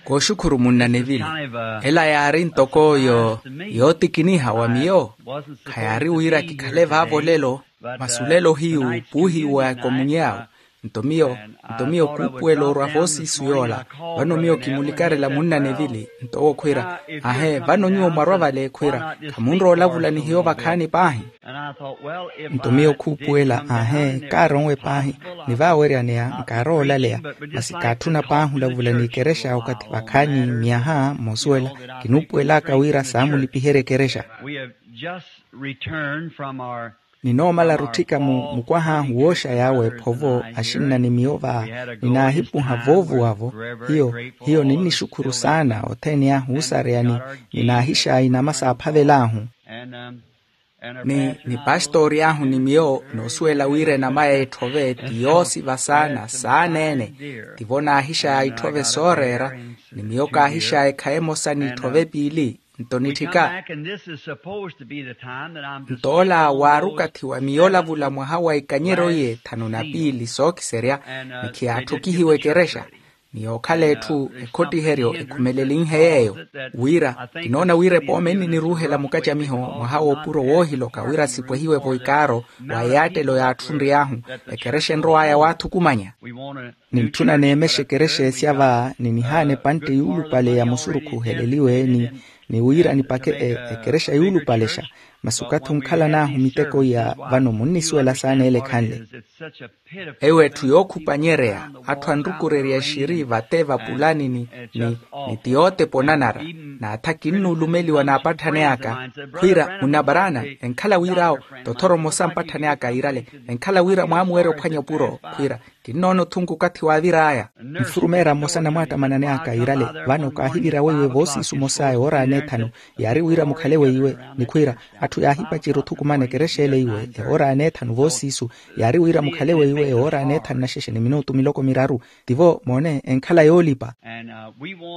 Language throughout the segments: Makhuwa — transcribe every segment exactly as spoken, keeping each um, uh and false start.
Kooxukhuru munna nevili. Ela yaari ntoko yootikiniha wa miyo. Khayaari wira kikhale vaavo lelo. Masulelo hiyu puuhiwa ekomunyawo. Nto miyo nto miyo kuupuwela orwa voosiisu yoola. Vano miyo kimulikarela munna nevili nto owo khwiira, ahe vano nyuwo mwarwa vale khwiira, khamunrowa olavula ni hiyo vakhaani paahi. Nto miyo khuupuwela ahe kaaronwe paahi, ni vaaweryaneya nkaarowa olaleya. Masi kaatthuna paahi olavula n'ikerexa okathi vakhaani myaha moosuwela. Kinuupuwelaka wira saamulipiherya ekerexa. Ninoomala rutthika mu mukwah'ahu wooxa yaawe ephovo axinna ni miyo va. Ninaahipuha voovuwa-vo. Hiyo hiyo ninnixukhuru saana othene ahu oosareyani. Ninaahixayi nama saaphavel'ahu. Ni ni pastori ahu ni miyo noosuwela wira enama y'etthove ti yoosiva saana saana-ene. Tivo naahixaya itthove sooreera. Ni miyo kaahixaya ekhayi emosa n'itthove piili. Nto nitthika. Nto ola waari okathi wa miyo olavula mwaha wa ikanyeryo iye thanu na piili sookiserya. Ni khiyaatthukihiwa ekerexa. Ni yookhala etthu ekhottiheryo ekhumelenhe yeeyo. Wira kinoona wira epoome nniniruuhela mukacamiho mwaha w'opuro woohiloka wira sipwehiwe-vo ikaaro. Wa eyaattelo yaatthunry'ahu ekerexa enrow'aya waathukumanya. Nintthuna neemexe ekerexa esya va ni nihaana epantte yuulupale ya musurukhu oheleliwe ni wira nipakhe ekerexa yuulupalexa. Masi okathi onkhalan'ahu miteko iya vano munnisuwela saana ele ekhanle. Eyo etthu yookhupanyereya atthu anrukurerya exiri vate vapulani ni ni ni ti yootepa onanara. Naatha kinnuulumeliwa naapatthani aka khwiira munna baraana enkhala wir'awo tothoro mmosa mpatthani aka iirale. Enkhala wira mwaamuwerya ophwanya opuro khwiira kinnoona othunka okathi waavir'aya. Nfurumeera mmosa na mwaattamanani aka iirale. Vano kaahivira weiwe voosiisu mmosa ewoora n'ethanu yaari wira mukhale weiwe. Ni khwiira atthu yaahipacerya othukumana ekerexa ele iwe ewoora n'ethanu voosiisu yaari wira mukhale weiwe ewoora n'ethanu na xexe ni minutu miloko miraru. Tivo moone enkhala yoolipa.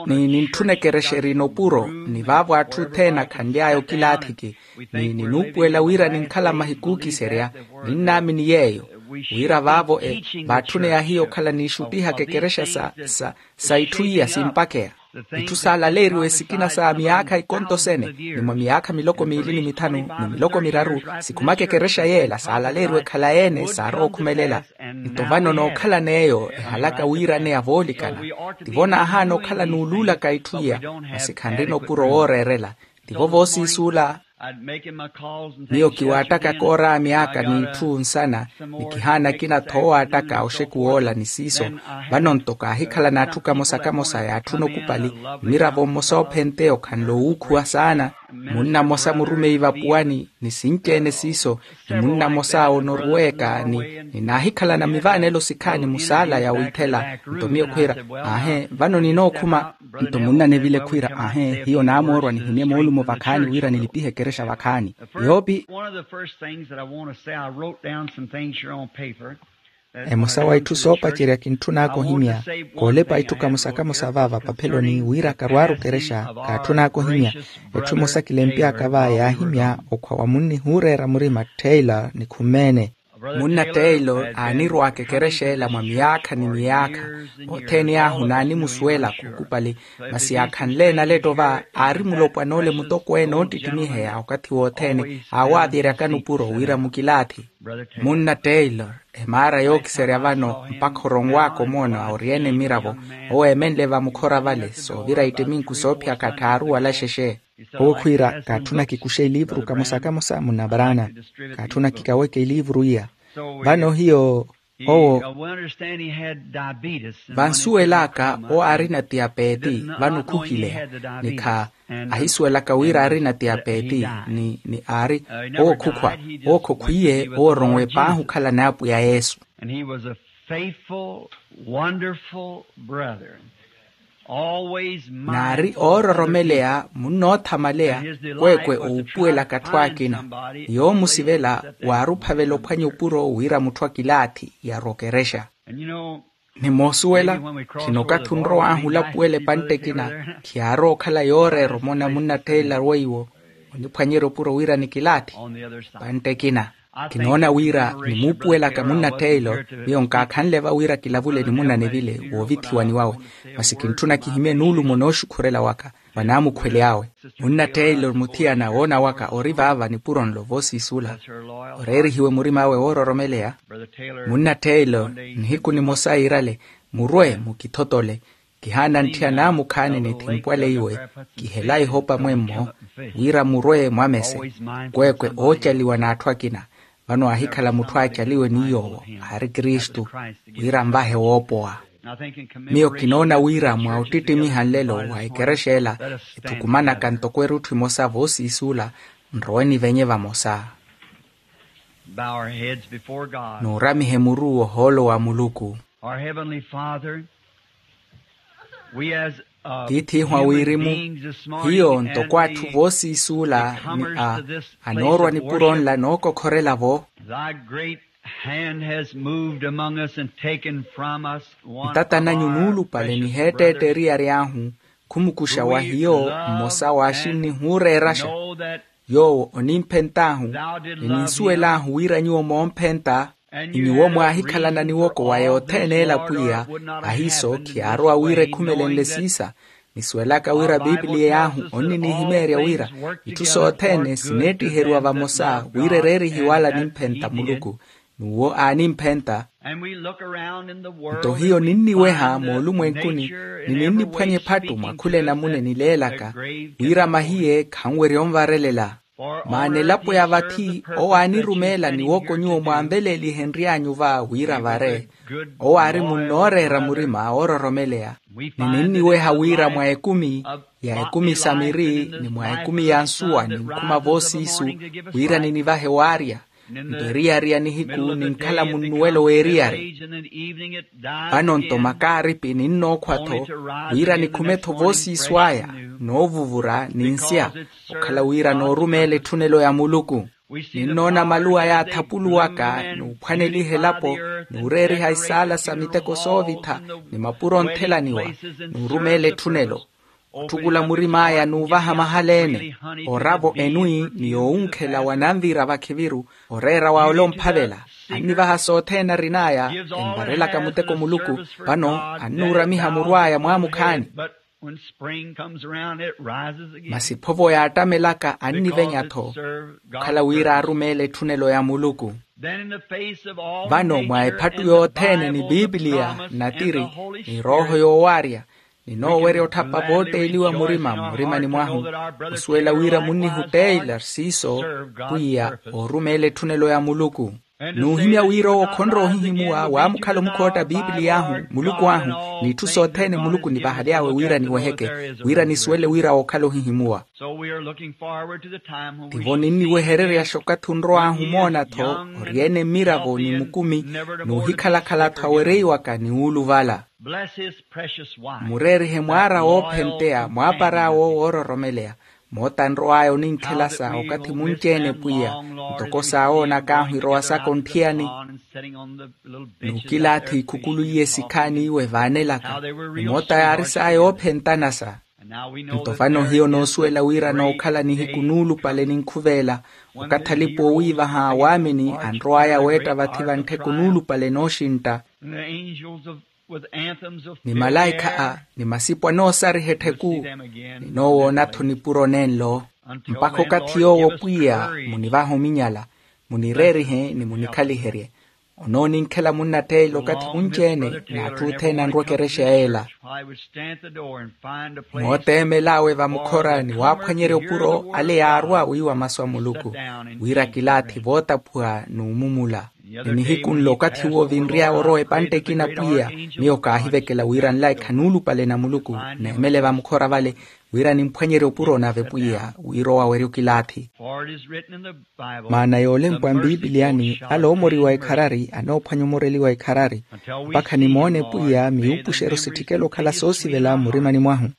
Ni nintthuna ekerexa erina opuro ni vaavo atthu othene akhanly'aya okilaathiki. Ni ninuupuwela wira ninkhala mahiku ookiserya. Ninnaamini yeeyo wira vaavo e vaatthuneya hiyo okhala niixuttihaka ekerexa sa sa sa itthu iya simpakeya. Itthu saalaleeriwe sikina sa miyaakha ikontosene ni mwa miyaakha miloko miili ni mithanu ni miloko miraru sikhumaka ekerexa yeela saalaleeriwe khalayi-ene saarowa okhumelela. Nto vano nookhalana eyo ehalaka wiiraneya voolikana. Tivo naahaana okhala nuuluulaka itthu iya. Masi khanrina opuro wooreerela. Tivo voosiisuula. Miyo kiwaattaka kooraamy'aka n'itthu nsana ni kihaana akina-tho oowaattaka oxekuw'ola ni siiso. Vano-nto kaahikhala n'atthu kamosa kamosa yaatthuna okupali. Mmiravo mmosa oophenteya okhanle owuukhuwa saana. Munna mmosa murumeyi vapuwani ni sinci-ene siiso. Ni munna mmosa onoruweeka ni ninaahikhalana mivaanelo sikhaani musaala ya wiithela. Nto miyo khwiira, aahe vano ninookhuma. Nto munna nevile khwiira aahe hiyo naamoorwa nihimye moolumo vakhaani wira nilipihe ekerexa vakhaani. Yoopi. Emosa wa itthu soopacerya kintthun'aka ohimya. Koolepa itthu kamosa kamosa va vapapheloni wira karwaaru ekerexa. Kaatthun'aka ohimya. Etthu emosa kilempy'aka va yaahimya okhwa wa munnihuureera murima taylor ni khumeene. Munna taylor aanirw'aka ekerexa ela mwa miyaakha ni miyaakha. Othene ahu naanimusuwelaka okupali. Masi yaakhanle enaletto va aari mulopwana ole mutokweene oottittimiheya okathi wothene aawaaveryaka nupuro wira mukilaathi. Munna taylor, emaara yookiserya vano mpakha oronw'aka omoona oryeene mmiravo. Owo eemenle vamukhora vale soovira ittiminku soophiyaka tthaaru wala xexe. Owo khwiira kaatthuna kikuxe iliivuru kamosa kamosa munna baraana. Kaatthuna kikaweke iliivuru iya. Vano hiyo owo vansuwel'aka owo aarina tiyapeti. Vano khuhileya nikha ahisuwelaka wira aarina tiyapeti. Ni aari owo khukhwa owo khokhwiye owo oronwe paahi okhalana apwiya yesu. And he was a faithful, wonderful brother. Naari oororomeleya munnoothamaleya. Kwekwe ouphuwelaka atthu akina ni yoomusivela waari ophavela ophwanya opuro wira mutthu akilaathi yarwa okerexa. Ni moosuwela khino okathi onrow'ahu olapuwela epantte ekina khiyaarowa okhala yooreera omona munna tteela weiwo oniphwanyerya opuro wira nikilaathi. Epantte ekina Kinoona wira nimuupuwelaka munnatteelo, miyo nkaakhanle va wira kilavule ni munnanevile woovithiwani wawe. Masi kintthuna kihimye nuulumo nooxukhurela waka vanaamukhwele awe. Munnatteelo muthiyana woona waka ori vaava nipuro nlo voosiisula, oreerihiwe murim'awe woororomeleya. Munnatteelo, nihiku nimosa iirale, murwe mukithotole. Kihaana ntthi anaamukhaani nithimpwaleiwe, kihela ihopa mwemmo, wira murwe mwamese. Kweekwe oocaliwa n'atthu akina. Vano aahikhala mutthu aacaliwe ni yoowo aari kristu, wira nvahe woopowa. Miyo kinoona wira mwa ottittimiha nlelo wa ekerexa ela, etthukumanaka ntoko erutthu emosa voosiisuula, nrowe nivenye vamosa. Bow our heads before God. Nuuramihe muru ohoolo wa muluku. Our Heavenly Father, we as, uh, tiithihwa human wirimu beings this morning hiyo and ntoko atthu the voosiisuula ni a anoorwa nipuro nla nookokhorela-vo. Thy great hand has moved among us and taken from us one of our ntatananyu nuulupale precious niheetteette brothers. Eriyari ahu khumukuxa wa hiyo mmosa w'axinni huureeraxa. Yoowo onimphent'ahu, ni ninsuwel'ahu wira nyuwo moomphenta. Ni nyuwo mwaahikhalana niwoko wa yothene ela pwiya. Ahiiso khiyaarowa wira ekhumelenle siisa. Nisuwelaka wira pipiliya y'ahu onninihimeerya wira itthu sothene sineettiheriwa vamosa wira ereerihiwe wala nimphenta muluku. N'uwo aanimphenta. Nto hiyo ninniweha moolumwenkuni, ni ninniphwanya ephattu mwa khula enamuna enileelaka, wira mahiye khanwerya onvarelela. Maana elapo ya vathi owo aanirumeela niwoko nyuwo mwaanveleelihenry'anyu va wira vare. Owo aari munnooreera murima woororomeleya. Ni ninniweha wira mwa ekumi ya ekumi sa miri ni mwa ekumi ya nsuwa ninkhuma voosiisu, wira ninivahe waarya. Nto eriyari ya nihiku ninkhala munnuwelo w'eriyari. Vano nto makaaripi ninnookhwa-tho, wira nikhume-tho voosiisu aya noovuvura ninsya, okhala wira noorumeela etthunelo ya muluku. Ninnoona maluwa yaathapuluwaka n'uphwaneliha elapo, n'ureeriha isaala sa miteko soovitha, ni mapuro onthelaniwa, n'urumeela etthunelo. Otthukula murim'aya n'uvaha mahala-ene, oravo enwi ni yoowunkhela wananvira vakhiviru, oreera wa olomphavela. Annivaha sothene arin'aya, envarelaka muteko muluku. Vano annuuramiha muru aya mwaamukhaani. Masi phovo yaattamelaka annivenya-tho, okhala wira arumeela etthunelo ya muluku. Vano mwa ephattu yothene ni pipiliya natiri, ni rooho yoowaarya, ninoowerya otthapa vootteeliwa murima mmurimani mwahu, osuwela wira munnihutteela siiso, pwiya oorumeela etthunelo ya muluku. N'uhimya wira owo khonrowa ohihimuwa waamukhala omukhootta pipiliy'ahu muluku ahu, n'itthu sothene muluku nivahaly'awe wira niweheke, wira nisuwele wira wookhala ohihimuwa. Tivo ninniwehereryaxa okathi onrow'ahu omoona-tho, oryeene mmiravo ni mukumi, n'uhikhalakhala-tho awereiwaka ni wuuluvala. Mureerihe mwaara woophenteya mwaapar'awe owo woororomeleya. Moota anrow'aya oninkhelasa okathi munci-ene pwiya, ntoko saawoonak'ahu irowa saka ontthiyani. N'ukilaathi ikhukulu iye sikhaani iwe vaanelaka. Ni moota yaari saaya oophentanasa. Nto vano hiyo noosuwela wira nookhala nihiku nuulupale ninkhuveela, okathi alipa oowiivaha a waamini anrow'aya weetta vathi vanttheko nuulupale nooxintta. Ni malaikha a ni masipo anoosariha ettheku, ninoowoona-tho nipuro nenlo. Mpakha okathi yoowo pwiya munivahe ominyala, munireerihe ni munikhaliherye. Onooninkhela munnatteela okathi munci-ene n'atthu othene anrwa ekerexa yeela. Mooteemel'awe vamukhora ni waaphwanyerya opuro ale yaarwa wiiwa masu a muluku, wira kilaathi vootaphuwa n'umumula. Ni nihiku nlo okathi uwo vinry'awe orowa epantte ekina pwiya, miyo kaahivekela wira nlaikha nuulupale na muluku, neemele vamukhora vale, wira nimphwanyerye opuro nave pwiya wiirowa werya okilaathi. Maana yoolempwa mpipiliyani ale oomoriwa ekharari anoophwanya omoreliwa ekharari, mpakha nimoone pwiya miwuupuxeryo sitthikela okhala soosivela mmurimani mwahu.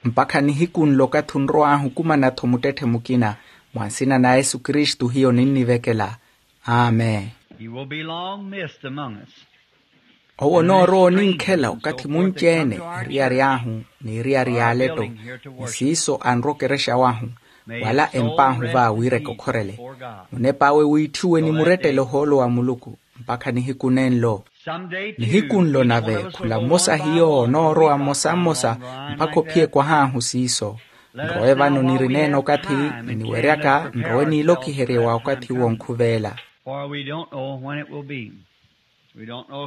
Mpakha nihiku nlo okathi onrow'ahu okumana-tho muttetthe mukina. Mwa nsina na yesu kristu hiyo ninnivekela. Amen. He will be long missed among us. Owo onoorowa oninkhela okathi munci-ene, eriyari ahu n'eriyari y'aletto, ni siiso anrowa okerexa wahu, wala emp'ahu va wira ekokhorele. Munep'awe wiitthiwe ni murettele ohoolo wa muluku, mpakha nihiku nenlo. Nihiku nlo nave khula mmosa hiyo onoorowa mmosa mmosa, mpakha ophiye kwah'ahu siiso. Nrowe vano nirineene okathi, niniweryaka nrowe niilokiherye wa okathi uwo onkhuveela.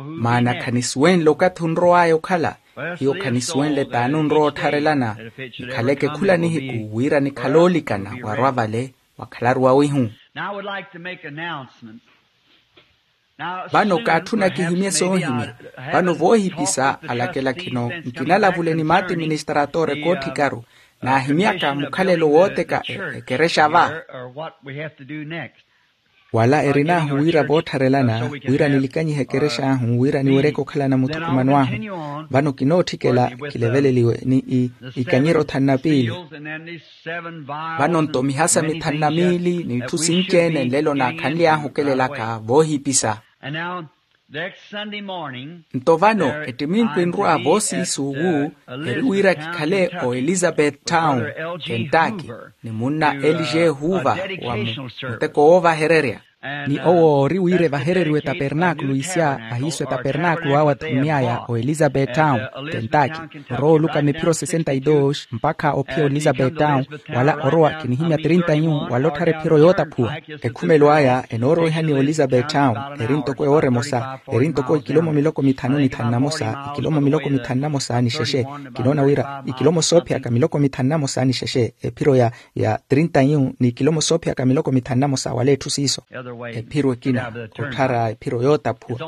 Maana khanisuwenle okathi onrow'aya okhala. Hiyo khanisuwenle t'ani onrowa ottharelana. Nikhaleke khula nihiku wira nikhale oolikana warwa vale, wakhalaru wawihu. Vano kaatthuna kihimye soohimya. Vano voohipisa alakela khino nkinalavule ni maatiministratore koothikaru, naahimyaka mukhalelo wooteka ekerexa va. Wala erin'ahu wira voottharelana wira nilikanyihe ekerexa ahu wira niweryeke okhalana muthukumano ahu. Vano kinootthikela kileveleliwe ni ikanyeryo thanu na piili. Vano nto mihasa mithanu na miili n'itthu sinci-ene nlelo naakhanly'ahu okelelaka voohipisa. Nto vano ettiminku enrwa voosiisuwu eri wira kikhale oelizabeth town, kentucky, ni munna elije huva wa muteko woovahererya. Ni owo ori wira evahereriwe tapernaakulu isya ahiiso etapernaakulu awo athunny'aya oelizabeth town, kentucky. Orowa olukama ephiro sesenta y dos mpakha ophiya oelizabeth town, wala orowa kinihimya trinta yu wala otthara ephiro yootaphuwa. Ekhumelo aya enoorowihani oelizabeth town, eri ntoko ewoora emosa eri ntoko ikilomo miloko mithanu ni thanu na mosa ikilomo miloko mithanu na mosa ni xexe. Kinoona wira ikilomo soophiyaka miloko mithanu na mosa ni xexe ephiro ya ya trinta yu ni ikilomo soophiyaka miloko mithanu na mosa wala etthu siiso. Ephiro ekina otthara ephiro yootaphuwa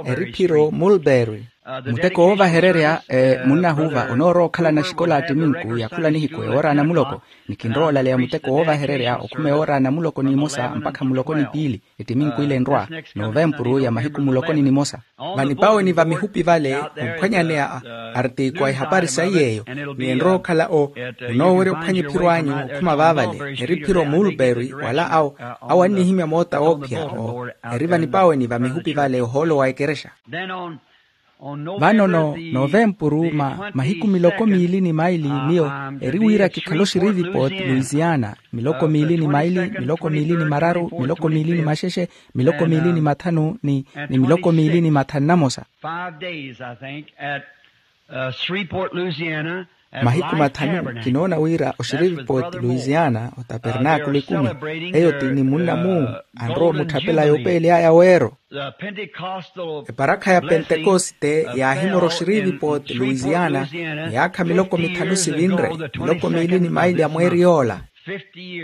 eri phiro mulberry. Muteko woovahererya munnahuva onoorowa okhalana xikola attiminku ya khula nihiku ewoora anamuloko. Ni kinrowa olaleya muteko woovahererya okhuma ewoora anamuloko n'imosa mpakha muloko ni piili. Ettiminku ile enrwa novempuru ya mahiku muloko ni nimosa. Vanipaweni va mihupi vale ophwanyaneya artiko a ihapari sayi yeeyo. Ni enrowa okhala o onoowerya ophwanya ephiro anyu okhuma vaavale eri phiro mulberry wala awo awo annihimya moota woophiya o eri vanipaweni va mihupi vale ohoolo wa ekerexa. Vano novempuru mahiku miloko miili ni maili miyo eri wira kikhale oxirivipot louisiana miloko miili ni maili miloko miili ni mararu miloko miili ni maxexe miloko miili ni mathanu ni miloko miili ni mathanu na mosa. Mahiku mathanu kinoona wira oxirivipot louisiana otapernaakulu ikumi eyo ti ni munna muu anrowa omutthapela yoopeely'aya weero. Eparakha ya pentekoste yaahimora oxirivipot louisiana miyaakha miloko mithanu sivinre miloko miili ni maili a mweeri yoola.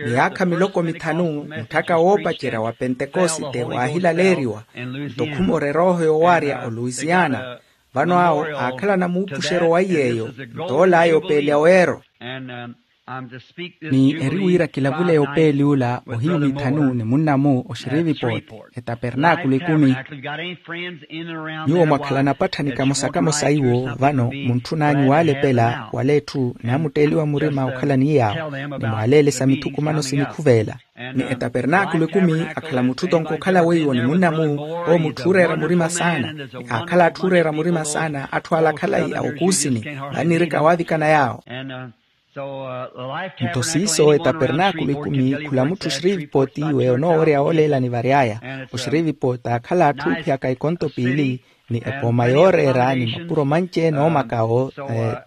Miyaakha miloko mithanu mutthaka woopacerya wa pentekoste waahilaleeriwa nto khumora erooho yowaarya olouisiana. Vano awo aakhalana muupuxeryo wa iy'eyo nto ool'aya opeelya weero. Ni eri wira kilavuleya opeeli ula ohiyu mithanu ni munnamu oxirivipoti etapernaakulu ikumi. Nyuwo mwakhalana apatthanika mosa kamosa iwo vano muntthun'anyu waalepela wala etthu naamutteeliwa murima okhalani yaawo ni mwaaleelesa mithukumano sinikhuveela. Ni etapernaakulu ikumi akhala mutthu tonko okhala weiwo ni munnamu owo mutthu ooreera murima saana ni aakhala atthu ooreera murima saana atthu ala akhalayi a okuusini. Vannirika waavikana yaawo. Nto siiso etapernaakulu ikumi khula mutthu oxirivipoti iwe onoowerya wooleelani vary'aya. Oxirivipoti aakhala atthu oophiyaka ikonto piili ni epooma yooreera ni mapuro manci-ene oomakawo.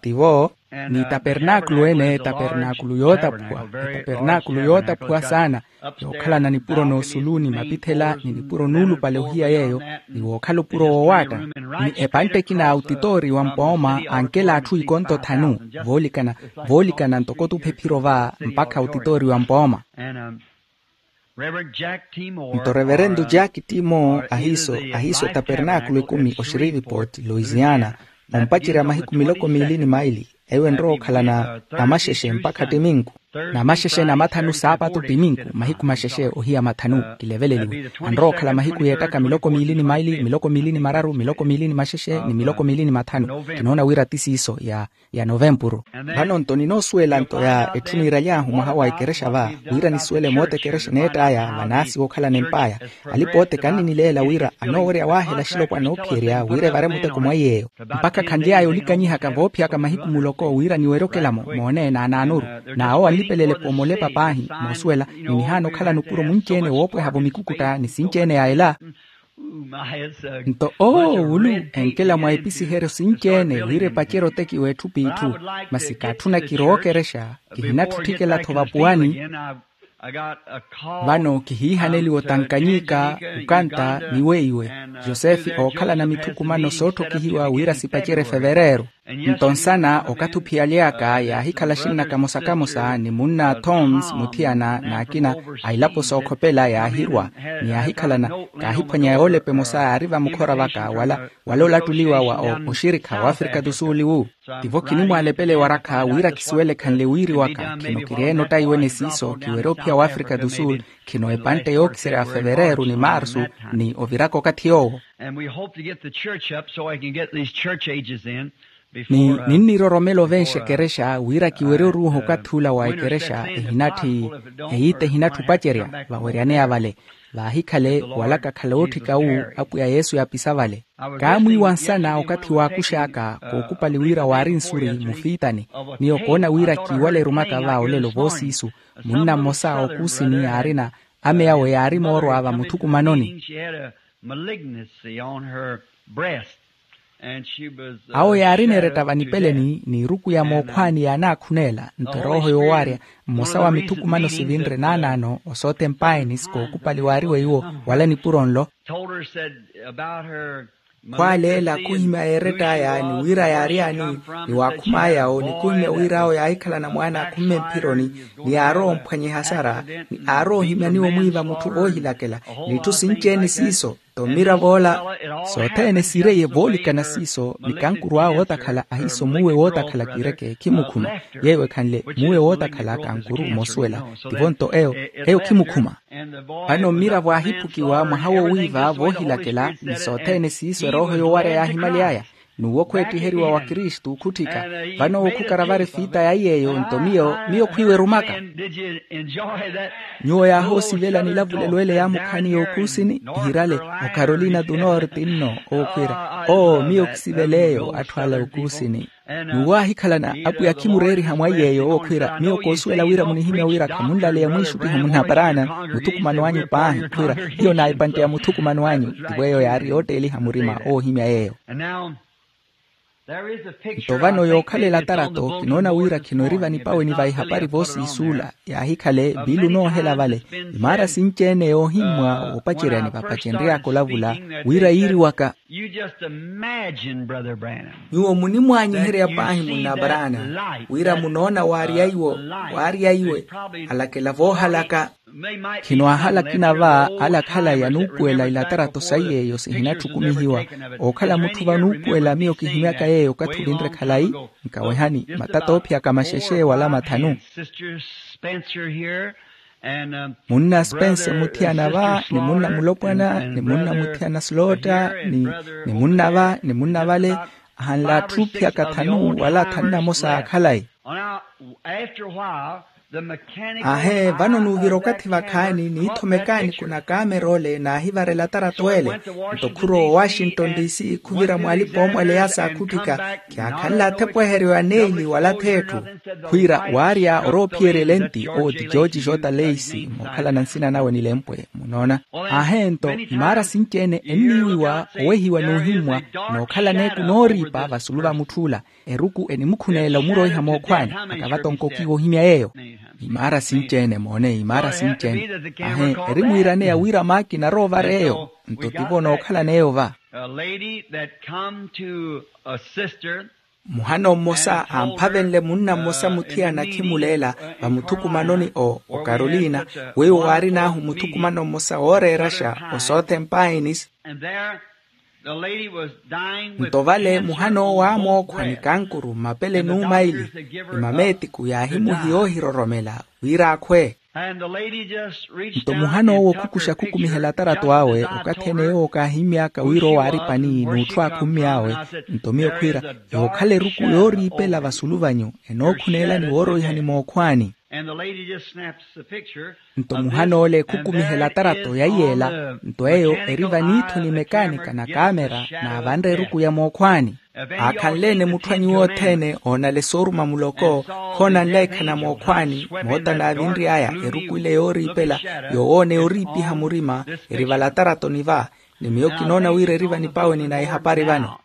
Tivo. Ni tapernaakulu ene tapernaakulu yootaphuwa. Etapernaakulu yootaphuwa saana yookhalana nipuro n'osulu ni mapithela ni nipuro nuulupale ohiya yeeyo ni wookhala opuro woowaatta. Ni epantte ekina a utitoori wa mpooma ankela atthu ikonto thanu voolikana voolikana ntoko tuphe ephiro va mpakha utitoori wa mpooma. Nto reverendo jack timo ahiiso ahiiso etapernaakulu ekumi oxirivipoti louisiana ompacerya mahiku miloko miili ni maili. Eyo enrowa okhalana namaxexe mpakha ttiminku. Namaxexe namathanu saapatu timinku mahiku maxexe ohiya mathanu kileveleliwe. Anrowa okhala mahiku yeettaka miloko miili ni maili miloko miili ni mararu miloko miili ni maxexe ni miloko miili ni mathanu. Kinoona wira ti siiso ya novempuru. Vano nto ninoosuwela nto ya etthu niiraly'ahu mwaha wa ekerexa va wira nisuwele moota ekerexa eneett'aya vanaasi wookhalana emp'aya. Alipa ote kanninileela wira anoowerya waahela axilopwana oophiyerya wira evare muteko mwa iy'eyo. Mpakha khanly'aya olikanyihaka voophiyaka mahiku muloko wira niwerye okelamo moone naanaanuru. N'awo anlipelele-po molepa paahi moosuwela ni nihaana okhalana opuro munci-ene woopweha-vo mikukutta ni sinci-ene ya ela. Nto oowulu enkela mwa episiheryo sinci-ene wira epacerye otekiwa etthu p'itthu. Masi kaatthuna kirowa okerexa kihinatthutthikela-tho vapuwani. Vano kihiihaneliwa otankanyika, okanta ni weiwe. Yosefe ookhalana mithukumano sootthokihiwa wira sipacerye fevereeru. Nto nsana okathi ophiyaly'aka yaahikhala axinna kamosa-kamosa ni munna thoms muthiyana n'akina a ilapo sookhopela yaahirwa ni yaahikhalana. Kaahiphwanya yoolapa emosa yaari vamukhora vaka wala olattuliwa wa oxirikha w'afrika tu sul iwu. Tivo kinimwalepela ewarakha wira kisuwele khanle wiiri waka khino kiryeene ottayiwene siiso kiwerye ophiya w'afrika tu sul. Khino epantte yookiserya fevereeru ni marsu ni oviraka okathi yoowo. And we hope to get the church up so I can get these church ages in. Ni ninniroromela ovenxa ekerexa wira kiwerye oruuha okathi ula wa ekerexa ehinatthi eyiita ehinatthi opacerya vaweryaneya vale. Vaahikhale wala kakhala ootthika wu apwiya yesu yaapisa vale. Kaamwiiwa nsana okathi waakux'aka kookupali wira waari nsuri mufiitani. Miyo koona wira kiiwala erumaka va olelo voosiisu. Munna mmosa ookuusini yaarina ame awe yaari moorwa vamuthukumanoni. Awo yaarina eretta vanipeleni n'iruku ya mookhwaani yaanaakhuneela nto erooho yoowaarya. Mmosa wa mithukumano sivinre naanaano osoote mpaini sikookupali waariwe iwo wala nipuro nlo. Khwaaleela khuhimya yeerett'aya ni wira yaary'ani ni waakhum'aya-wo ni khuhimya wir'awo yaahikhalana mwaana akhumme mphironi ni aarowa omphwanyiha sara ni aarowa ohimyaniwa omwiiva mutthu voohilakela n'itthu sinci-ene siiso. Nto mmirav'ola sothene siireiye voolikana siiso ni kankuru awe wootakhala ahiiso muuwe wootakhala kiireke khimukhuma. Yeeyo ekhanle muuwe wootakhala kankuru moosuwela tivo nto eyo eyo khimukhuma. Vano mmiravo aahiphukiwa mwaha wowiiva voohilakela ni sothene siiso erooho yoowarya yaahimaly'aya. N'uwo khweetthiheriwa wa kristu khutthika. Vano owo khukaravari fiita ya iy'eyo nto miyo miyo khwiiwerumaka. Nyuwo yaahoosivela nilavulelo ele yaamukhaani y'okuusini ihirale ocarolina tu norte nno owo khwiira oo miyo khisivela eyo atthu ala okuusini. N'uwo aahikhalana apwiya khimureeriha mwa iy'eyo owo khwiira miyo koosuwela wira munihimya wira khamunlaleya mwiixuttiha munnaparaana muthukumano anyu paahi khwiira hiyo naayipantte ya muthukumano anyu. Tivo eyo yaari yootteeliha murima oohimya yeeyo. Nto vano yookhalela tarato kinoona wira khino eri vanipaweni va ihapari voosiisuula yaahikhale bilu noohela vale. Imaara sinci-ene yoohimmwa woopaceryani vapacenry'aka olavula wira yiiriwaka. Nyuwo munimwaanyiherya paahi munna abraana wira munoona waarya iwo waarya iwe alakela voohalaka. Khino ahala akina va ala akhala yanuupuwela ilatarato sa iy'eyo sihinatthukumihiwa. Ookhala mutthu vanuupuwela miyo kihimyaka yeeyo okathi ovinre khalayi. Nkawehani matata oophiyaka maxexe wala mathanu. Munna spense muthiyana va ni munna mulopwana ni munna muthiyana slotta ni munna va ni munna vale ahanle atthu oophiyaka thanu wala thanu na mosa aakhalayi. Ahe vano nuuvira okathi vakhaani niithomekaani kuna kamerole naahivarela tarato ele. Nto khurowa owashington dc khuvira mwaalipa oomwaleya saakhutthika khiyaakhanle athepweheryo ya neili wala theetthu. Khwiira waarya oroophiyerya elenti owo ti george jota leisi mookhalana nsina nawe nilempwe munoona. Ahe nto imaara sinci-ene enniiwiwa owehiwa n'uhimmwa nookhalana eku nooriipa vasulu va mutth'ula. Eruku enimukhuneela omuroiha mookhwaani akavatonkokiwa ohimya yeeyo. Imaara sinci-ene moone imaara sinci-ene. Ahe erimwiiraneya wira maakina aroovara eyo. Nto tivo nookhalana eyo va. Muhano mmosa amphavenle munna mmosa muthiyana akhimuleela vamuthukumanoni o okarolina weiwo waarin'ahu muthukumano mmosa wooreeraxa osoothempainis. Nto vale muhan'owo aamookhwa ni kankuru mmapele n'umaili, ni mameetiku yaahimuhiya oohiroromela wira akhwe. Nto muhan'owo khukuxa khukumiha elatarato awe okathi ene yoowo kaahimmy'aka wira owo aari pani n'utthu aakhummy'awe. Nto miyo khwiira, yookhala eruku yooriipela vasulu vanyu, enookhuneelani wooroihani mookhwaani. Nto muhan'ole khukumiha elatarato yaiyeela. Nto eyo eri vaniitho ni mekaanika na kaamera naavanre eruku ya mookhwaani. Aakhanle-ene mutthu a nyuwo othene oonale sooruma muloko, khoonanle ekhana mookhwaani, moota naavinry'aya eruku ile yooriipela, yoowoona yooriipiha murima, eri valataratoni va. Ni miyo kinoona wira eri vanipaweni na ehapari vano.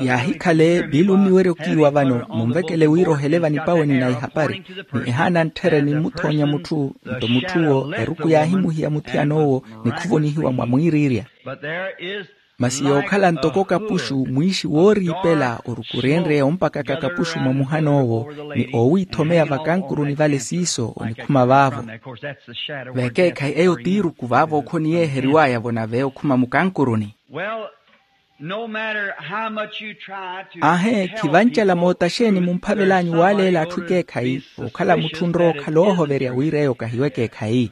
Yaahikhale piili onniwerya okiiwa vano munvekele wira ohele vanipaweni na ihapari. Ni ehaana ntthera enimmuthoonya mutthu. Nto mutth'uwo eruku yaahimuhiya muthiyan'owo, ni khuvonihiwa mwa mwiiriirya. Masi yookhala ntoko kapuxu mwiixi wooriipela orukurenrye ompakaka kapuxu mwa muhan'owo, ni oowiithomeya vakankuruni vale siiso onikhuma vaavo. Veekeekhayi eyo t'iruku vaavo okhoniyeeheriw'aya-vo nave okhuma mukankuruni. Aahe, khivancala moota xeeni mumphavel'anyu waaleela atthu ekeekhayi, okhala mutthu onrowa okhala oohoverya wira eyo kahiwe ekeekhayi.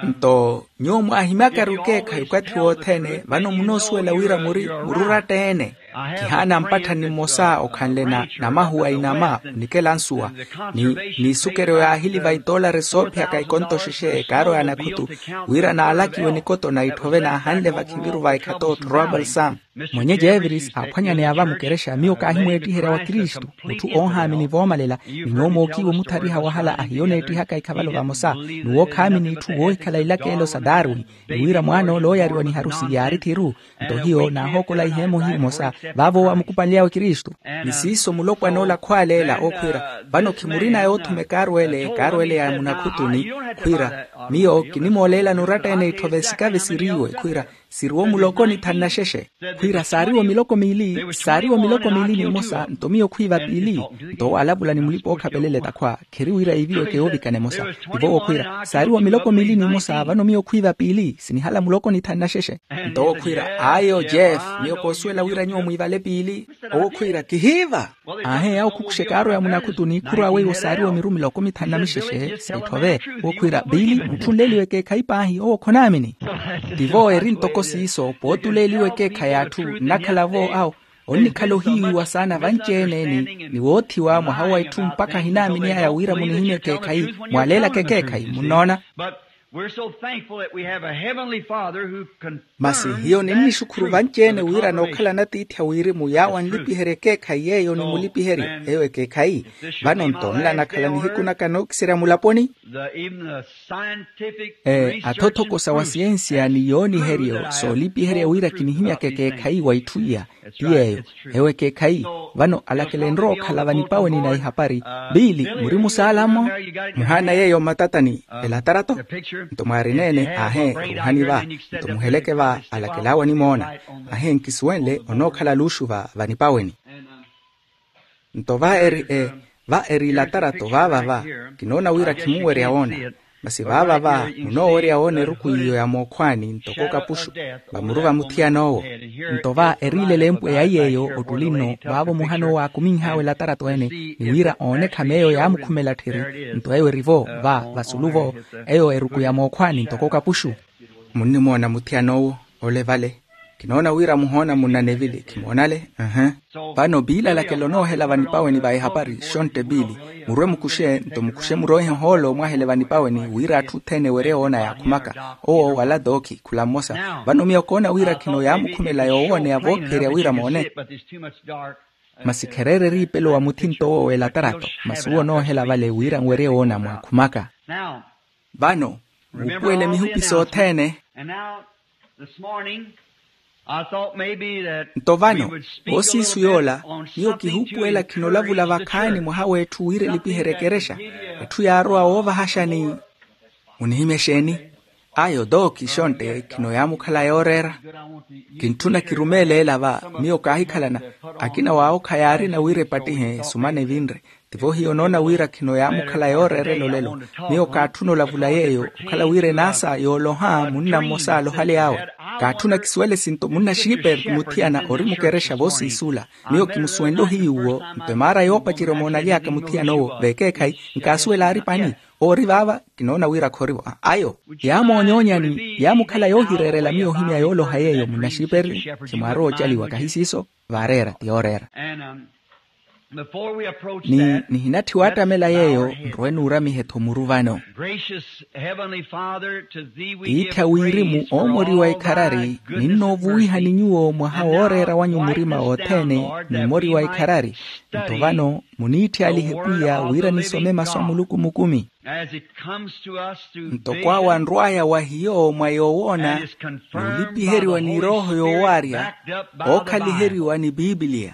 Nto nyuwo mwaahimyakari okeekhayi okathi wothene vano munoosuwela wira muri mururatta-ene. Khihaana mpattha ni mmosa okhanle na namahuwa inama onikela nsuwa, ni niisukeryo yaahili va itoolari soophiyaka ikonto xexe ekaaro ya anakhutu, wira naalakiwe nikoto na itthove naahanle vakhiviru va ekhata otthorowa balsamu. Mwenye jeviris aaphwanyaneya va mukerexa miyo kaahimweettiherya wa kristu, mutthu oohaamini voomalela. Ni nyuwo mookiiwa omuthariha wahala ahiyo oneettihaka ikhavalo vamosa, n'uwo khaamini itthu woohikhala ilakeelo sa darwin. Ni wira mwaan'ole ooyariwa ni harusi yaari thiru. Nto hiyo naahookola iheemo himosa vaavo owo aamukupanly'awe kristu. Ni siiso mulopwana ola khwaaleela okhwiira, vano khimurina yoothuma ekaarwele ekaarwele ya munakhutuni, khwiira, miyo kinimooleelani oratta-ene itthove sikave siriiwe khwiira, siriwo muloko ni thanu na xexe. Khwiira saariwo miloko miili saariwo miloko miili ni emosa nto miyo khwiiva piili. Nto owo alavula ni mulipa-ookhapelele takhwa kheri wira iiviweke yoovikana emosa. Tivo owo khwiira saariwo miloko miili ni emosa vano miyo khwiiva piili sinihala muloko ni thanu na xexe. Nto owo khwiira ayo jeff, miyo koosuwela wira nyuwo mwiivale piili. Owo khwiira kihiiva. Aahe awo khukuxa ekaaro ya munakhutuni khurwaawe iwo saariwo miru miloko mithanu na mixexe sa itthove. Owo khwiira piili mutthu onleeliwe ekeekhayi paahi owo khonaamini. Tivo eri ntoko siiso pootuleeliwe ekeekhayi atthu nnakhala-vo awo onnikhala ohiiwiwa saana vanci-ene ni woothiwa mwaha wa itthu mpakha ahinaamini aya wira munihimye ekeekhayi. Mwaaleelaka ekeekhayi munnoona. Masi hiyo ninnixukhuru vanci-ene wira nookhalana tiithi a wirimu yaawo anlipiherya ekeekhayi yeeyo nimulipiherye. Eyo ekeekhayi vano nto nla nakhala nihiku naka nookiserya mulaponi. Ee athothoko sa wa siyensiya ni yooniheryo soolipiherya wira kinihimyaka ekeekhayi wa itthu iya ti yeeyo. Ewo ekeekhayi vano alakela enrowa okhala vanipaweni na ihapari. Piili muri musaala-mo? Muhaana yeeyo mmatatani elatarato. Nto mwaarina-ene aahe ruuhani va. Nto muheleke va alakel'awe onimoona. Aahe nkisuwenle onookhala luuxu va vanipaweni. Nto va eri e va eri ilatarato vaava va kinoona wira khimunwerya woona. Masi vaava va munoowerya woona eruku iyo ya mookhwaani ntoko kapuxu vamuru va muthiyan'owo. Nto va eriilele empweya iy'eyo ottuli nno vaavo muhan'owo aakuminh'awe elatarato-ene ni wira oone ekhama eyo yaamukhumela tthiri. Nto eyo eri-vo va vasulu-vo eyo eruku ya mookhwaani ntoko kapuxu. Munnimoona muthiyan'owo ole vale. Kinoona wira muhoona munna nevili khimoonale. Vano piili alakela onoohela vanipaweni va ehapari xontte piili. Murwe mukuxe nto mukuxe muroihe ohoolo mwahele vanipaweni wira atthu othene ewerye woona yaakhumaka. Owo wala tookhi khula mmosa. Vano miyo koona wira khino yaamukhumela yoowooneya voophiherya wira moone. Masi khereera eriipelo wa muthinto owo w'elatarato. Masi uwo onoohela vale wira nwerye woona mwaakhumaka. Vano muupuwele mihupi sothene. Nto vano voosiisu yoola miyo kihuupuwela khinolavula vakhaani mwaha w'etthu wira elipiherye ekerexa. Etthu yaarowa woovahaxani. Munihimya exeeni? Ayo tooki xontte khino yaamukhala yooreera. Kintthuna kirumeele ela va. Miyo kaahikhalana akina waawo khayaarina wira epattihe sumana evinre. Tivo hiyo onoona wira khino yaamukhala yooreerela olelo. Miyo kaatthuna olavula yeeyo okhala wira enaasa yooloha munna mmosa alohaly'awe. Kaatthuna kisuwele sinto munna xiiperti muthiyana ori mukerexa voosiisula. Miyo kimusuwenle ohiyuwo nto emaara yoopacerya omoonaly'aka muthiyana owo veekeekhayi. Nkaasuwela aari pani? Oori vaava. Kinoona wira khorivo ayo. Yaamoonyoonyani yaamukhala yoohireerela miyo ohimya yooloha yeeyo munna xiiperti. Khimwaarowa ocaliwa kahi siiso. Vaareera ti yooreera. Ni nihinatthiwa attamela yeeyo nrowe nuuramihe-tho muru vano. Tiithi a wirimu oomori wa ikharari, ninnoovuwihani nyuwo mwaha wooreera wanyu murima wothene. N'umori wa ikharari nto vano muniitthi alihe pwiya wira nisome masu a muluku mukumi. Ntoko awo anrw'aya wa hiyo mwa yoowoona n'ulipiheriwa ni erooho yoowaarya ookhaliheriwa ni piipiliya.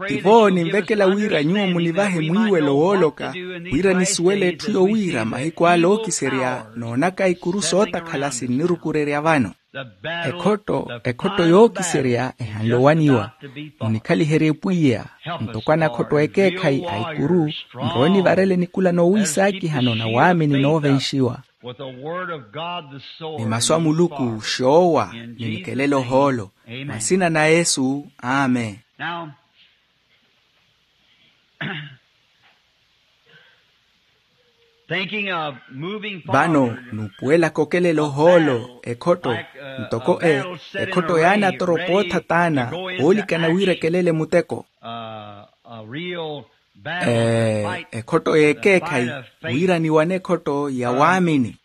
Tivo ninvekela wira nyuwo munivahe mwiiwelo wooloka wira nisuwele etthu yowiira mahiku ale ookiserya noonaka ikuru sootakhala sinnirukurerya vano. Ekhotto ekhotto yookiserya ehanle owaniwa. Munikhaliherye pwiya ntoko anakhotto ekeekhayi a ikuru nrowe nivarele nikula noowiisaakihano na waamini noovenxiwa. Ni masu a muluku xoowa ni nikelele ohoolo. Mwa nsina na yesu amen. Vano nuupuwelaka okelela ohoolo ekhotto ntoko e ekhotto yaanatoropa ootha taana. Oolikana wira ekelele muteko. Ee ekhotto y'ekeekhayi wira niwane ekhotto ya waamini.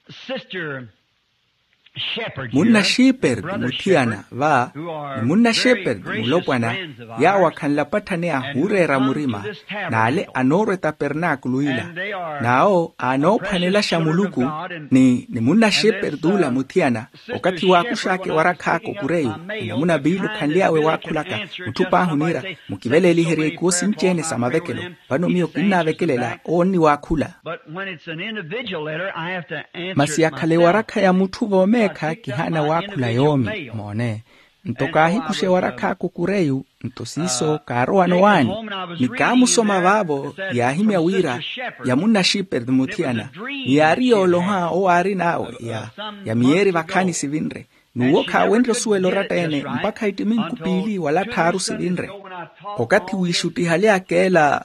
Munna xiiperti muthiyana va ni munna xiiperti mulopwana yaawo akhanle apatthaneya ahuureera murima n'ale anoorwa etapernaakulu ila. N'awo aanoophwanelaxa muluku ni ni munna xiiperti ula muthiyana okathi waakux'aka ewarakh'aka okureyu. Enamuna piili okhanly'awe waakhulaka mutthu paahi oniira mukiveleliherye ikuwo sinci-ene sa mavekelo. Vano miyo kinnaavekelela owo onniwaakhula. Masi yakhala ewarakha ya mutthu voomeekha kihaana waakhula yoomi moone. Nto kaahikuxa ewarakha aka okureyu nto siiso kaarowana owaani. Ni kaamusoma vaavo yaahimya wira ya munna xiiperti muthiyana ni yaari yooloha owo aarin'awe ya ya miyeeri vakhaani sivinre. N'uwo khaawenrye osuwela oratta-ene mpakha ittiminku piili wala tthaaru sivinre. Okathi wiixuttihaly'aka ela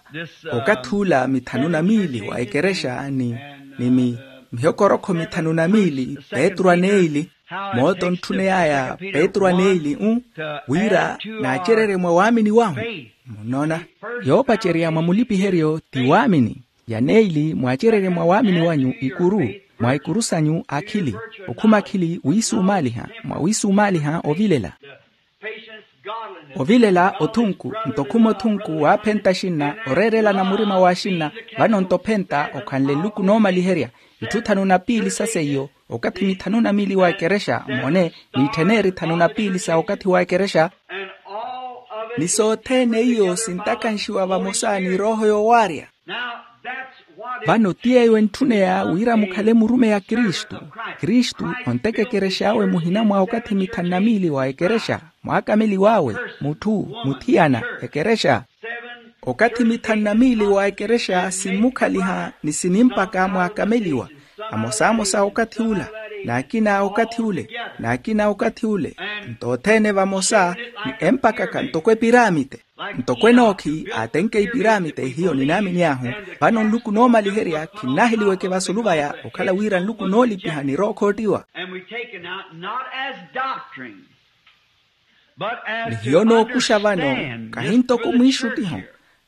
okathi ula mithanu na miili wa ekerexa ni ni mi mihokorokho mithanu na miili petru aneili. Moota ontthuney'aya petru aneili u wira naacererye mwa waamini wahu. Munnoona yoopacerya mwa mulipiheryo ti waamini. Yaneili mwaacererye mwa waamini wanyu ikuru mwa ikuru sanyu akhili okhuma akhili wiisumaaliha mwa wiisumaaliha ovilela. Ovilela othunku nto okhuma othunku waaphenta axinna oreerelana murima w'axinna. Vano nto ophenta okhanle nluku noomaliherya itthu thanu na piili sa seiyo okathi mithanu na miili wa ekerexa moone niitthen'eri thanu na piili sa okathi wa ekerexa. Ni sothene iyo sintakanxiwa vamosa ni erooho yoowaarya. Vano ti yeeyo entthuneya wira mukhale murumeyi a kristu. Kristu onteka ekerex'awe muhina mwa okathi mithanu na miili wa ekerexa mwaakameliw'awe mutthu muthiyana ekerexa. Okathi mithanu na miili wa ekerexa simmukhaliha ni sinimpaka mwaakameliwa amosamosa okathi ula n'akina okathi ule n'akina okathi ule nto othene vamosa ni empakaka ntoko epiramite. Ntoko enookhi aatenke ipiramite hiyo ninaamini ahu. Vano nluku noomaliherya khinnaheliweke vasulu vaya okhala wira nluku noolipiha ni rookhoottiwa. Ni hiyo nookuxa vano kahi ntoko mwiixuttiho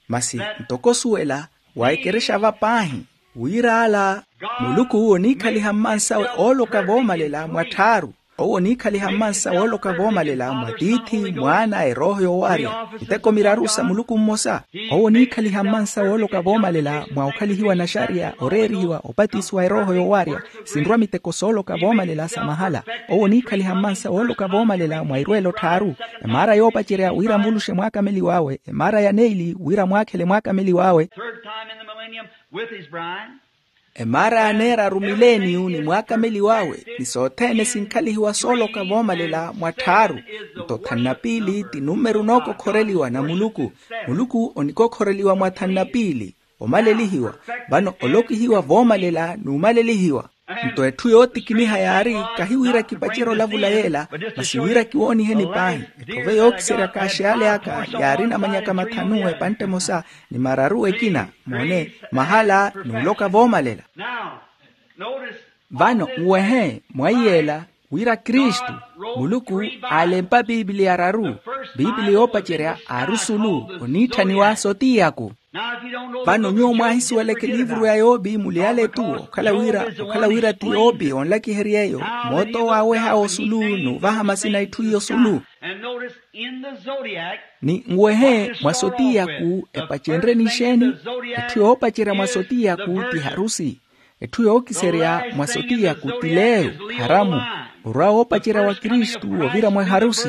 masi ntoko osuwela wa ekerexa va paahi wira ala muluku oniikhaliha mmansawe ooloka voomalela mwa tthaaru. Owo oniikhaliha mmansa wooloka voomalela mwa tiithi mwaana erooho yoowaarya miteko miraru sa muluku mmosa. Owo oniikhaliha mmansa wooloka voomalela mwa okhalihiwa naxariya oreerihiwa opatisiwa erooho yoowaarya sinrwa miteko sooloka voomalela sa mahala. Owo oniikhaliha mmansa wooloka voomalela mwa irweelo tthaaru emaara yoopacerya wira amulushe mwaakameliw'awe emaara ya neili wira mwaakhele mwaakameliw'awe. Emaara ya neeraru mileniyu ni mwaakameliw'awe ni sothene sinkhalihiwa sooloka voomalela mwa tthaaru. Nto thanu na piili ti numeru nookokhoreliwa na muluku. Muluku onikokhoreliwa mwa thanu na piili omalelihiwa vano olokihiwa voomalela n'umalelihiwa. Nto etthu yootikiniha yaari, kahi wira kipacerye olavula yeela, masi wira kiwooniheni paahi. Etthu ove yookiseryaka axiyale aka yaari namanyaka mathanu epantte emosa ni mararu ekina, moone, mahala n'uloka voomalela. Vano nwehe mwa iyeela, wira kristu, muluku aalempa piipili araru. Piipili yoopacerya aari osulu oniitthaniwa sotiyaku. Vano nyuwo mwaahisuweleke eliivuru ya yoopi muli ale etuwo okhala wira, okhala wira ti yoopi onlakiherya eyo, moot'owo aaweha osulu n'uvaha masina itthu iyo osulu. Ni nwehe mwa sotiyaku epacenrye nixeeni? Etthu yoopacerya mwa sotiyaku ti harusi. Etthu yookiserya mwa sotiyaku ti leeyo, kharamu. Orwa woopacerya wa kristu ovira mwa eharusi.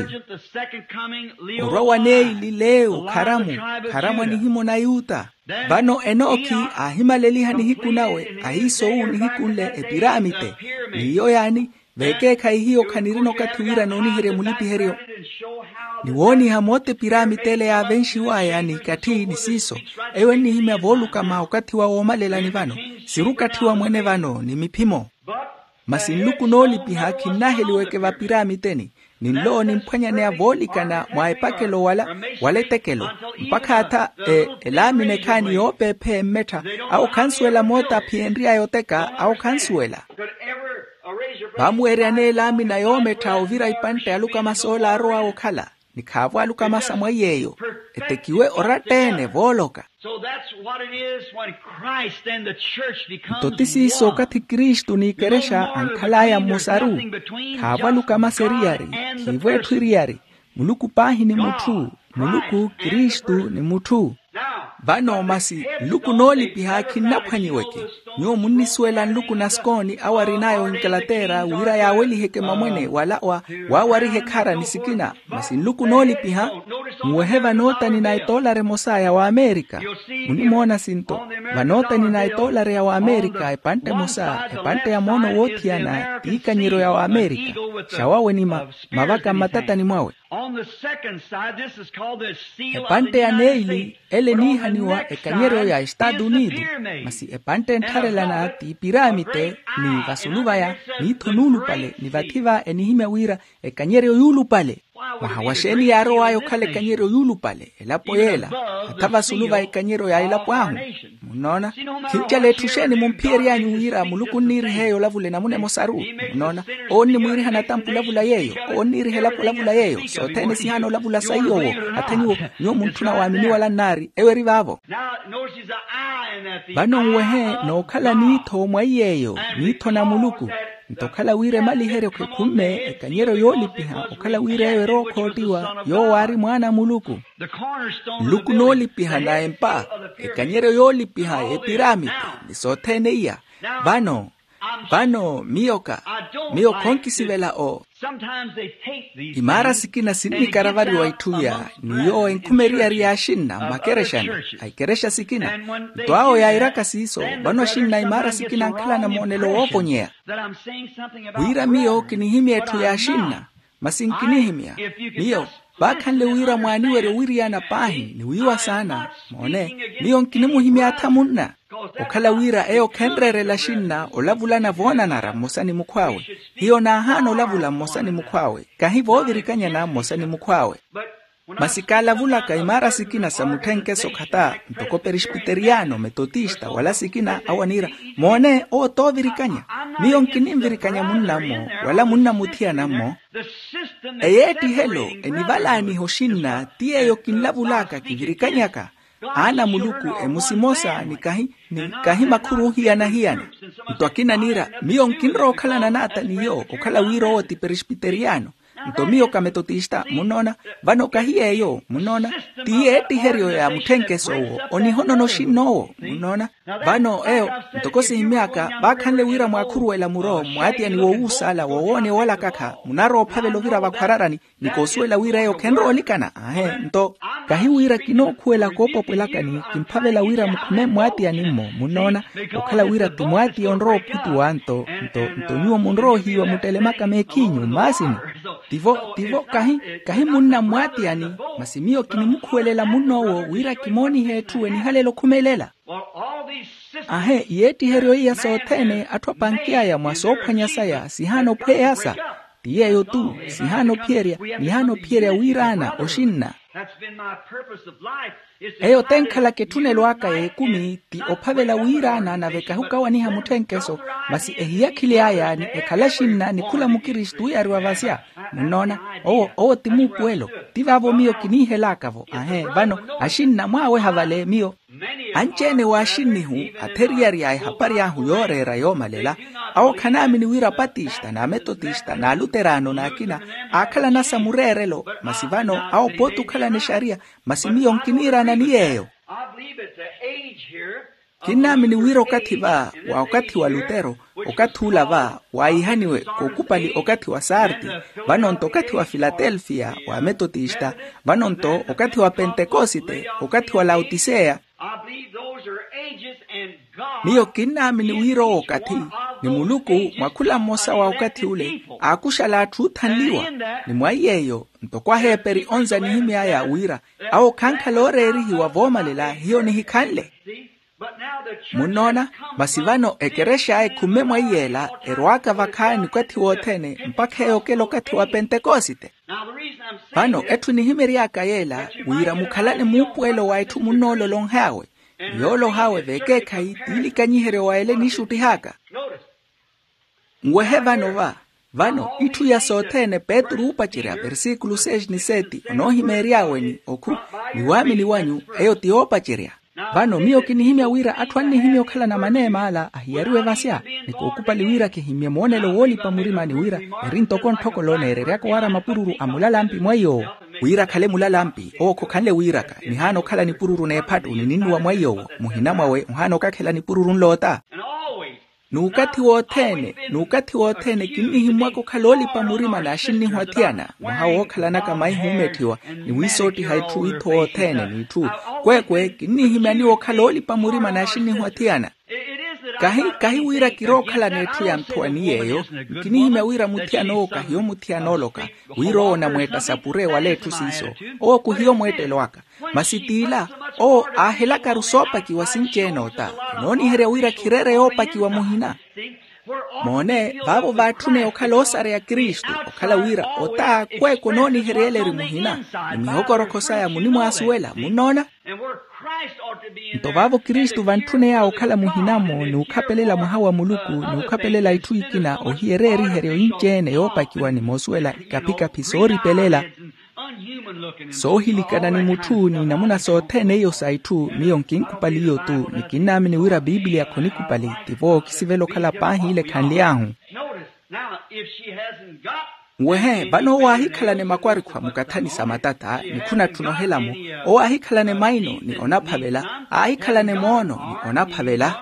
Orwa wa neili leeyo kharamu, kharamu a nihimona yuta. Vano enoki aahimaleliha nihiku nawe, ahiisowu nihiku nle epiramite. N'iyo yaani? Vekeekhayi hiyo khanirina okathi wira nooniherye mulipiheryo. Ni wooniha moota epiramite ele yaavenxiwaya n'ikatthi ni siiso, eyo ennihimya voolukama okathi wa woomalelani vano. Siri okathi wa mwene vano ni miphimo. Masi nluku noolipiha khinnaheliweke vapiramiteni, ni nlo nimphwanyaneya voolikana mwa epakelo wala, wala etekelo, mpakha atha elaamina ekhaani yoopeepheya emmettha. Awo khansuwela moota aphiyenry'aya oteka awo khansuwela. Vaamuweeryani elaamina yoomettha ovira ipantte alukama soolaarowa okhala, ni khaavo alukama sa mwaiy'eyo. Etekiwe oratta-ene vooloka. Nto ti siiso okathi kristu n'ikerexa ankhal'aya mmosaru. Khaavo alukama sa eriyari, khiivo etthu eriyari. Muluku paahi ni mutthu. Muluku kristu ni mutthu. Vano masi nluku noolipiha khinnaphwanyiweke. Nyuwo munnisuwela nluku na skooni awo arin'aya oinkalatera wira yaaweliheke mamwene wala wa waawarihe ekhara ni sikina. Masi nluku noolipiha. Muwehe vanootani na etoolari emosa ya waamerika. Munimoona sinto, vanootani na etoolari ya waamerika epantte emosa epantte ya moono woothiyana t'ikanyeryo ya waamerika. Xawawe ni mavaka mmatatani mwawe. Epantte ya neili ele eniihaniwa ekanyeryo ya estaatu unido. Masi epantte enttharelana ti piramite ni vasulu vaya, miitho nuulupale ni vathi va enihimya wira ekanyeryo yuulupale. Mwaha wa xeeni yaarow'aya okhala ekanyeryo yuulupale elapo yeela, hatha vasulu va ekanyeryo ya elapo ahu? Munnoona? Khinjala etthu xeeni mumphiyery'anyu wira muluku onniiriha eyo olavula enamuna emosaru? Munnoona? Owo onnimwiiriha natampu olavula yeeyo. Owo onniiriha elapo olavula yeeyo sothene sihaana olavula sa iy'owo. Hatha nyuwo, nyuwo muntthuna waamini wala nnaari eyo eri vaavo. Vano nwehe nookhala niitho mwa iy'eyo, niitho na muluku. Nto okhala wira emaliheryo khekhumme ekanyeryo yoolipiha okhala wira eyo erowa okhoottiwa yoowo aari mwaana a muluku. Nluku noolipiha na empa, ekanyeryo yoolipiha epiramiti, ni sothene iya. Vano, vano miyo ka, miyo khonkisivela o. Imaara sikina sinnikaravariwa itthu iya, ni yoowo enkhume eriyari yaaxinna mmakerexani, a ikerexa sikina. Nto awo yairaka siiso, vano axinna imaara sikina ankhalana moonelo woovonyeya. Wira miyo kinihimya etthu yaaxinna. Masi nkinihimya, miyo, vaakhanle wira mwaaniwerye owiriyana paahi ni wiiwa saana. Moone, miyo nkinimuhimya atha munna. Okhala wira eyo khenreerela axinna olavulana voonanara mmosa ni mukhw'awe. Hiyo naahaana olavula mmosa ni mukhw'awe, kahi voovirikanyana mmosa ni mukhw'awe. Masi kaalavulaka imaara sikina sa mutthenkeso khata, ntoko perespiteriyano, metotista wala sikina awo aniira. Moone, owo t'ovirikanya. Miyo nkinimvirikanya munna-mmo wala munna muthiyana-mmo. Eyeettihelo enivalaaniha oxinna ti yeeyo kinlavulaka kivirikanyaka. Aana a muluku emusi emosa ni kahi, ni kahi makhuru ohiyana-hiyana. Nto akina aniira, miyo nkinrowa okhalana n'ata n'iyo okhala wira owo ti perespiteriyano. Nto miyo ka metotista, munnoona. Vano kahi yeeyo, munnoona. Ti yeettiheryo ya mutthenkeso owo onihonona oxinna owo, munnoona. Vano eyo, ntoko sihimy'aka vaakhanle wira mwaakhuruwela muro mmwaatiyani wowuusaala wowooneya owalakakha munaarowa ophavela ovira vakhwararani, ni koosuwela wira eyo khenrowa olikana. Aahe, nto kahi wira kinookhuwela koopwapwelakani kimphavela wira mukhume mmwaatiyani-mmo, munnoona. Okhala wira ti mwaatiya onrowa ophutuwa nto, nto nto nyuwo munrowa ohiiwa muttelemaka meekhiinyu mmaasini. Tivo, tivo kahi, kahi munna mmwaatiyani. Masi miyo kinimukhuwelela munn'owo wira kimoonihe etthu enihalela okhumelela. Ahe, iyeettiheryo iya sothene atthu apanky'aya mwa soophwanya saya sihaana ophweyasa. Ti yeeyo-tu, sihaana ophiyerya, nihaana ophiyerya wiiraana oxinna. Eyo t'enkhalaka etthunelo aka y'ekumi ti ophavela wiiraana nave kahukawaniha mutthenkeso. Masi ehiyakhili aya ni ekhala axinna ni khula mukristu wiyariwa vasya. Munnoona, owo owo ti muupuwelo. Ti vaavo miyo kiniihelaka-vo ahe vano, axinna mwaaweha vale miyo. Anci-ene w'axinnihu atheriyari a ehapari ahu yooreera yoomalela, awo khanaamini wira apatista n'ametotista n'aluteraano n'akina aakhalana sa mureerelo. Masi vano awo pooti okhalana exariya. Masi miyo nkiniirana ni yeeyo. Kinnaamini wira okathi va wa okathi wa lutero, okathi ula va waahihaniwe kookupali okathi wa sarti, vano-nto okathi wa filatelfiya wa metotista, vano-nto okathi wa pentekosite, okathi wa laotiseya. Miyo kinnaamini wira owo okathi, ni muluku mwa khula mmosa wa okathi ule aakuxala atthu oothanliwa. Ni mwa iy'eyo ntoko aheeperi onza nihimy'aya wira awo khankhala ooreerihiwa voomalela hiyo nihikhanle. Munnoona, masi vano ekerexa ekhumme mwa iy'ela erwaaka vakhaani okathi wothene mpakha eyo okela okathi wa pentekosite. Vano etthu enihimery'aka yeela wira mukhalane muupuwelo wa etthu munnoololonh'awe, ni yoolonh'awe v'ekeekhayi t'iilikanyiheryo wa ela eniixuttih'aka. Nwehe vano va, vano itthu iya sothene petru oopacerya versikulu seis ni seti onoohimeeryawe ni okhu, ni waamini wanyu eyo ti yoopacerya. Vano miyo kinihimya wira atthu annihimya okhalana maneema ala ahiyariwe vasya, ni kookupali wira kihimmye moonelo woolipa murima ni wira eri ntoko ntthokolo neereryaka owaara mapururu a mulalampi mwa iy'owo. Wira akhale mulalampi owo khokhanle wiiraka nihaana okhala nipururu n'ephattu ni ninnuwa mwa iy'owo, muhina mwawe ohaana okakhela nipururu nloota. N'ukathi wothene n'ukathi wothene kinnihimmwaka okhala oolipa murima n'axinnihu athiyana mwaha wookhalanaka maihi oometthiwa, ni wiisoottiha itthu itho wothene n'itthu. Kweekwe kinnihimya nyuwo okhala oolipa murima n'axinnihu athiyana. Kahi kahi wira kirookhalana etthu ya nthowa ni yeeyo, nkinihimya wira muthiyana owo kahiyo muthiyana oloka wira owo onamweetta sapure wala etthu siiso. Owo khuhiyo mweettelo aka. Masi t'ila owo aahelakaru soopakiwa sinci-ene ota, enooniherya wira khireere yoopakiwa muhina. Moone vaavo vaatthuneya okhala oosareya kristu okhala wira ota kweeko onooniheryela eri muhina, ni mihokorokho saya munimwaasuwela munnoona. Nto vaavo kristu vantthuney'awe okhala muhina-mo ni okhapelela mwaha wa muluku ni okhapelela itthu ikina ohiyereya eriheryo inci-ene yoopakiwa ni moosuwela ikaphikaphi sooripelela soohilikana ni mutthu ni namuna sothene iyo sa itthu. Miyo nkinkupali iyo-tu ni kinnaamini wira piipiliya khonikupali. Tivo ookisivela okhala paahi ile khanly'ahu. Nwehe vano owo aahikhalane makwarikhwa mukathani sa matata ni khunatthuna ohela-mo. Owo aahikhalane maino ni onaphavela, aahikhalane moono ni onaphavela,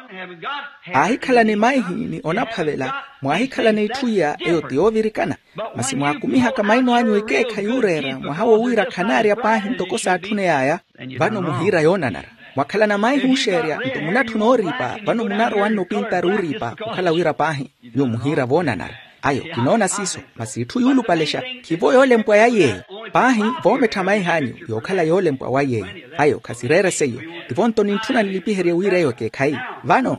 aahikhalane maihi ni onaphavela. Mwaahikhalane itthu iya eyo ti yoovirikana. Masi mwaakumihaka maino anyu ekeekhayi ooreera mwaha wo wira khanaarya paahi ntoko saatthuneyaaya. Vano muhiira yoonanara, mwakhalana maihi ooxeerya nto munatthuna ooriipa vano munarowa nnopintari ooriipa okhala wira paahi. Nyuwo muhiira voonanara. Ayo kinoona siiso. Masi itthu yuulupalexa khivo yoolempwa ya yeeyo. Paahi voomettha maih'anyu yookhala yoolempwa wa yeeyo. Ayo khasireere seiyo. Tivo nto nintthuna nilipiherye wira eyo ekeekhayi. Vano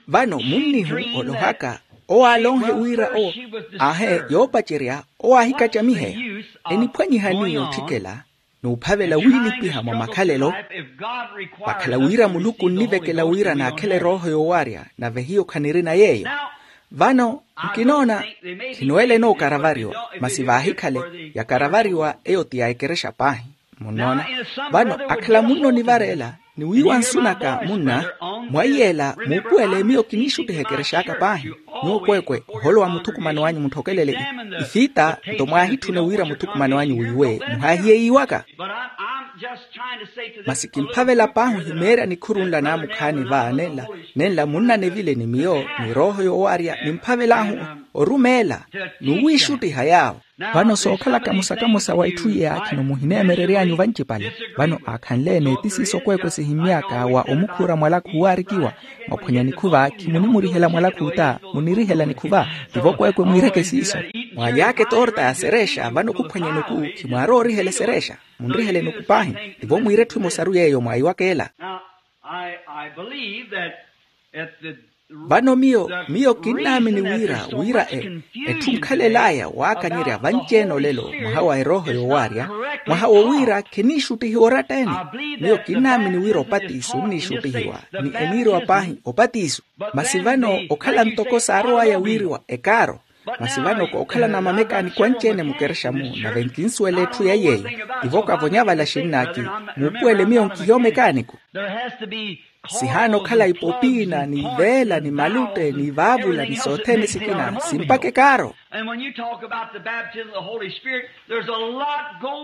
vano munnihu olohaka owo aalonhe wira owo aahe yoopacerya owo aahikacamiheya. Eniphwanyihani yootthikela n'uphavela wiilipiha mwa makhalelo. Vakhala wira muluku onnivekela wira naakhele erooho yoowarya nave hiyo khanirina yeeyo. Vano nkinoona khinoelene okaravariwa masi vaahikhale yakaravariwa eyo ti ya ekerexa paahi. Munnoona, vano akhala munno onivareela ni wiiwa nsu naka munna. Mwaiyela muupuwele miyo kiniixuttiha ekerex'aka paahi. Nyuwo kweekwe oholowa muthukumano anyu mutthokelele ifita nto mwaahitthune wira muthukumano anyu wiiwe muhaahiye yiiwaka. Masi kimphavela paahi ohimeerya nikhuru nla naamukhaani va nenla nenla munna nevile ni miyo ni erooho yoowarya nimphavel'ahu orumeela n'uwiixuttiha yaawo. Vano sookhalaka musa kamusa wa itthu iya khino muhineemerery'anyu vancipale. Vano aakhanle-ene ti siiso kweekwe sihimmy'aka wa omukhuura mwalakhu owaarikiwa. Mwaphwanya nikhuva khimunimurihela mwalakhu ota munirihela nikhuva. Tivo kweekwe mwiireke siiso. Mwaaly'aka etorta ya serexa vano khuphwanya enuku khimwaarowa orihela eserexa. Munrihele enuku paahi. Tivo mwiire etthu emosaru yeeyo mwaayiwaka ela. I, I believe that at the vano miyo miyo kinnaamini wira wira e etthu nkhalel'aya waakanyerya vanci-ene olelo mwaha wa erooho yoowaarya, mwaha wo wira khiniixuttihiwa oratta-ene. Miyo kinnaamini wira opatiso onniixuttihiwa ni eniiriwa paahi opatiso. Masi vano okhala ntoko saarow'aya wiiriwa ekaaro. Masi vano kookhalana mamekaaniko anci-ene mukerexa-mu nave nkinsuwela etthu ya yeeyo. Tivo kavonya vala xinnaaki muupuwele miyo nkihiya omekaaniko. Sihaana okhala ipopiina ni iveela ni malutte ni ivaavula ni sothene sikina simpaka ekaaro.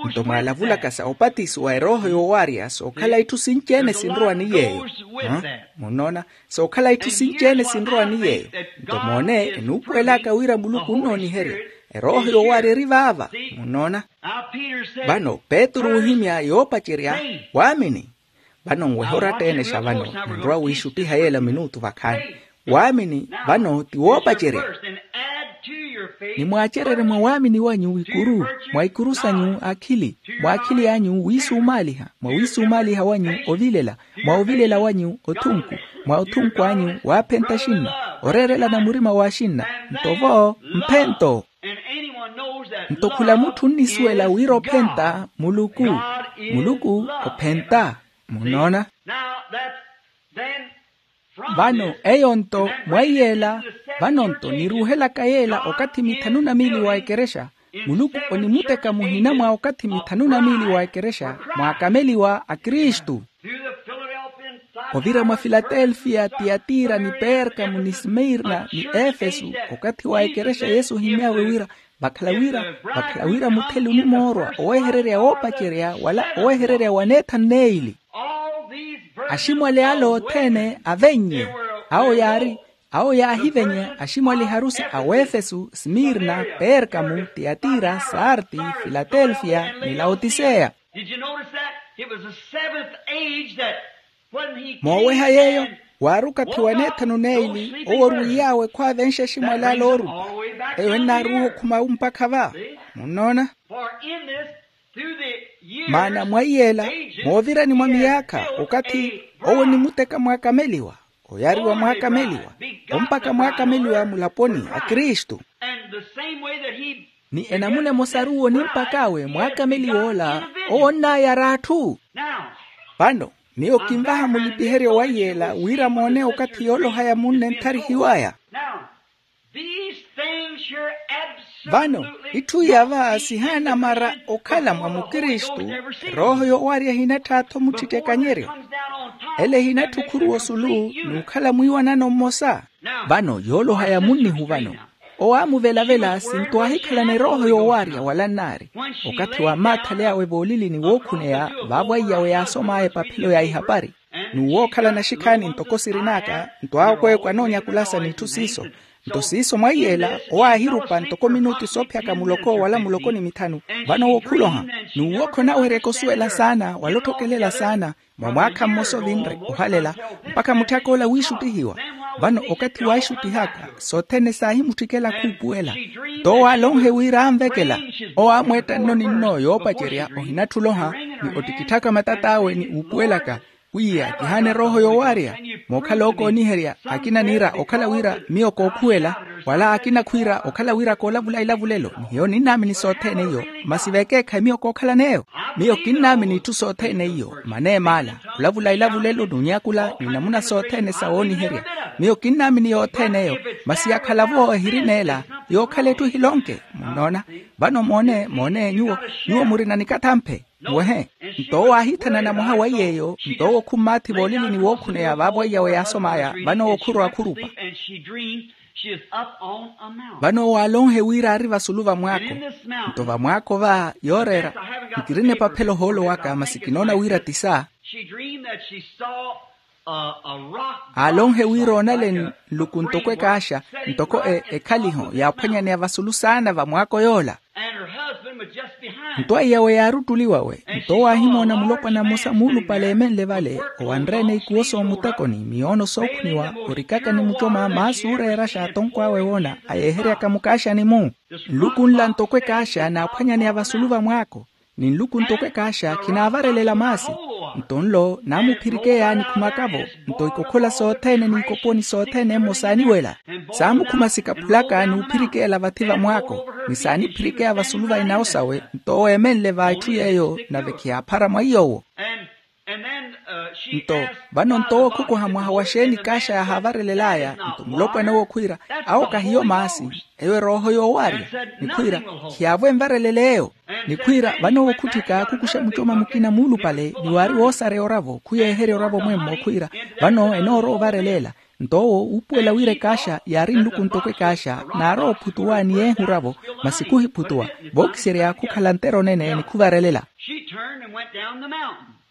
Nto mwaalavulaka sa opatiso wa erooho yoowaarya sookhala itthu sinci-ene sinrowa ni yeeyo. Munnoona? Sookhala itthu sinci-ene sinrowa ni yeeyo. Nto moone enuupuwel'aka wira muluku onnooniherya. Erooho yoowaarya eri vaava. Munnoona? Vano petru oohimya yoopacerya waamini. Vano nwehe oratta-ene xa vano ninrowa wiixuttiha yeela minutu vakhaani. Waamini vano ti woopacerya. Ni mwaacererye mwa waamini wanyu ikuru mwa ikuru sanyu akhili, mwa akhili anyu wiisumaaliha, mwa wiisumaaliha wanyu ovilela, mwa ovilela wanyu othunku, mwa othunku anyu waaphenta axinna, oreerelana murima w'axinna. Nto vo mphento. Nto khula mutthu onnisuwela wira ophenta muluku. Muluku ophenta. Munnoona? Vano eyo nto mwa iyeela, vano nto niruuhelaka yeela okathi mithanu na miili wa ekerexa. Muluku onimuteka muhina mwa okathi mithanu na miili wa ekerexa mwaakameliwa a kristu. Ovira mwa filatelfiya tiyatira ni perkamo ni smirna ni efesu, okathi wa ekerexa yesu ohimy'awe wira vakhala wira vakhala wira mutheli onimoorwa owehererya woopacerya wala owehererya waneethanu n'eyili. Aximwali ala othene avennye. Awo yaari awo yaahivenya aximwali harusi a wefesu smirna perkamo tiyatira sarti filatelfiya ni laotiseya. Did you notice that? It was the seventh age that when he came mooweha yeeyo and waari okathi wa neethanu n'eyili owo orwiiy'awe khwaavenxa aximwali ala oorupa. Eyo ennaaruuha okhuma mpakha va. Munnoona? For in this through the years, maana mwa iyeela ages, moovirani mwa miyaakha okathi owo onimuteka mwaakameliwa oyaariwa mwaakameliwa ompaka mwaakameliwa mulaponi a kristu. And the same way that he ni enamuna emosaru owo onimpak'awe mwaakameliwa ola owo onnaayara atthu. Now, vano miyo kinvaha mulipiheryo wa iyeela wira moone okathi yooloha ya munne ntharihiw'aya. Now, these things here vano absolutely itthu iya va sihaana mara okhala mwa mukristu. Erooho yoowarya ehinattha-tho mutthittekanyeryo. Ele ehinatthi okhuruwa osulu n'ukhala mwiiwanano mmosa. Vano yooloha ya munnihu vano owaamuvelavela sinto aahikhalana erooho yoowaarya wala nnaari. Okathi wa maathale awe voolilini wookhuneya vaavo aiyawe yaasom'aya epaphelo ya ihapari n'uwookhalana xikhaani ntoko sirin'aka nto awo kweeko anoonyakula sa n'itthu siiso. Nto siiso mwa iyeela owo aahirupa ntoko minutu soophiyaka muloko wala muloko ni mithanu. Vano owo khuloha n'uwo khonaaweryaka osuwela saana wala otthokelela saana. Mwa mwaakha mmosa ovinre ohalela mpakha mutthak'ola wiixuttihiwa. Vano okathi waaxuttihaka sothene saahimutthikela khuupuwela. Nto owo aalonhe wira anvekela owo aamweetta nno-ninno yoopacerya ohinatthi oloha ni ottikitthaka matat'awe ni uupuwelaka. Pwiya kihaana erooho yoowaarya mookhala ookooniherya akina niira okhala wira miyo kookhuwela wala akina khwiira okhala wira koolavula ilavulelo ni hiyo ninnaamini sothene iyo. Masi vekeekhayi miyo kookhalan'eyo miyo kinnaamini itthu sothene iyo maneemaala olavula ilavulelo n'unyakula ni namuna sothene sa wooniherya. Miyo kinnaamini yothene eyo masi yakhala-vo ehirineela yookhala etthu ehilonke. Munnoona? Vano moone moone nyuwo nyuwo murina nikathamphe. Muwehe. Nto owo aahithanana mwaha wa iy'eyo nto owo khummaathi voolilini wookhuneya vaavo aiyawe yaasom'aya vano owo khurowa khurupa. Vano owo aalonhe wira aari vasulu vamwaako. Nto vamwaako va yooreera nkirina epaphelo ohoolo waka masi kinoona wira ti sa. Aalonhe wira oonale nluku ntoko ekaaxa ntoko ekhaliho yaaphwanyaneya vasulu saana vamwaako yoola. Nto aiyawe yaari ottuliwawe nto owo aahimoona mulopwana mmosa muulupale eemenle vale owanre-ene ikuwo soomutekoni miyoono sookhuniwa orikaka ni mucoma maasi ooreera xaatonko awe woona ayeeheryaka mukaaxani-mu. Nluku nla ntoko ekaaxa naaphwanyaneya vasulu vamwaako ni nluku ntoko ekaaxa khinaavarelela maasi. Nto nlo naamuphirikeya nikhumaka-vo. Nto ikokhola sothene n'ikoponi sothene emmo saaniwela. Saamukhuma sikaphulaka n'uphirikela vathi va mwaako, ni saaniphirikeya vasulu va inawo sawe. Nto owo eemenle va itthu yeeyo, nave khiyaaphara mwa iy'owo. Nto vano nto owo khukuha mwaha wa xeeni kaaxa yaahavarelel'aya? Nto mulopwana owo khwiira, awo kahiyo maasi, eyo erooho yoowarya. Ni khwiira, khiyaavo envarelele eyo. Ni khwiira vano owo khutthika khukuxa mucoma mukina muulupale ni waari woosareya oravo khuyeeherya oravo mwemmo khwiira, vano enoorowa ovarelela. Nto owo uupuwela wira ekaaxa yaari nluku ntoko ekaaxa, naarowa ophutuwa ni yeehi oravo, masi khuhiphutuwa. Vookiserya khukhala ntero nene ni khuvarelela.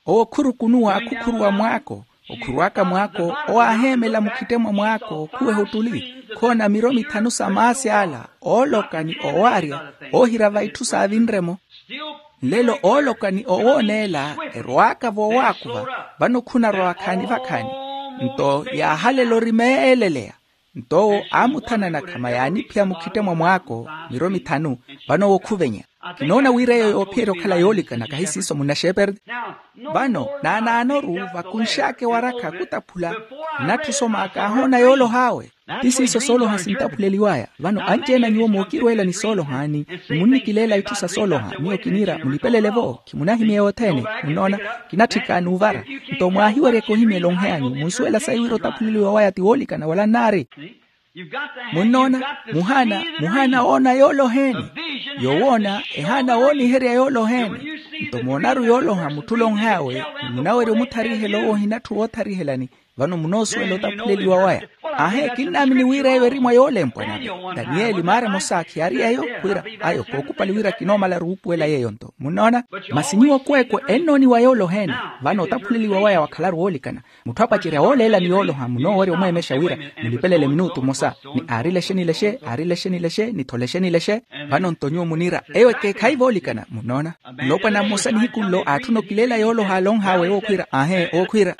Owo khurukunuwa khukhuruwa mwaako. Okhuruwaka mwaako owo aaheemela mukhitte mwa mwaako khuweha ottuli, khoona miro mithanu sa maasi ala ooloka ni oowaarya, oohira va itthu saavinre-mo. Nlelo ooloka ni oowooneela erwaaka voowaakuva, vano khunarwa vakhaani vakhaani. Nto yaahalela orimeeleleya. Nto owo aamuthanana khama yaaniphiya mukhitte mwa mwaako miro mithanu. Vano owo khuvenya. Kinoona wira eyo yoophiyerya okhala yoolikana kahi siiso munaxeeperti. Vano naanaanoru vakunx'aka ewarakha khutaphula, nnatthu osoma kaahoona yooloha awe. Ti siiso sooloha sintaphuleliw'aya. Vano anci-ene a nyuwo mookirweela ni sooloha ni, ni munnikileela itthu sa sooloha miyo kiniira mulipelele-vo. Khimunahimya yothene. Munnoona, kinatthika n'uvara. Nto mwaahiweryeke ohimya elonhe anyu munsuwela sayi wira otaphuleliwa waya ti woolikana wala nnaari. Munnoona, muhaana muhaana woona yooloha ene. Yowoona ehaana wooniherya yooloha ene. Nto moonaru yooloha mutthu olonh'awe, ni munawerya omutharihela owo ohinatthu wootharihelani. Vano munoosuwela otaphuleliwa waya. Aahe kinnaamini wira eyo eri mwa yoolempwa nave. Taniyeli maara emosa khiyaari eyo khwiira, ayo kookupali wira kinoomalaru wuupuwela yeeyo nto munnoona. Masi nyuwo kweekwe ennooniwa yooloha ene. Vano otaphuleliwa waya wakhalaru woolikana. Mutthu apacerya wooleela ni yooloha munoowerya omweemexa wira, mulipelele minutu mmosa, ni aari lexe ni lexe aari lexe ni lexe ni tho lexe ni lexe. Vano nto nyuwo muniira eyo ekeekhayi voolikana munnoona. Mulopwana mmosa nihiku nlo aatthuna okileela yooloha alonh'awe owo khwiira aahe owo khwiira.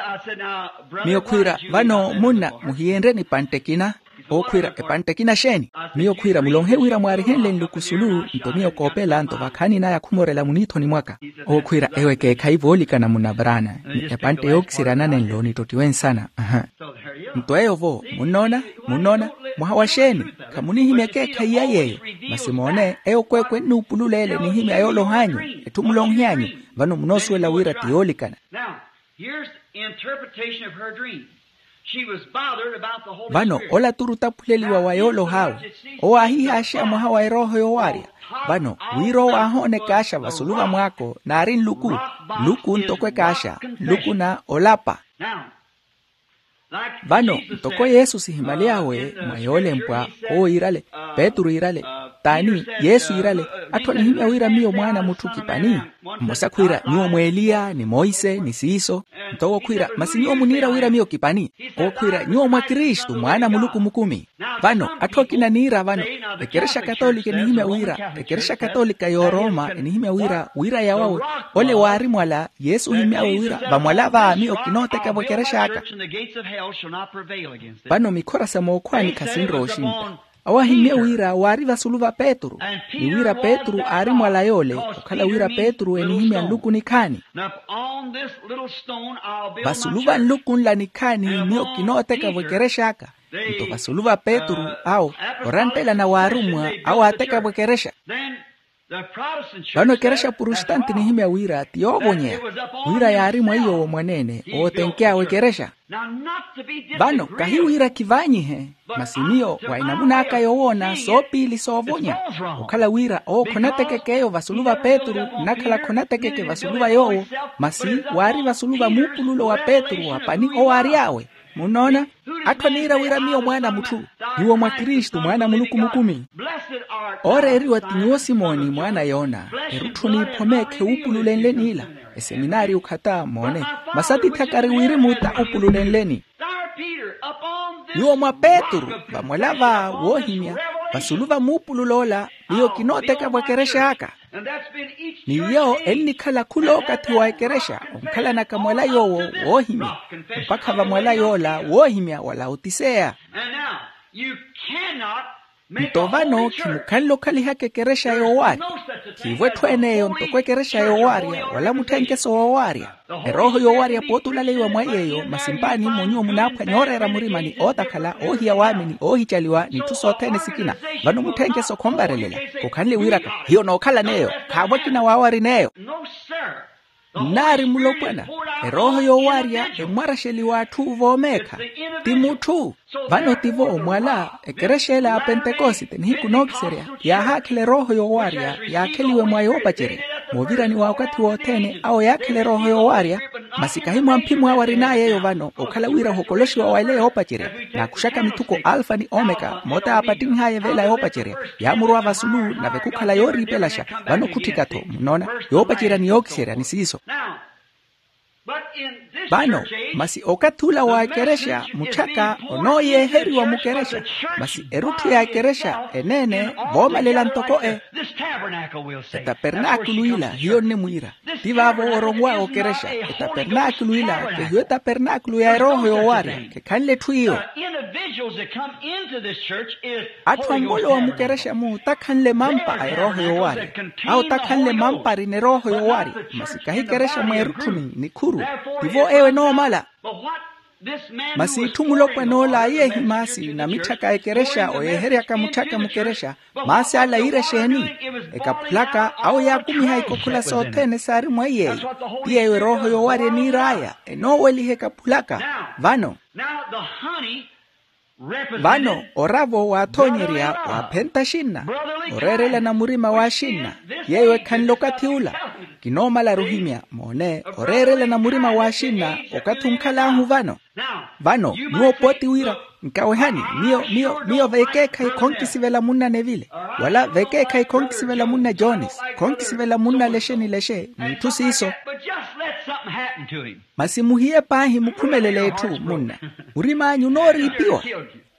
Miyo khwiira, vano munna muhiyenrye nipantte ekina. Owo khwiira epantte ekina xeeni? Miyo khwiira mulonhe wira mwaarihenle nluku sulu nto miyo koopeela nto vakhaani naya khumorela muniithoni mwaka. Owo khwiira eyo ekeekhayi voolikana munna brana, ni epantte yookiserya nanenlo nitottiwe nsana. Nto eyo-vo munnoona, munnoona, mwaha wa xeeni? Khamunihimya ekeekhayi ya yeeyo. Masi moone eyo kweekwe ennuupulula ele enihimya yooloha anyu, etthu mulonhe anyu. Vano munoosuwela wira ti yoolikana. Here's the interpretation of her dream. She was bothered about the Holy Spirit. Vano ola turi otaphuleliwa wa yoolohawe. Owo aahihaaxeya mwaha wa erooho yoowaarya. Vano wira owo aahoona ekaaxa vasulu va mwaako naari nluku, nluku ntoko ekaaxa, nluku na olapa. Vano ntoko yesu sihimaly'awe mwa yoolempwa, owo yiirale, petru yiirale, t'ani yesu yiirale, atthu anihimya wira miyo mwaana a mutthu kipani. Mmosa khwiira nyuwo mw'eliya ni monse ni siiso. Nto owo khwiira masi nyuwo muniira wira miyo kipani? Owo khwiira nyuwo mwa kristu mwaana a muluku mukumi. Vano atthu akina aniira vano, ekerexa katolika enihimya wira ekerexa katolika y'oroma enihimya wira wira yawawe, ole waari mwala yesu ohimy'awe wira vamwala va miyo kinooteka-vo ekerex'aka. Vano mikhora sa mookhwaani khasinrowa oxintta. Awo ahimmye wira waari vasulu va petru, ni wira petru aari mwala yoole, okhala wira petru enihimya nluku nikhaani. Vasulu va nluku nla nikhaani miyo kinooteka-vo ekerex'aka. Nto vasulu va petru awo, oranttela na waarummwa awo aateka-vo ekerexa. Vano ekerexa purostante enihimya wira ti yoovonyeya, wira yaari mwa iy'owo mwaneene ootenky'awe ekerexa. Vano kahi wira kivaanyihe, masi miyo wa enamun'aka yowoona soopiili soovonya. Okhala wira owo khonatekeke eyo vasulu va petru, nnakhala khonatekeke vasulu va yoowo, masi waari vasulu va muupululo wa petru wa pani owaary'awe. Munnoona? Atthu aniira wira miyo mwaana a mutthu. Nyuwo mwa kristu mwaana a muluku mukumi. Ooreeriwa ti nyuwo simoni mwaana a yona, erutthu n'iphome khewuupululenle n'ila. Eseminaari okhata moone, masi atitthi akari wirimu ta upululenleni. Nyuwo mwa petru, vamwala va woohimya, vasulu va muupulul'ola, miyo kinooteka-vo ekerexa aka. Ni iyo ennikhala khula okathi wa ekerexa onkhalanaka mwala yoowo woohimya, mpakha vamwala yoola woohimya wa laotiseya. Nto vano khimukhanle okhalihaka ekerexa yoowaarya. Khiivo etthu ene eyo ntoko ekerexa yoowaarya wala mutthenkeso woowaarya. Erooho yoowaarya pooti olaleiwa mwa yeeyo masi mpaani mmo nyuwo munaaphwanya ooreera murima ni ootakhala oohiya waamini oohicaliwa n'itthu sothene sikina. Vano mutthenkeso khonvarelela. Khukhanle wiiraka hiyo nookhala n'eyo. Khaavo akina waawari n'eyo. Nnaari mulopwana. Erooho yoowaarya emmwaraxeliwa atthu voomeekha. Ti mutthu. Vano tivo mwala ekerexa ela ya pentekosite nihiku nookiserya yaahaakhela erooho yoowaarya yaakheliwe mwa yoopacerya. Moovirani wa okathi wothene awo yaakhela erooho yoowaarya. Masi kahi mwa mphimwaawe arin'aya eyo vano okhala wira ohokoloxiwa wa ela yoopacerya. Naakuxaka mithuko alfa ni omeka moota yaapattinh'aya v'ela yoopacerya. Yaamurowa vasulu nave khukhala yooriipelaxa. Vano khutthika-tho munnoona. Yoopacerya ni yookiserya ni siiso. Vano masi okathi ula wa ekerexa mutthaka onooyeeheriwa mukerexa. Masi erutthu ya ekerexa eneene voomalela ntoko e. Etapernakulu ila hiyo nnimwiira. Ti vaavo oronw'awe okerexa. Etapernakulu ila kehiyo etapernakulu ya erooho yoowaarya. Khekhanle etthu iyo. Atthu ammolowa mukerexa-mu otakhanle mampa a erooho yoowaarya. Awo otakhanle mampa arina erooho yoowaarya. Masi kahi kerexa mweerutthuni nikhuru. Tivo eyo enoomala. Masi itthu mulopwan'ola ayeehi maasi na mitthaka a ekerexa oyeeheryaka mutthaka mukerexa. Maasi ala yiira exeeni? Ekaphulaka awo yaakumiha ikokhola sothene saari mwa iyeeyo. Ti yeeyo erooho yoowaarya eniir'aya enooweliha ekaphulaka. Vano vano oravo waathoonyerya waaphenta axinna. Oreerelana murima w'axinna yeeyo ekhanle okathi ula. Kinoomalaru ohimya moone oreerelana murima w'axinna. Okathi onkhal'ahu vano. Vano nyuwo pooti wira nkawehani. Miyo miyo miyo vekeekhayi khonkisivela munna nevile wala vekeekhayi khonkisivela munna jones. Khonkisivela munna lexe ni lexe n'itthu siiso. Masi muhiye paahi mukhumelele etthu munna. Murim'anyu onooriipiwa.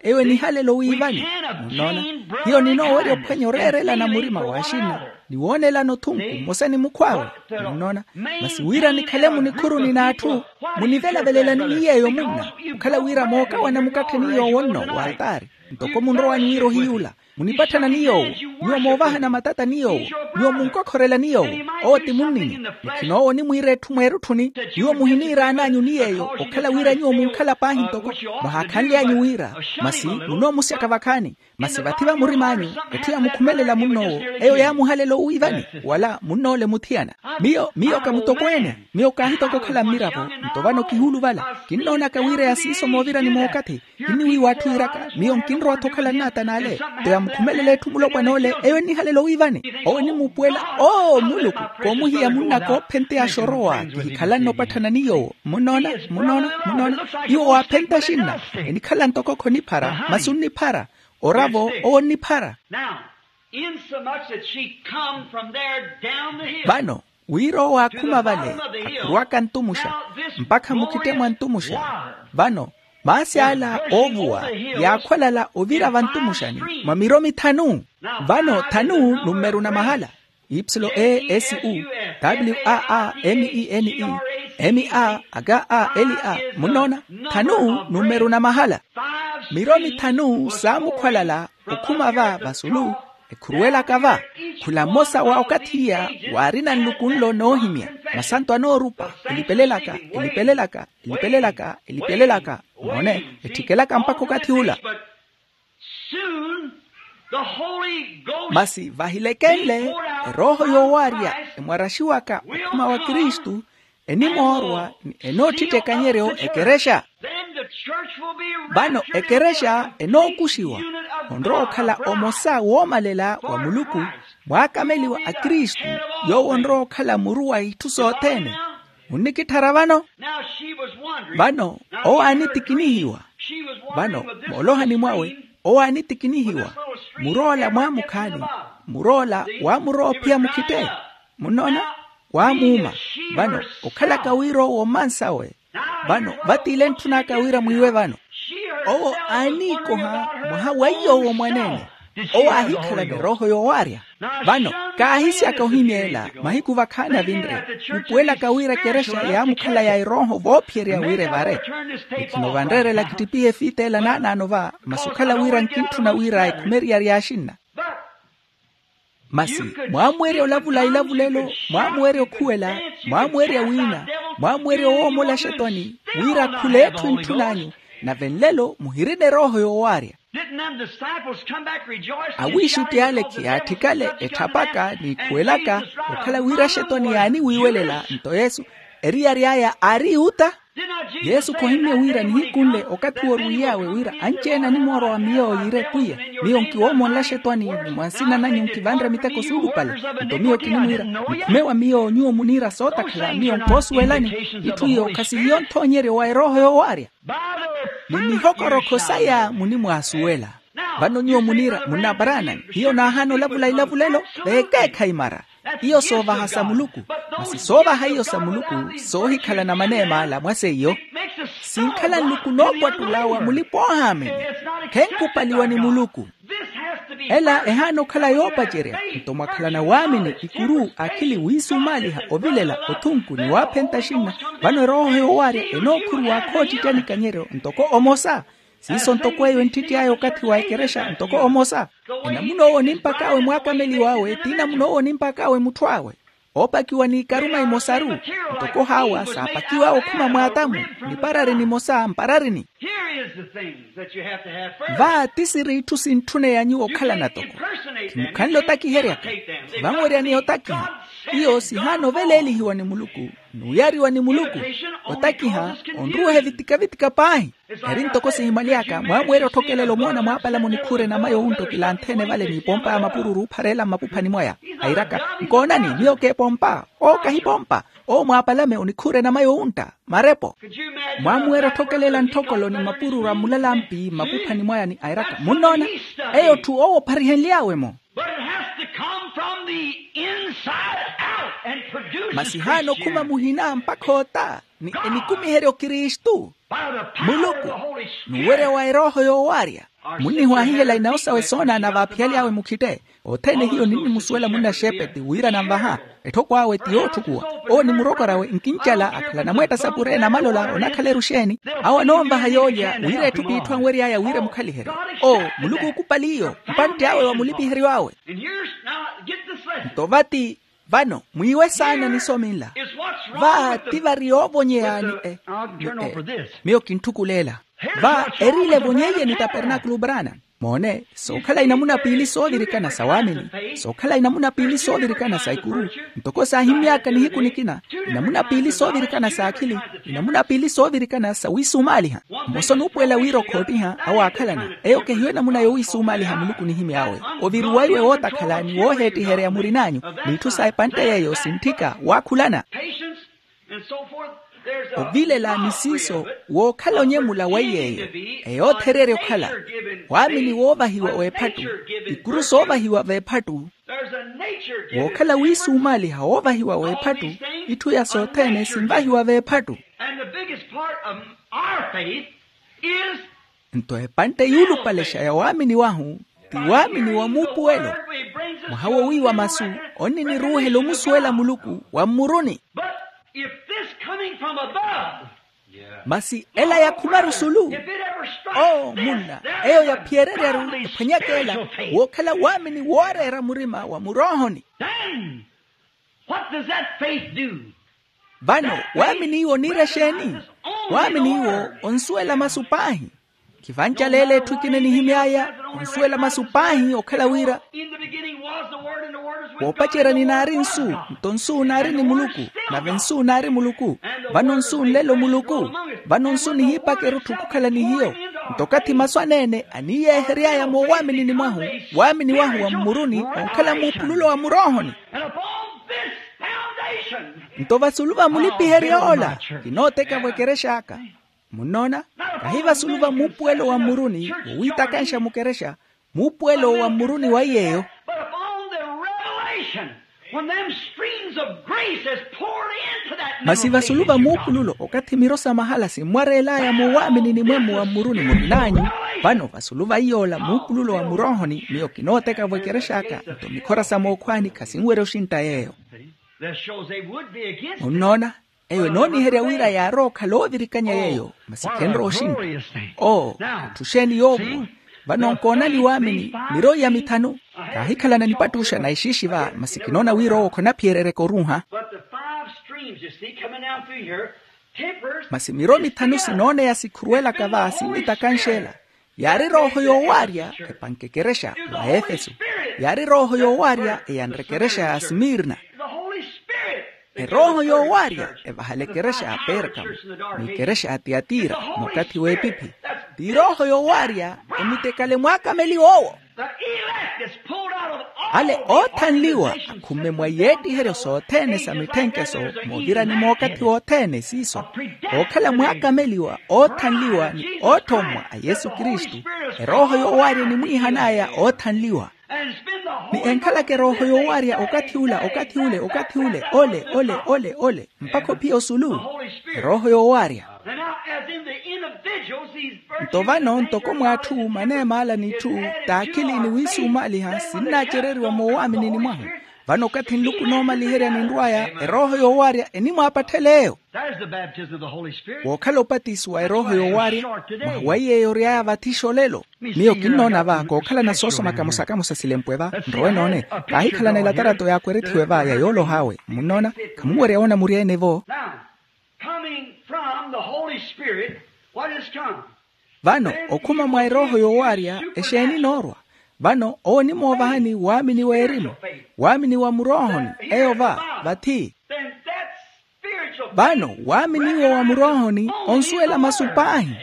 Eyo enihalela owiivani. Munnoona? Hiyo ninoowerya ophwanya oreerelana murima w'axinna ni woonelana othunku mmosa ni mukhw'awe. Munnoona? Masi wira nikhale munikhuruni n'atthu munivelavelelani ni yeeyo munna. Okhala wira mookawana mukattheni yoowo nno w'altaari ntoko munrowani wira ohiy'ula. Munipatthana ni yoowo. Nyuwo moovahana matata ni yoowo. Nyuwo munkokhorela ni yoowo. Owo ti munnini. Ni khinoowa onimwiira etthu mweerutthuni. Nyuwo muhiniiraan'anyu ni yeeyo okhala wira nyuwo munkhala paahi ntoko mwahaakhanly'anyu wira. Masi munoomusyaka vakhaani. Masi vathi va murim'anyu etthu yaamukhumelela munn'owo eyo yaamuhalela owiivani wala munn'ole muthiyana. Miyo miyo ka mutokweene. Miyo kaahitoka okhala mmiravo. Nto vano kihuuluvala kinnoonaka wira ya siiso moovirani mookathi. Kinniwiiwa atthu yiiraka miyo nkinrowa-tho okhala nnaata n'ale. Nto yamukhumelela etthu mulopwan'ole eyo ennihalela owiivani. Owo enimuupuwela oo muluku koomuhiya munnaka oophenteyaxa orowa kihikhalanne opatthana ni yoowo. Munnoona? Munnoona? Munnoona? Nyuwo waaphenta axinna enikhala ntoko khoniphara masi onniphara. Oravo owo onniphara. Vano wira owo aakhuma vale akhurwaka ntumuxa mpakha mukhittemwa ntumuxa. Vano maasi ala oovuwa yaakhwalala ovira vantumuxani mwa miromi thanu. Vano thanu nummeru na mahala. Ipsilo e s u w a a m e n e m a aga a l a munnoona. Thanu nummeru na mahala. Miromi thanu saamukhwalala okhuma va vasulu ekhuruwelaka va. Khula mmosa wa okathi iya waarina nluku nlo noohimya masanto anoorupa elipelelaka elipelelaka elipelelaka elipelelaka. Moone ettikelaka mpakha okathi ula. Masi vahilekenle erooho yoowaarya emwaraxiwaka okhuma wa kristu enimoorwa ni enoottitta ekanyeryo ekerexa. Vano ekerexa enookuxiwa onrowa okhala omosa woomalela wa muluku mwaakameliwa a kristu yoowo onrowa okhala muru wa itthu sothene. Munnikitthara vano? Vano owo aanitikinihiwa. Vano moolohani mwawe owo aanitikinihiwa muroola mwaamukhaani. Muroola waamurowa ophiya mukhite. Munnoona? Waamuuma. Vano okhalaka wira owo mmansawe. Vano vatiile ntthun'aka wira mwiiwe vano owo aaniikoha mwaha wa iy'owo mwaneene. Owo aahikhala ni erooho yoowaarya. Vano Kaahisyaka ohimya ela, mahiku vakhaani avinre, khupuwelaka wira ekerexa yaamukhalaya erooho voophiyerya wira evare. Ni khino vanreerela khittipihe efiita ela naanaano va, masi okhala wira nkintthuna wira ekhumeriya ri axinna. Masi mwaamuwerya olavula ilavulelo, mwaamuwerya okhuwela, mwaamuwerya wiina, mwaamuwerya owoomola axetwani, wira khula etthu entthun'anyu. Nave nlelo muhirina erooho yoowaarya. Awiixutti ale khiyaatthikale etthapaka n'ikhuwelaka, okhala wira axetwani yaaniwiiwelela nto yesu, eriyari aya aari yuta. Yesu khohimmye wira nihiku nle okathi owo orwiiy'awe wira anci-ene animoorowa miyo yiire pwiya, miyo nkiwoomonla axetwani ni mwa nsina nanyu nkivanre miteko suulupale. Nto miyo kinimwiira, mukhume wa miyo nyuwo muniira sootakhala miyo nkoosuwelani. Itthu iyo khasihiyo nthoonyeryo wa erooho yoowaarya. Ni mihokorokho saya munimwaasuwela. Vano nyuwo muniira munnaparanani hiyo naahaana olavula ilavulelo, veekeekhayi mara. Iyo soovaha sa muluku. Masi soovaha iyo sa muluku, soohikhalana maneema ala mwa seiyo. Sinkhala nluku noopwattula wa mulipa oohaamini. Khenkupaliwa ni muluku. Ela ehaana okhala yoopacerya. Nto mwakhalana waamini, ikuru, akhili wiisumaaliha, ovilela, othunku ni waaphenta axinna. Vano erooho yoowaarya enookhuruwa khoottitya nikanyeryo ntoko omosa. Siiso ntoko eyo entthitty'aya okathi wa ekerexa ntoko omosa. Enamuna owo onimpak'awe mwaakameliw'awe ti namuna owo onimpak'awe mutthw'awe. Oopakiwa n'ikaruma imosaru. Ntoko haawa saapakiw'awe okhuma mw'atamu, niparari nimosa mpararini. Va ti siri itthu sintthuneya nyuwo okhalana toko. Khimukhanle otakiheryaka. Khivanweryani otakiha. Iyo sihaana oveleelihiwa ni muluku, n'uyariwa ni muluku. Otakiha onruwehe vitika-vitika paahi. Eri ntoko sihimaly'aka mwaamuwerya otthokelela omoona mwaapalame onikhuura enama yoowuntta okilanthe-ene vale n'ipompa ya mapururu ophareela mmapuphani mwaya. Airaka, nkoonani miyo k'epompa. Owo kahipompa. Owo mwaapalame onikhuura enama yoowuntta marepo. Mwaamuwerya otthokelela ntthokolo ni mapururu a mmulalampi mmapuphani mwaya ni airaka munnoona. Eyo otthu owo opharihenly'awe-mo. Masi haana okhuma muhina mpakha ota ni enikumiherya okristu. Muluku, n'uwerya wa erooho yoowaarya. Munnihwaahihela inawo sawe soonaana vaaphiyaly'awe mukhitte. Othene hiyo ninnimusuwela munnaxeepeti wira nanvaha. Etthoko awe ti yootthukuwa. Owo ni murokorawe nkincala akhala anamweetta sapure namalola onakhala eruxeeni. Awo anoonvaha yoolya wira etthu p'itthu anwery'aya wira emukhaliherye. Owo muluku okupali iyo. Mpantte awe wa mulipiheryo awe. Nto vati vano mwiiwe saana nisome nla. Va ti vari yoovonyeya ni e ni e miyo kintthukulela. Va eriile evonyeiye ni tapernaakulu brana. Moone, sookhala inamuna piili soovirikana sa waamini. Sookhala inamuna piili soovirikana sa ikuru. Ntoko saahimmy'aka nihiku nikina, inamuna piili soovirikana sa akhili, inamuna piili soovirikana sa wiisumaaliha. Mmosa onuupuwela wira okhoottiha awaakhalana. Eyo kehiyo enamuna yowiisumaaliha muluku nihimy'awe. Oviriwaiwe wootakhala ni wooheettiherya murin'anyu, n'itthu sa epantte yeeyo sintthika waakhulana. Ovilela ni siiso wookhala onyemula wa iy'eyo. Eyo othereerya okhala waamini woovahiwa w'ephattu. Ikuru soovahiwa v'ephattu. Wookhala wiisumaaliha woovahiwa w'ephattu. Itthu ya sothene sinvahiwa v'ephattu. Nto epantte yuulupalexa ya waamini wahu ti waamini wa muupuwelo. Mwaha wowiiwa masu onniniruuhela omusuwela muluku wa mmuruni. Masi ela yakhumaru sulu. Oo munna, eyo yaphiyereryaru ephwanyaka ela wookhala waamini wooreera murima wa muroohoni. Vano waamini iwo oniira exeeni? Waamini iwo onsuwela masu paahi. Khivancaleela etthu ekina enihimy'aya, onsuwela masu paahi okhala wira woopacerya ninaari nsu. Nto nsu naari ni muluku, nave nsu naari muluku. Vano nsu nlelo muluku. Vano nsu nihiipakerya otthu khukhala ni hiyo. Nto okathi masu aneene aniiyeehery'aya moowaaminini mwahu, waamini wahu wa mmuruni onkhala muupululo wa muroohoni. Nto vasulu va mulipihery'ola kinooteka-vo ekerex'aka. Munnoona? Kahi vasulu va muupuwelo wa mmuruni wowiitakanxa mukerexa, muupuwelo wa mmuruni wa iy'eyo. Masi vasulu va muupululo okathi miro sa mahala simmwareel'aya muwaaminini mwemmo wa mmuruni murin'anyu. Vano vasulu va iy'ola muupululo wa muroohoni miyo kinooteka-vo ekerex'aka, nto mikhora sa mookhwaani khasinwerya oxintta yeeyo. Munnoona? Eyo enooniherya wira yaarowa okhala oovirikanya yeeyo, masi khenrowa oxintta. Oo, etthu xeeni yoovuwa? Vano nkoonani waamini, miroyi ya mithanu. Kaahikhalana nipattuxa na exiixi va, masi kinoona wira owo khonaphiyererya koruuha. But the five streams you see coming down through here tempers. Masi miro mithanu sinooneya sikhuruwelaka va sinnitakanxela. Yaari rooho yoowaarya epanke ekerexa wa efeso. Yaari rooho yoowaarya eyanre ekerexa ya smirna. The Holy Spirit. Erooho yoowaarya evahala ekerexa ya perkamo, n'ikerexa ya tiyatira, n'ukathi w'epiphi. Ti erooho yoowaarya emitekale mwaakameliwa owo. The elect is pulled out of all. Ale oothanliwa akhumme mwa yeettiheryo sothene sa mitthenkeso, moovirani mookathi wothene siiso. Ookhala mwaakameliwa oothanliwa ni oothommwa a yesu kristu. Erooho yoowaarya enimwiihan'aya oothanliwa. Ni enkhalaka erooho yoowaarya okathi ula, okathi ule, okathi ule, ole ole ole ole, mpakha ophiya osulu. Erooho yoowaarya. Nto vano ntoko mw'atthu maneem'ala n'itthu, t'akhili ni wiisumaaliha sinnaacereriwa moowaaminini mwahu. Vano okathi nluku noomaliherya ninrw'aya erooho yoowaarya enimwaapatthela eyo. Wookhala opatisiwa erooho yoowaarya, mwaha wa iy'eyo ory'aya vathi xolelo. Miyo kinnoona va kookhalana soosoma kamosa kamosa silempwe va nrowe noone. Kaahikhalana elatarato yaakwerethiwe va ya yooloha awe munnoona. Khamunwerya woona muri ene-vo. Vano okhuma mwa erooho yoowaarya exeeni enoorwa? Vano owo onimoovahani waamini w'erimu, waamini wa muroohoni. Eyo va vathi. Vano waamini iwo wa muroohoni onsuwela masu paahi.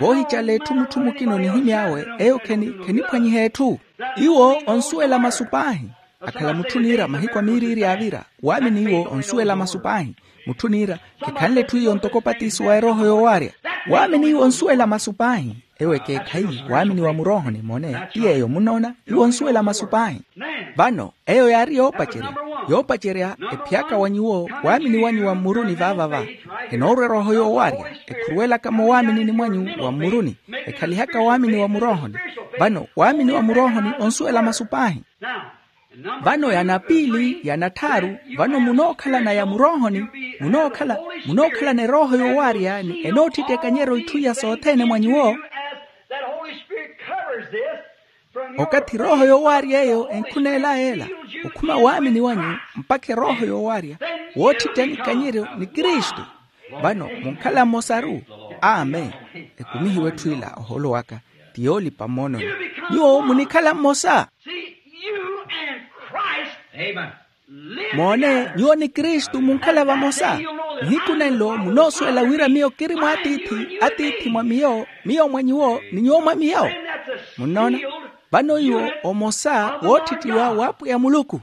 Voohicala etthu mutthu mukina onihimy'awe eyo kheniphwanyiha etthu. Iwo onsuwela masu paahi. Akhala mutthu oniira mahiku a miiriiri yaavira, waamini iwo onsuwela masu paahi. Mutthu oniira kikhanle etthu iyo ntoko opatisiwa erooho yoowaarya. Waamini iwo onsuwela masu paahi. Ewo ekeekhayi waamini wa muroohoni mone ti yeeyo munnoona. Iwo onsuwela masu paahi. Vano eyo yaari yoopacerya, yoopacerya ephyaka wa nyuwo waamini wanyu wa mmuruni vaavava. Enoorwa erooho yoowaarya ekhuruwelaka moowaaminini mwanyu wa mmuruni, ekhalihaka waamini wa muroohoni. Vano waamini wa muroohoni onsuwela masu paahi. Vano ya napiili ya natthaaru, vano munookhalana ya muroohoni, munookhala munookhalana erooho yoowaarya ni enoottitta ekanyeryo itthu iya sothene mwa nyuwo. Okathi erooho yoowaarya eyo enkhuneelaya ela, okhuma waamini wanyu mpakha erooho yoowaarya woottittani ikanyeryo ni kristu. Vano munkhala mmosaru. Amen. Ekumihiwe etthu ila ohoolo waka ti yoolipa mmoononi. Nyuwo munikhala mmosa. Moone, nyuwo ni kristu munkhala vamosa. Nihiku nenlo munoosuwela wira miyo kiri mwa atiithi, atiithi mwa miyo, miyo mwa nyuwo ni nyuwo mwa miyo. Munnoona? Vano iwo omosa woottittiwa w'apwiya muluku.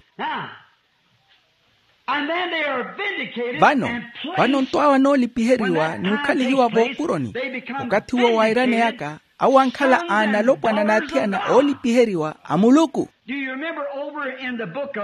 Vano, vano nto awo anoolipiheriwa n'ukhalihiwa voopuroni. Okathi uwo wairaneyaka awo ankhala a nalopwana n'athiyana oolipiheriwa a muluku.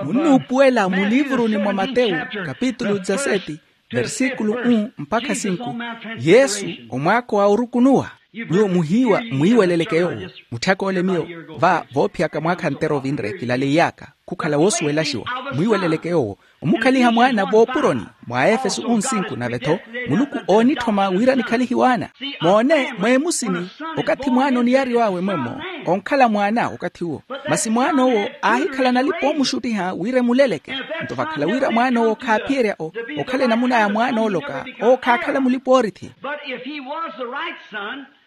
Munnuupuwela mu liivuruni mwa matewu kapitulu dezaseti, versikulu unu mpakha sinku. Yesu, omwaako a orukunuwa. Nyuwo muhiiwa mwiiweleleke yoowo. Mutthyaka ole miyo va voophiyaka mwaakha ntera ovinre kilaleiy'aka khukhala woosuwelaxiwa. Mwiiweleleke yoowo omukhaliha mwaana voopuroni. Mwa efeso nsinku nave-tho muluku oonitthoma wira nikhalihiwe ana. Moone, mweemusini okathi mwaana oniyariw'awe mwemmo, onkhala mwaana okathi uwo. Masi mwaana owo aahikhala nalipa oomuxuttiha wira emuleleke. Nto vakhala wira mwaana owo khaaphiyerya okhala enamuna ya mwaana ooloka, owo khaakhala mulipa oorithi.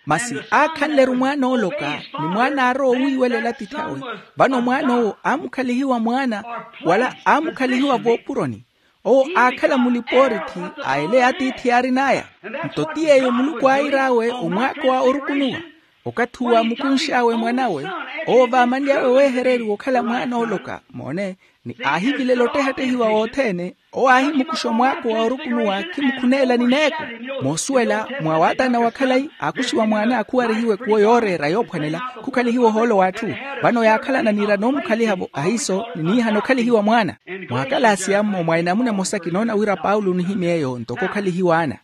Masi aakhanle-ru mwaana ooloka ni mwaana aarowa owiiwelela atiithi awe. Vano mwaana owo aamukhalihiwa mwaana, wala aamukhalihiwa voopuroni. Owo aakhala mulipa oorithi a ele atiithi yaarin'aya. Nto ti yeeyo muluku aayir'awe omwaako a orukunuwa. Okathi uwo aamukunx'awe mwan'awe, owo vaamanly'awe weehereriwa okhala mwaana ooloka moone, ni aahivilela ottehattehiwa wothene. Owo aahimukuxa omwaako wa orukunuwa khimukhuneela ni neeko. Moosuwela mwa waatana wa khalayi aakuxiwa mwaana akhuwarihiwe khuwo yooreera yoophwanela. Khukhalihiwa ohoolo w'atthu. Vano yaakhalana niira noomukhaliha-vo ahiiso ni niihana okhalihiwa mwaana. Mwa akalasi ammo mwa enamuna emosa kinoona wira paulo onihimy'eyo ntoko okhalihiwa ana.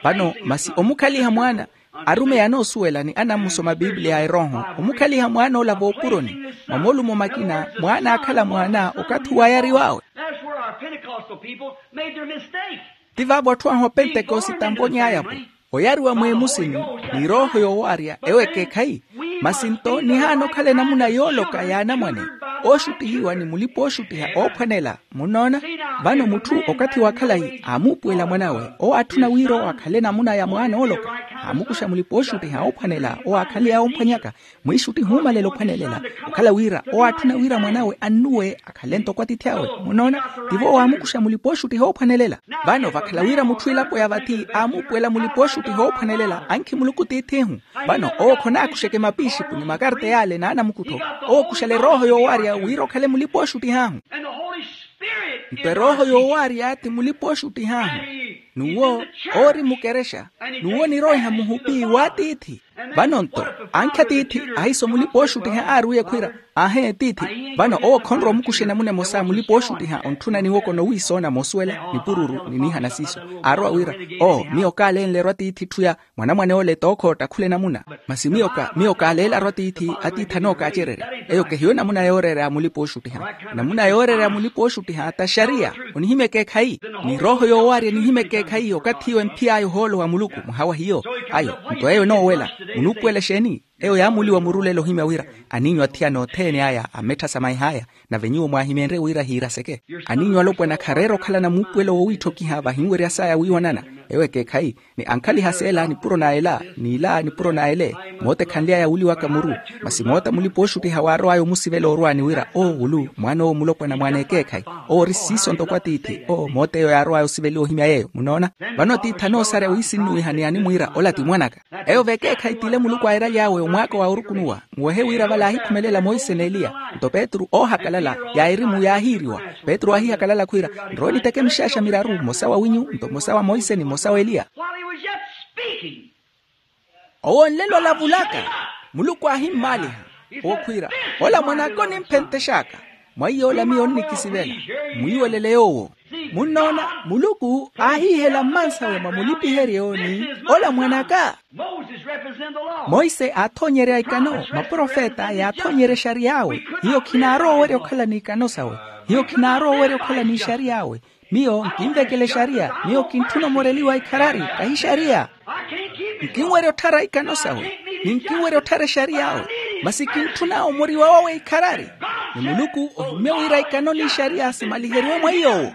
Vano masi omukhaliha mwaana Arumeyi anoosuwela ni anammusoma bibliya a erooho, omukhaliha mwaan'ola voopuroni. Mwa molumo makina mwaana aakhala mwaana okathi wayariw'awe. That's where our Pentecostal people made their mistake. Ti vaavo atthu ahu opentekosita amvony'aya-vo, oyariwa mweemusini ni erooho yoowaarya ewo ekeekhayi. Masi nto nihaana okhala enamuna yooloka ya anamwane ooxuttihiwa ni mulipa-ooxuttiha oophwanela. Munnoona? Vano mutthu okathi wa khalayi aamuupuwela mwan'awe owo aatthuna wira owo akhale enamuna ya mwaana ooloka. Aamukuxa mulipa-ooxuttiha oophwanela owo akhale yaawo omphwanyaka. Mwiixuttiha omalela ophwanelela okhala wira owo aatthuna wira mwan'awe annuwe akhale ntoko atiithi awe. Munnoona? Tivo owo aamukuxa mulipa-ooxuttiha oophwanelela. Vano vakhala wira mutthu elapo ya vathi aamuupuwela mulipa-ooxuttiha oophwanelela ankhi muluku tiith'ihu. Vano owo khonaakuxeke mapiixipu ni makarta yaale n'anamukuttho. Owo okuxela erooho yoowaarya wira okhale mulipa-ooxuttih'ahu. Nto erooho yoowaarya ti mulipa-ooxuttih'ahu. N'uwo oori mukerexa. N'uwo oniroiha muhupi w'atiithi. Vano nto ankhi atiithi ahiso mulipa-ooxuttiha aarwiye khwiira, aahe tiithi. Vano owo khonrowa omukuxa enamuna emosa mulipa-ooxuttiha ontthuna niwoko nowiisoona moosuwela nipururu ni niihana siiso. Aarowa wira, oo miyo kaalenle-ru atiithi etthu ya mwanamwane ole tookhootta khula enamuna. Masi miyo ka miyo kaaleela-ru atiithi atiithi anookaacererya. Eyo kehiyo enamuna yooreera ya mulipa-ooxuttiha. Enamuna yooreera ya mulipa-ooxuttiha ta xariya. Onihimya ekeekhayi ni erooho yoowaarya enihimya ekeekhayi okathi iwo emphiy'aya ohoolo wa muluku mwaha wa hiyo. Ayo nto eyo enoowela. Munuupuwela exeeni? Eyo yaamuuliwa murulelo ohimya wira aniinyu athiyana othene aya ammetthasamahih'aya. Nave nyuwo mwaahimeenrye wira hiiraseke. Aniinyu alopwana khareera okhalana muupuwelo woowiitthokiha vahinwerya saya wiiwanana. Ewo ekeekhayi ni ankhaliha s'ela nipuro na ela n'ila nipuro na ele. Moota ekhanly'aya wuuliwaka muru. Masi moota mulipa-ooxuttiha waarow'aya omusivela orwaani wira oo wulu mwaan'owo mulopwana mwaana ekeekhayi. Owo ori siiso ntoko atiithi oo moota eyo yaarow'aya osiveliwa ohimya yeeyo munnoona. Vano atiithi anoosarya wiisinnuwiha ni animwiira ola ti mwan'aka. Eyo vekeekhayi t'ile muluku airaly'awe omwaako wa orukunuwa. Muwehe wira vale aahikhumelela monse n'eliya. Nto petru oohakalala ya erimu yaahiiriwa. Petru aahihakalala khwiira, nrowe niteke mixaaxa miraru mmosa wa winyu nto mmosa wa monse ni mmosa w'eliya. While he was yet speaking, owo nlelo olavulaka muluku aahimmaaliha. Owo khwiira, ola mwan'aka onimphentex'aka. Mwa iy'ola miyo onnikisivela. Mwiiwelele yoowo. Munnoona, muluku aahiihela mmansawe mwa mulipiheryo ni ola mwan'aka. Monse aathoonyerya ikano maprofeta yaathoonyerya exariy'awe. Hiyo khinaarowa owerya okhala n'ikano sawe. Hiyo khinaarowa owerya okhala n'ixariy'awe. Miyo nkinvekela exariya. Miyo kintthuna omoreliwa ikharari kahi xariya. Nkinwerya otthara ikano sawe. Ni nkinwerya otthara exariy'awe. Masi kintthuna omoriwa wawe ikharari. Ni muluku ohimmye wira ikano n'ixariya simaliheriwe mwa iy'owo.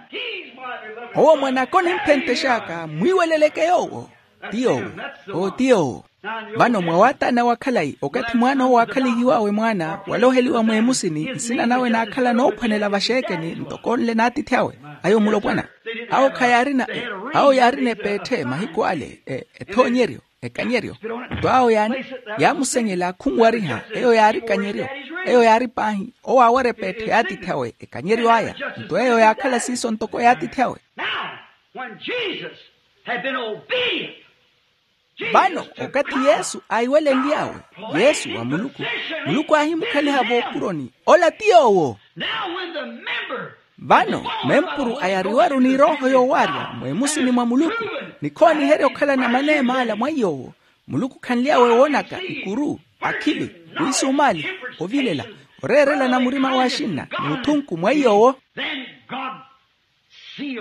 Owo mwan'aka onimphentex'aka mwiiweleleke yoowo. Ti yoowo. Oo ti yoowo. Vano mwa waataana wa khalayi okathi mwaan'owo aakhalihiw'awe mwaana waloheliwa mweemusini nsina nawe naakhala noophwanela vaxeekeni ntoko onle n'atiithi awe. Ayo mulopwana. Awo khayaarina awo yaarina epeetthe mahiku ale ethoonyeryo ekanyeryo. Nto awo yaamusenyela khunwariha. Eyo yaari kanyeryo. Eyo yaari paahi owo aawara epeetthe y'atiithi awe ekanyeryo aya. Nto eyo yaakhala siiso ntoko y'atiithi awe. Now, when Jesus had been obedient, vano okathi yesu aiwelenly'awe yesu wa muluku muluku aahimukhaliha voopuroni. Ola ti yoowo. Now when the member vano mempuru ayariwaru n'irooho yoowarya mwemusini mwa muluku ni khooniherya okhalana maneema ala mwa iy'owo. Muluku khanly'awe woonaka ikuru akhili wisumaali ovilela oreerelana murima w'axinna n'uthunku mwa iy'owo. Then God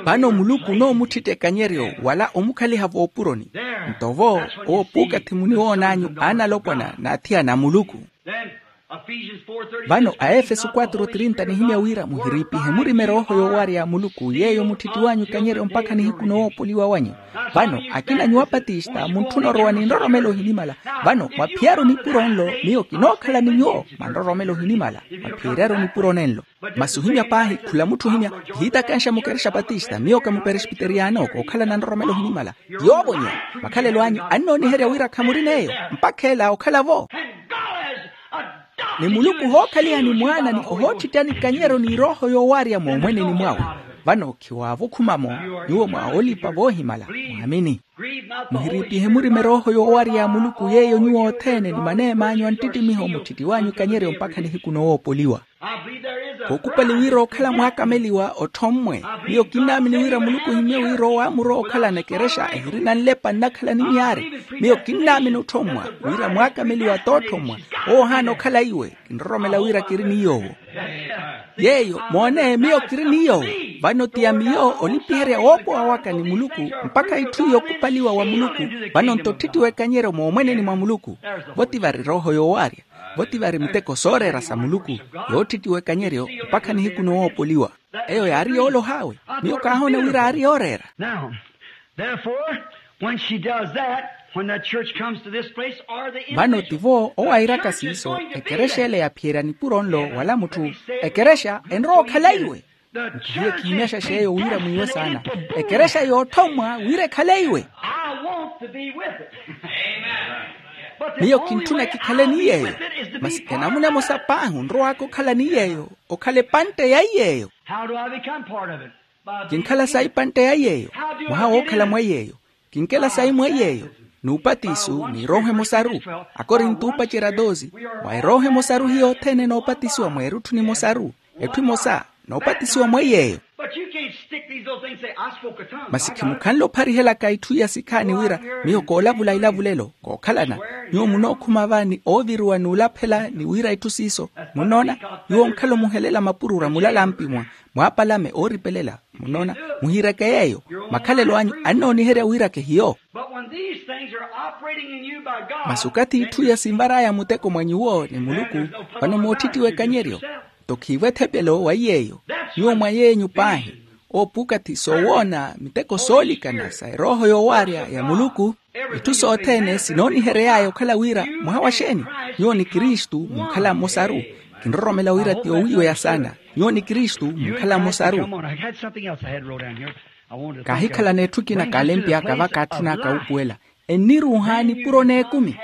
vano muluku onoomuttitta ekanyeryo wala omukhaliha voopuroni. Nto vo owo puukathi muniwoon'anyu aanalopwana n'athiyana a muluku. Vano aefeso quatro trinta nihimya wira muhiriipihe murima erooho yoowarya ya muluku yeeyo mutthittiw'anyu ekanyeryo mpakha nihiku nowoopoliwa wanyu. Vano akina nyuwo apatista muntthuna orowa ni nroromelo ohinimala. Vano mwaphiyaru nipuro nlo miyo kinookhala ni nyuwo mwa nroromelo ohinimala. Mwaphiyeryaru nipuro nenlo. Masi ohimya paahi khula mutthu ohimya kihiitakanxa mukerexa patista miyo ka muperesipiteriyano kookhalana nroromelo ohinimala. Yoovo nyuwo makhalelo anyu annooniherya wira khamuri n'eyo mpakha ela okhala-vo. Ni muluku ohookhaliha ni mwaana ni ohoottittani ikanyero n'irooho yoowarya moomweneni mwawe. Vano khiwaavukhuma-mo nyuwo mwa olipa voohimala mwaamini. Muhiriipihe murima erooho yoowarya ya muluku yeeyo nyuwo othene ni maneem'anyu anttittimiho mutthittiw'anyu ikanyeryo mpakha nihiku nowoopoliwa. Kookupali wira okhala mwaakameliwa otthommwe. Miyo kinnaamini wira muluku ohimmye wira owo aamurowa okhalana ekerexa ehirina nlepa nnakhala ni myaari. Miyo kinnaamini otthommwa wira mwaakameliwa t'otthommwa. Owo ohaana okhala iwe. Kinroromela wira kiri ni yoowo. Yeeyo moone miyo kiri ni yoowo. Vano ti ya miyo olipiherya woopowa waka ni muluku mpakha itthu yookupaliwa wa muluku. Vano nto otthitti w'ekanyeryo moomweneni mwa muluku. Vo ti vari rooho yoowaarya. Vo ti vari miteko sooreera sa muluku yootthitti w'ekanyeryo mpakha nihiku nowoopoliwa. Eyo yaari yooloha awe. Miyo kaahoona wira aari yooreera. Now, therefore, when she does that, when the church comes to this place or the vano tivo owairaka siiso ekerexa ele yaphiyerya nipuro nlo wala mutthu. Ekerexa enrowa okhala iwe. Nkihiye kiimyaxa xeeyo wira mwiiwe saana. Ekerexa yootthommwa wira ekhale iwe. I want to be with it. Miyo kintthuna kikhale ni yeeyo. Masi enamuna emosa paahi onrowaka okhala ni yeeyo. Okhala epantte ya iyeeyo. How do I become part of it? Kinkhala sayi pantte ya iyeeyo. Mwaha wookhala mwa iyeeyo. Kinkela sayi mwa iyeeyo. N'upatiso n'irooho emosaru. Akorinto oopacerya doze. Mwa erooho emosaru hiyo othene noopatisiwa mwa erutthu nimosaru. Etthu emosa noopatisiwa mwa iyeeyo. But you can't stick these little things and say, I spoke a tongue. Masi khimukhanle opharihelaka itthu iya sikhaani wira miyo koolavula ilavulelo kookhalana. Nyuwo munookhuma va ni ooviriwa n'ulaphela ni wira itthu siiso. Munnoona? Nyuwo onkhala omuhelela mapurura mulalampi mwa mwaapalame ooripelela. Munnoona? Muhiireke yeeyo. Makhalelo anyu annooniherya wiirake hiyo. But when these things are operating in you by God, masi okathi itthu iya sinvar'aya muteko mwa nyuwo ni muluku. Vano mootthitti w'ekanyeryo. Nto khiivo ethepelo wa iyeeyo. Nyuwo mwa yeenyu paahi. Oopukathi soowoona miteko soolikana sa erooho yoowaarya ya muluku. Itthu sothene sinoonihery'aya okhala wira mwaha wa xeeni? Nyuwo ni kristu munkhala mmosaru. Kinroromela wira ti owiiweya saana. Nyuwo ni kristu munkhala mmosaru. Kaahikhalana etthu ekina kaalempy'aka va kaatthun'aka wuupuwela. Enniruuha nipuro n'ekumi.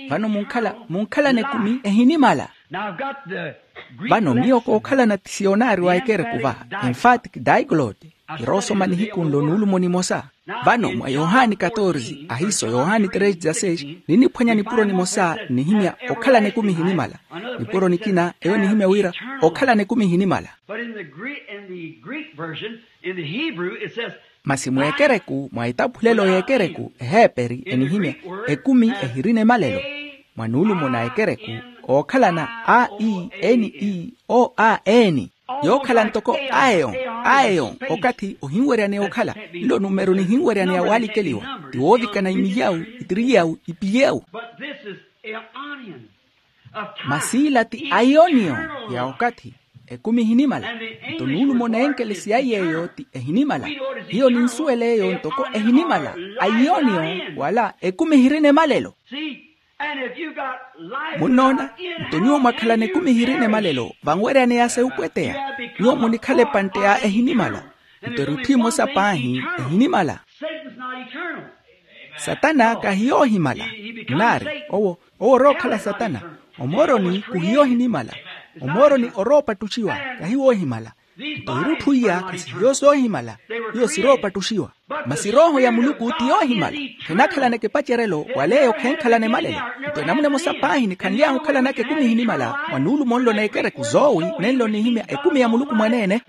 Vano munkhala munkhalana ekumi ehinimala. Vano miyo kookhalana ti siyonaari wa ekereku va, emphatic diglot. Kiroosoma nihiku nlo nuulumo nimosa. Vano mwa yohani katorze ahiiso yohani treze dezasseis, ninniphwanya nipuro nimosa nnihimya okhalana ekumi ehinimala. Nipuro nikina eyo nihimya wira okhalana ekumi ehinimala. But in the Greek, in the Greek version, in the Hebrew, it says, masi mweekereku mwa etaphulelo y'ekereku eheeperi enihimya ekumi ehirina emalelo. Mwa nuulumo na ekereku ookhalana a e n e o a n, yookhala ntoko aeon aeon. Okathi ohinweryaneya okhala nlo numero nihinweryaneya waalikeliwa ti woovikana imiyawu itiriyawu ipiyewu. But this is aeonian. Masi ila ti aioniyo ya okathi ekumi ehinimala. Nto nuulumo na enkelesi ya iyeeyo ti ehinimala. Hiyo ninsuwela eyo ntoko ehinimala. Aioniyo wala ekumi ehirina emalelo. Munnoona? Nto nyuwo mwakhalana ekumi ehirina emalelo vanweryaneya sa yupweteya. Nyuwo munikhala epantte ya ehinimala. Nto erutthu emosa paahi ehinimala. Satana kahiyoohimala. Nnaari owo owo orookhala satana. Omooroni kuhiyoohinimala. Omooroni oroopattuxiwa kahiwoohimala. Nto irutthu iya khasihiyo soohimala. Iyo siroopattuxiwa. Masi erooho ya muluku ti yoohimala. Khenakhalana ekipacerelo wala eyo khenkhalana emalelo. Nto enamuna emosa paahi nikhanly'ahu okhalanaka ekumi ehinimala mwa nuulumo nlo n'ekereku zoowi nenlo nihimya ekumi ya muluku mwaneene.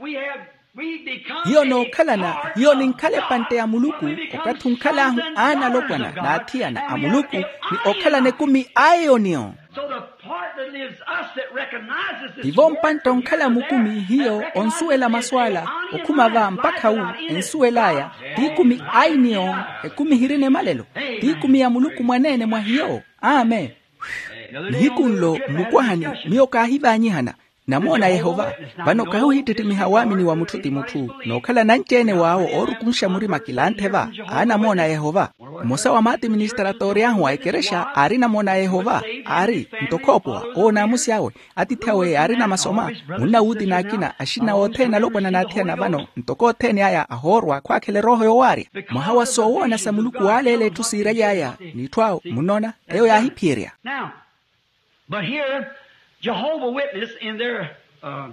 Hiyo nookhalana hiyo ninkhala epantte ya muluku. Okathi onkhal'ahu aana alopwana n'athiyana a muluku ni okhalana ekumi a eoniyo. Tivo mpantte onkhala mukumi hiyo onsuwela masu ala. Okhuma va mpakha wu ensuwel'aya ti ekumi a eoniyo. Ekumi ehirina emalelo ti ekumi ya muluku mwaneene mwa hiyo. Amen. Nihiku nlo mmukwahani miyo kaahivaanyihana. Namoona yehova. Vano kahi ohittittimiha waamini wa mutthu ti mutthu nookhala nanci-ene waawo oorukunxa murima kilanthe va. Aanamoona yehova. Mmosa wa maatiministratori ahu a ekerexa aari namoona yehova. Aari nto khoopowa owo naamusi awe atiithi awe yaari namasoma. Munnawuuti n'akina axinna othene alopwana n'athiyana vano ntoko othene aya ahoorwa khwaakhela erooho yoowaarya. Mwaha wa soowoona sa muluku waaleela etthu siiraly'aya n'itthu awo munnoona. Eyo yaahiphiyerya. But here, Jehovah Witness in their uh,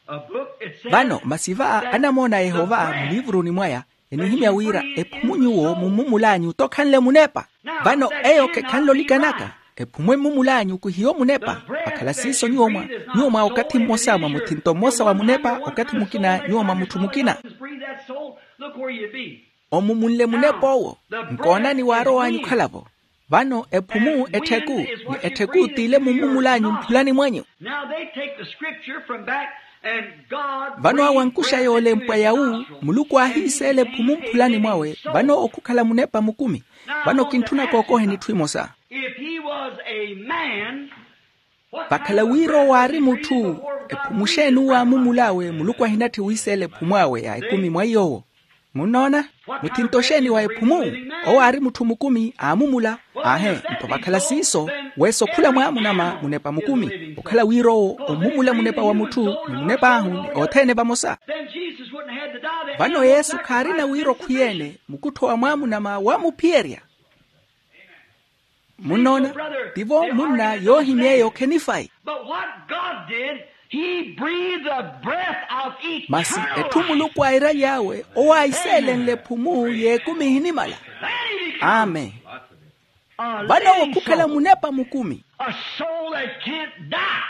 uh, book, it says vano masi va anamoona a yehova muliivuruni mwaya enihimya wira ephumunyuwo mummumul'anyu tokhanle munepa. Vano eyo khekhanle olikanaka. Ephumu emmumul'anyu kihiyo munepa. Vakhala siiso nyuwo mwa nyuwo mwa okathi mmosa mwa muthinto mmosa wa munepa, okathi mukina nyuwo mwa mutthu mukina. Omumunle munep'owo. Nkoonani waarow'anyu okhala-vo. Vano ephumu ettheku, ni ettheku t'ile mummumul'anyu mphulani mwanyu. Now they take the scripture from back, and God vano awo ankuxa yoolempwa yawu. Muluku aahiiseela ephumu mphulani mwawe. Vano okhukhala munepa mukumi. Vano kintthuna kookoheni etthu emosa. If he was a man, vakhala wira owo aari mutthu, ephumu xeeni owo aamumul'awe? Muluku ahinatthi wiiseela ephumu awe ya ekumi mwa iy'owo. Munnoona? Muthinto xeeni wa ephumu? Owo aari mutthu mukumi aamumula. Aahe, nto vakhala siiso, weesa okhula mwaamunama munepa mukumi okhala wira owo ommumula munepa wa mutthu ni munep'ahu ni othene vamosa. Vano yesu khaarina wira okhwiyeene mukuttho wa mwaamunama wamuphiyerya. Munnoona? Tivo munna yoohimy'eyo khenifayi. But what God did, he breathed the breath of eternal life. Masi etthu muluku airaly'awe owo aahiseelenle ephumu y'ekumi ehinimala. Amen. Vano owo khukhala munepa mukumi. A soul that can't die.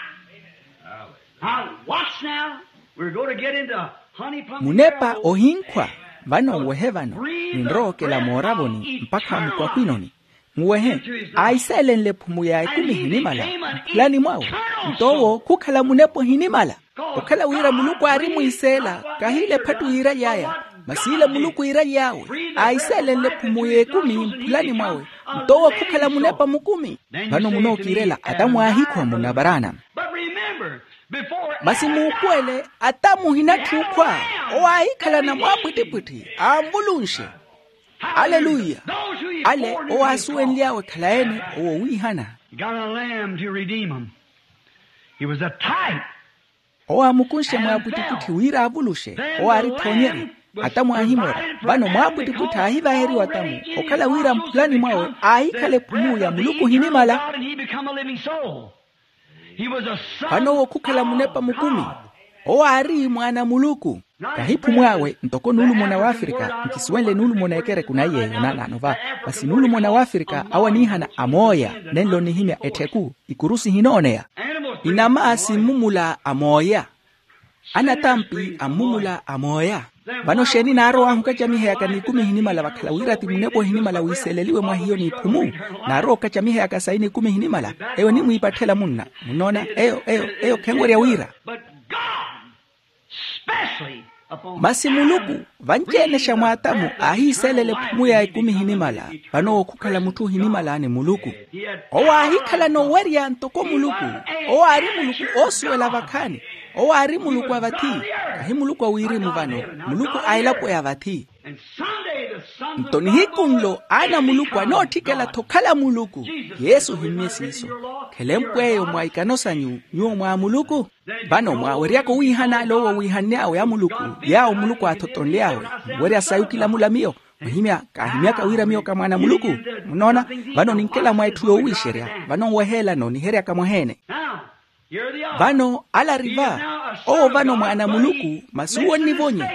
Now watch now. We're going to get into honey plum. Munepa ohinkhwa. Vano nwehe vano, ninrowa okela mooravoni mpakha mukwahwinoni. Nwehe, aahiseelenle ephumu ya ekumi ehinimala mphulani mwawe. Nto owo khukhala munepa ohinimala. Okhala wira muluku aarimwiiseela, kahiila ephattu yiiraly'aya, masi ile muluku yiiraly'awe, aahiseelenle ephumu y'ekumi mphulani mwawe. Nto owo khukhala munepa mukumi. Vano munookiirela atamu aahikhwa munna varaana. Masi muupuwele, atamu ohinatthi okhwa. Owo aahikhalana mwaapwittipwitthi anvulunshe. Aleluya. Ale owo aasuwenly'awe khalayi-ene owo wiihana. He got a lamb to redeem him. He was a type. Owo aamukunshe mwaapwittipwitthi wira aavuluxe. Owo aari ethoonyeryo. Atamu aahimora. Vano mwaapwittipwitthi aahivaheriwa atamu okhala wira mphulani mwawe aahikhala ephumu ya muluku ohinimala. Vano owo khukhala munepa mukumi. Owo aari mwaana a muluku. Kahi ephumu awe ntoko nuulumona w'afrika. Nkisuwenle nuulumona ekereku na iy'eyo naanaano va. Masi nuulumona w'afrika awo aniihana amooya. Nenlo nnihimya ettheku. Ikurusi ehinooneya. Inama simmumula amooya. Anatampi ammumula amooya. Vano xeeni naarow'ahu okacaminheyaka n'ikumi ehinimala vakhala wira ti munepa ohinimala wiiseleliwe mwa hiyo n'iphumu. Naarowa okacaminheyaka sayi n'ikumi ehinimala. Eyo enimwiipatthela munna. Munnoona? Eyo eyo eyo khenwerya wira. Masi muluku vanci-ene xa mwa atamu aahiiselela ephumu ya ekumi ehinimala. Vano owo khukhala mutthu ohinimala ni muluku. Owo aahikhalana owerya ntoko muluku. Owo aari muluku oosuwela vakhaani. Owo aari muluku a vathi. Kahi muluku a wirimu vano. Muluku a elapo ya vathi. Nto nihiku nlo aana a muluku anootthikela-tho okhala muluku. Yesu ohimmye siiso. Khelempw'eyo mwa ikano sanyu nyuwo mwa muluku. Vano mwaaweryaka owiihana ale owo wiihanny'awe a muluku. Yaawo muluku aathotonly'awe. Muwerya sayi okilamula miyo. Muhimya kaahimyaka wira miyo ka mwaana a muluku. Munnoona? Vano ninkela mwa etthu yoowiixerya. Vano nweheelano niheryaka mwaheene. Vano ale ari va. Owo vano mwaana a muluku. Masi owo onnivonye.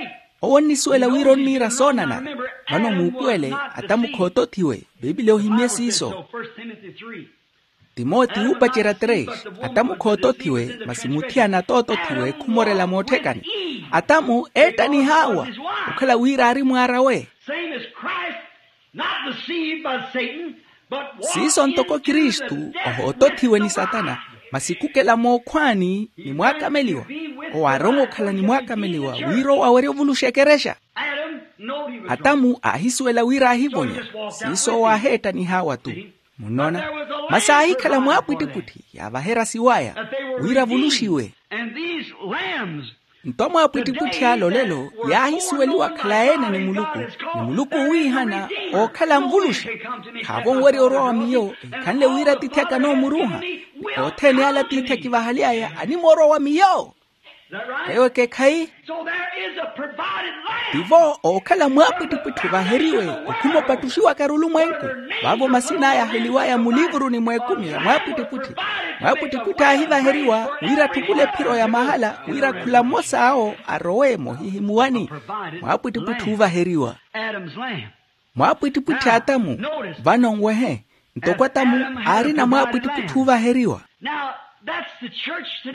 Owo onnisuwela wira onniira soonanara. Vano muupuwele. Atamu khootothiwe. Piipili ohimmye siiso. Timoti wuupacerya tres. Atamu khootothiwe masi muthiyana atootothiwe khumorela mootthekani. Atamu eettaniha awa. Okhala wira aari mwaar'awe. Siiso ntoko kristu ohootothiwe ni satana. Masi khukela mookhwaani ni mwaakameliwa. Owo aarowa okhala ni mwaakameliwa wira owo awerye ovuluxa ekerexa. Atamu aahisuwela wira aahivonya. Siiso owo aaheettaniha awa-tu. Munnoona? Masi aahikhala mwaapwittipwitthi yaavaherya siwaya wira avuluxiwe. Nto mwaapwittipwitthi ale olelo yaahisuweliwa khalayi-ene ni muluku. Ni muluku owiihana ookhala anvuluxa. Khaavo onwerya orowa wa miyo. Ehikhanle wira atiithi aka anoomuruuha. Othene ale atiithi akivahaly'aya animoorowa wa miyo. Eyo ekeekhayi. Tivo ookhala mwaapwittipwitthi ovaheriwe. Okhuma opattuxiwaka arulumwenku. Vaavo masin'aya aheliwaya mulivuruni mw'ekumi ya mwaapwittipwitthi. Mwaapwittipwitthi aahivaheriwa wira atthukule ephiro ya mahala wira khula mmosa awo arowe moohihimuwani. Mwaapwittipwitthi oovaheriwa. Mwaapwittipwitthi atamu. Vano nwehe. Ntoko atamu aari namwaapwittipwitti oovaheriwa.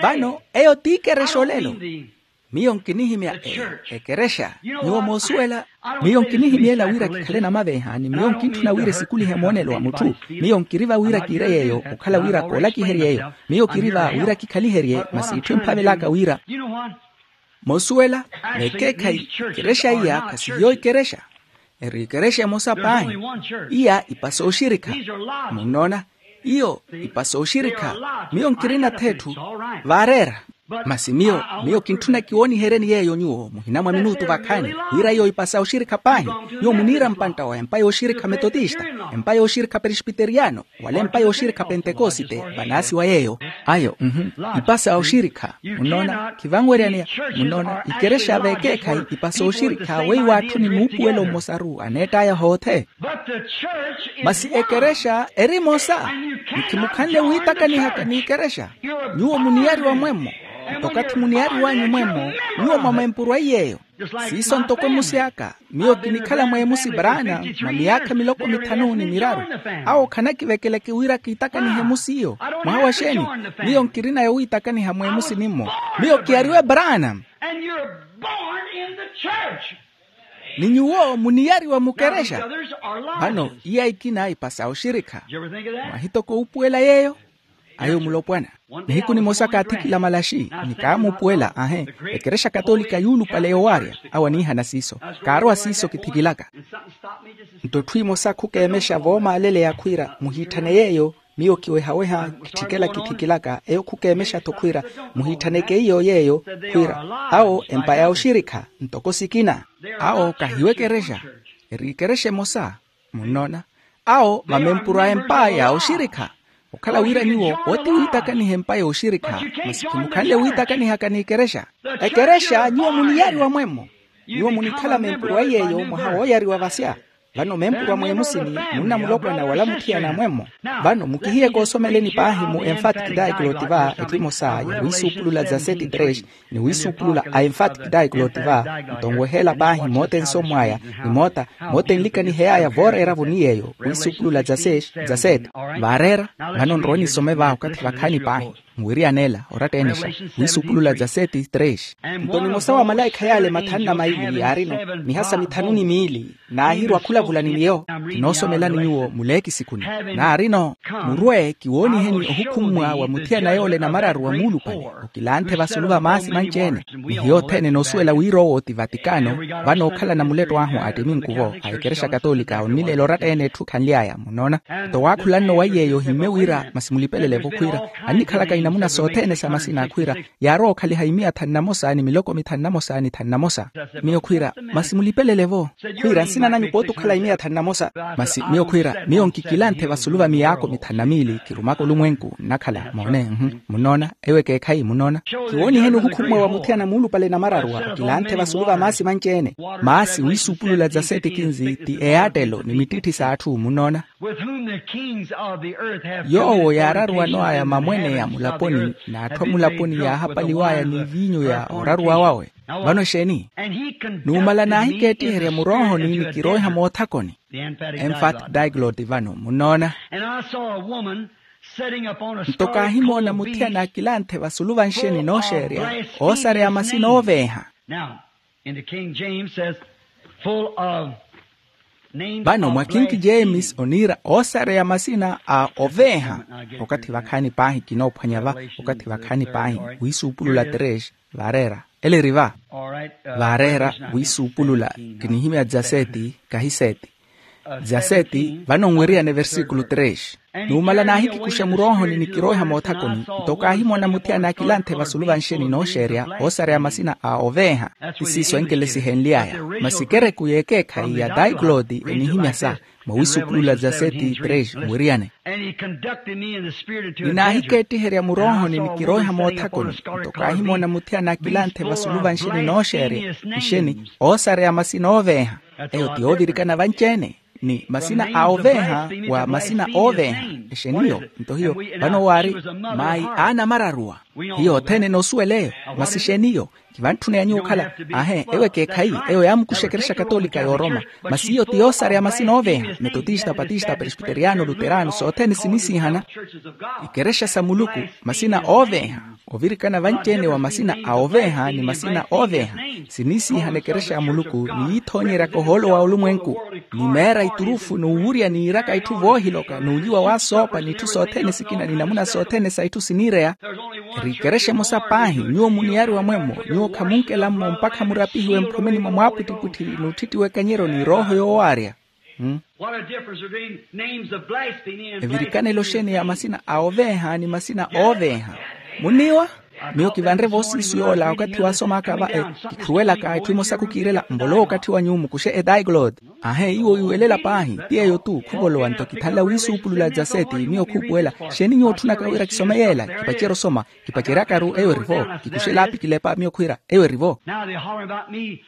Vano eyo t'ikerexa olelo. Miyo nkinihimya eyo ekerexa. Nyuwo moosuwela. Miyo nkinihimyela wira kikhale namaveeha ni miyo nkintthuna wira esikulihe moonelo wa mutthu. Miyo nkiri va wira kiire yeeyo okhala wira koolakiherye eyo. Miyo kiri va wira kikhaliherye masi itthu emphavelaka wira. Moosuwela, vekeekhayi ikerexa iya khasihiyo ikerexa. Eri ikerexa emosa paahi. Iya ipasa oxirikha. Munnoona? Iyo ipasa oxirikha. Miyo nkirina-tho etthu vaareera. Masi miyo miyo kintthuna kiwooniheryeni yeeyo nyuwo muhina mwa minutu vakhaani, wira iyo ipasa oxirikha paahi. Nyuwo muniira mpantta wa empa yooxirikha metotista, empa yooxirikha presbiteriyano, wala empa yooxirikha pentekosite. Vanaasiwa yeeyo. Ayo mhm. Ipasa oxirikha. Munnoona khivanweryaneya. Munnoona ikerexa vekeekhayi ipasa oxirikha weiwo atthu ni muupuwelo mmosaru aneett'aya hoothe. Masi ekerexa eri emosa. Ni khimukhanle wiitakanihaka n'ikerexa. Nyuwo muniyariwa mwemmo. Nto okathi muniyariwanyu mwemmo, nyuwo mwamempurwa iy'eyo. Siiso ntoko emusi aka. Miyo kinikhala mweemusi branham mwa miyaakha miloko mithanu ni miraru. Awo khanakivekeleke wira kiitakanihe emusi iyo. Mwaha wa xeeni? Miyo nkirina yowiitakaniha mweemusi nimmo. Miyo kiyariwe branham. Ni nyuwo muniyariwa mukerexa. Vano iya ikina ipasa oxirikha. Mwahitoka ohupuwela yeeyo? Ayo mulopwana. Nihiku nimosa kaathikila malaxi, ni kaamuupuwela ahe. Ekerexa katolika yuulupale yowaarya. Awo aniihana siiso. Kaarowa siiso kithikilaka. Nto etthu emosa khukeemexa voomaaleleya khwiira muhiitthane yeeyo. Miyo kiwehaweha kitthikela kithikilaka eyo khukeemexa-tho khwiira muhiitthaneke iyo yeeyo. Khwiira awo empa ya oxirikha ntoko sikina. Awo kahiwo ekerexa. Eri ikerexa emosa. Munnoona? Awo mamempurwa empa ya oxirikha. Okhala wira nyuwo oti wiitakaniha empa yooxirikha. Masi khimukhanle wiitakanihaka n'ikerexa. Ekerexa nyuwo muniyariwa mwemmo. Nyuwo munikhala mempurwa iy'eyo mwaha wooyariwa vasya. Vano mempurwa mweemusini, munna mulopwana wala muthiyana mwemmo. Vano mukihiye koosomeleni paahi mu emphatic diglot va etthu emosa ya wiisuupulula dza seti tres, ni wiisuupulula a emphatic diglot va. Nto nweheela paahi moote nsomw'aya, ni moota moote nlikanihey'aya vooreera-vo ni yeeyo wiisuupulula dza seti. Vaareera. Vano nrowe nisome va okathi vakhaani paahi. Nwiriyaneela oratta-enexa. Wiisuupulula dza seti tres. Nto nimosa wa malaikha yaale mathanu na maili yaarino miha sa mithanu ni miili, naahirwa khulavula ni miyo. Kinoosomelani nyuwo muleekisikhuni. Naarino, murwe kiwooniheni ohukhummwa wa muthiyana yoole namararu wa muulupale okilanthe vasulu va maasi manci-ene. Ni hiyo othene enoosuwela wira owo ti vatikano. Vano ookhalana muletto ahu a attiminku-vo a ekerexa katolika onnileela oratta-ene etthu khanly'aya. Munnoona? Nto waakhulanno wa iy'eyo ohimmye wira masi mulipelele-vo khwiira, annikhalaka inamuna sothene sa masina khwiira, yaarowa okhaliha imiya thanu na mosa ni miloko mithanu na mosa ni thanu na mosa. Miyo khwiira, masi mulipelele-vo. Khwiira nsina nanyu pooti okhala imiya thanu na mosa. Masi miyo khwiira miyo nkikilanthe vasulu va miyaako mithanu na miili khirumaka olumwenku nnakhala moone. Munnoona? Eyo ekeekhayi. Munnoona? Kiwooniheni ohukhummwa wa muthiyana muulupale namararu wa okilanthe vasulu va maasi manci-ene. Maasi wiisuupulula dza seti kinzi ti eyaattelo ni mittitthi s'atthu. Munnoona? Yoowo yaararuwano aya mamwene ya mulaponi n'atthu a mulaponi yaahapaliw'aya ni eviinyu ya oraruwa wawe. Vano exeeni? Numala naahikeettiherya muroohoni ni kiroiha moothakoni. Emphatic diglot vano. Munnoona? Nto kaahimoona muthiyana akilanthe vasulu va nxeni nooxeerya oosareya masina ooveeha. Vano mwa kingi james oniira oosareya masina a oveeha. Okathi vakhaani paahi kinoophwanya va. Okathi vakhaani paahi. Wiisuupulula tres. Vaareera. Ele eri va. Vaareera wiisuupulula. Kinihimya dza seti kahi seti. Dza seti vano nweriyane versikulu tres. Numala naahikikuxa muroohoni ni kiroiha moothakoni. Nto kaahimoona muthiyana akilanthe vasulu va nxeni nooxeerya oosareya masina a oveeha. Ti siiso enkelesihenly'aya. Masi ekereku y'ekeekhayi ya daikloti enihimya sa mwa wiisuupulula dza seti tres mweriyane. Ninaahikeettiherya muroohoni ni kiroiha moothakoni. Nto kaahimoona muthiyana akilanthe vasulu va nxeni nooxeerya nxeni oosareya masina ooveeha. Eyo ti yoovirikana vanci-ene. Ni masina a oveeha wa masina ooveeha. Exeniyo? Nto hiyo vano waari mayi aanamararuwa. Hiyo othene noosuwela eyo. Masi exeniyo? Kivantthuna ya nyuwo okhala. Ahe, eyo ekeekhayi. Eyo yaamukuxa ekerexa katolika y'oroma. Masi iyo ti yoosareya masina ooveeha, metotista, patista, presbiteriano, luterano, sothene sinisiihana. Ikerexa sa muluku, masina ooveeha. Ovirikana vanci-ene wa masina a oveeha ni masina ooveeha. Sinisiihana ekerexa ya muluku ni yiithoonyeryaka ohoolo wa olumwenku, ni meera iturufu n'uwurya n'iiraka itthu voohiloka n'uliwa w'asoopa n'itthu sothene sikina ni namuna sothene sa itthu siniireya. Eri ikerexa emosa paahi nyuwo muniyariwa mwemmo. Nyuwo khamunkelammo mpakha murapihiwe mphomeni mwa mwaapwittipwitthi n'utthittiwa ekanyeryo ni rooho yoowaarya. What a difference between names of blasphemy and evirikanelo blasphemy. Xeeni ya masina a oveeha ni masina ooveeha? Munniiwa? Miyo kivanre voosiisu yoola okathi waasomaka va e, kikhuruwelaka etthu emosaku kiirela mbolowa okathi wa nyuwo mukuxe edaiglot. Ahe iwo iwelela paahi ti eyo tu khuvolowa nto kithanla wiisuupulula dzaseti. Miyo khuupuwela. Xeeni nyuwo otthunaka wira kisome yeela? Kipacerya osoma. Kipaceryakaru eyo erivo. Kikuxe laapi kilepa miyo khwiira eyo erivo. Now they holler about me.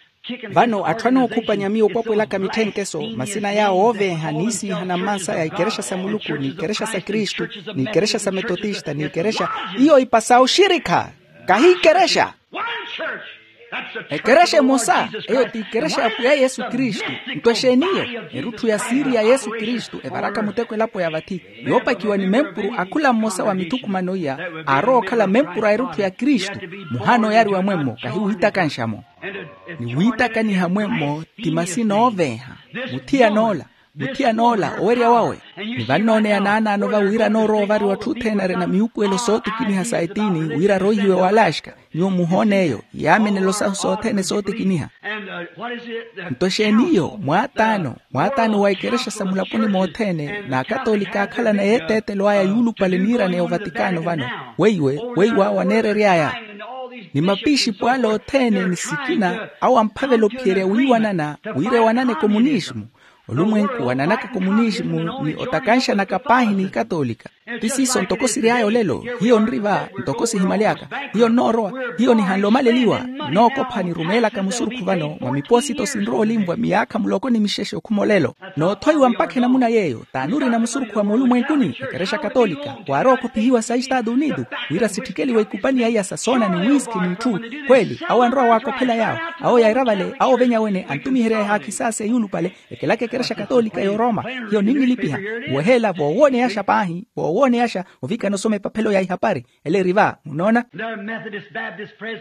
Vano atthu anookhupanya miyo opwapwelaka mitthenkeso masina yaawo ooveeha niisiihana mmansaya ikerexa sa muluku n'ikerexa sa kristu n'ikerexa sa metotista n'ikerexa. Iyo ipasa oxirikha. Kahi ikerexa. Ekerexa emosa eyo ti ikerexa ya pwiya yesu kristu. Nto exeeniyo? Erutthu ya siiri ya yesu kristu evaraka muteko elapo ya vathi, yoopakiwa ni mempuru a khula mmosa wa mithukumano iya aarowa okhala mempuru a erutthu ya kristu. Muhaana oyariwa mwemmo kahi wiitakanxa-mo. Ni wiitakaniha mwemmo ti masina ooveeha. Muthiyan'ola, muthiyan'ola owerya wawe. Ni vannooneya naanaano va wira anoorowa ovariwa atthu othene arina miyuupuwelo sootikiniha sa etiini wira aroihiwe w'alaxka. Nyuwo muhoone eyo yaamenelo sahu sothene sootikiniha. Nto exeeniyo? Mwaataano, mwaataano wa ikerexa sa mulaponi mothene n'akatolika aakhalana yeeteetelo aya yuulupale niiraneya ovatikano vano. Weiwe, weiwe awo aneerery'aya ni mapixipo ale othene ni sikina awo amphavela ophiyerya wiiwanana wira ewanane komunismu. Olumwenku wananaka komunismu ni otakanxanaka paahi n'ikatolika. Ti siiso ntoko siry'aya olelo. Hiyo nri va ntoko sihimaly'aka. Hiyo nnoorowa. Hiyo nihanle omaleliwa. Nnookopha nirumeelaka musurukhu vano mwa miposito sinrowa olinvwa miyaakha muloko ni mixexe okhuma olelo. Noothoiwa mpakha enamuna yeeyo t'anurina musurukhu wa moolumwenkuni ekerexa katolika waarowa okhophihiwa sa estado unido wira sitthikeliwe ikupani ya iya sa soona ni wiski n'itthu. Khweli awo anrowa waakophela yaawo awo yaira vale awo ovenya wene antumiherya ehaakhi saase yuulupale. Ekelaka ekerexa katolika y'oroma. Hiyo ninnilipiha weheela voowooneyaxa paahi voowooneyaxa ovikana osoma epaphelo ya ihapari. Ele eri va munoona?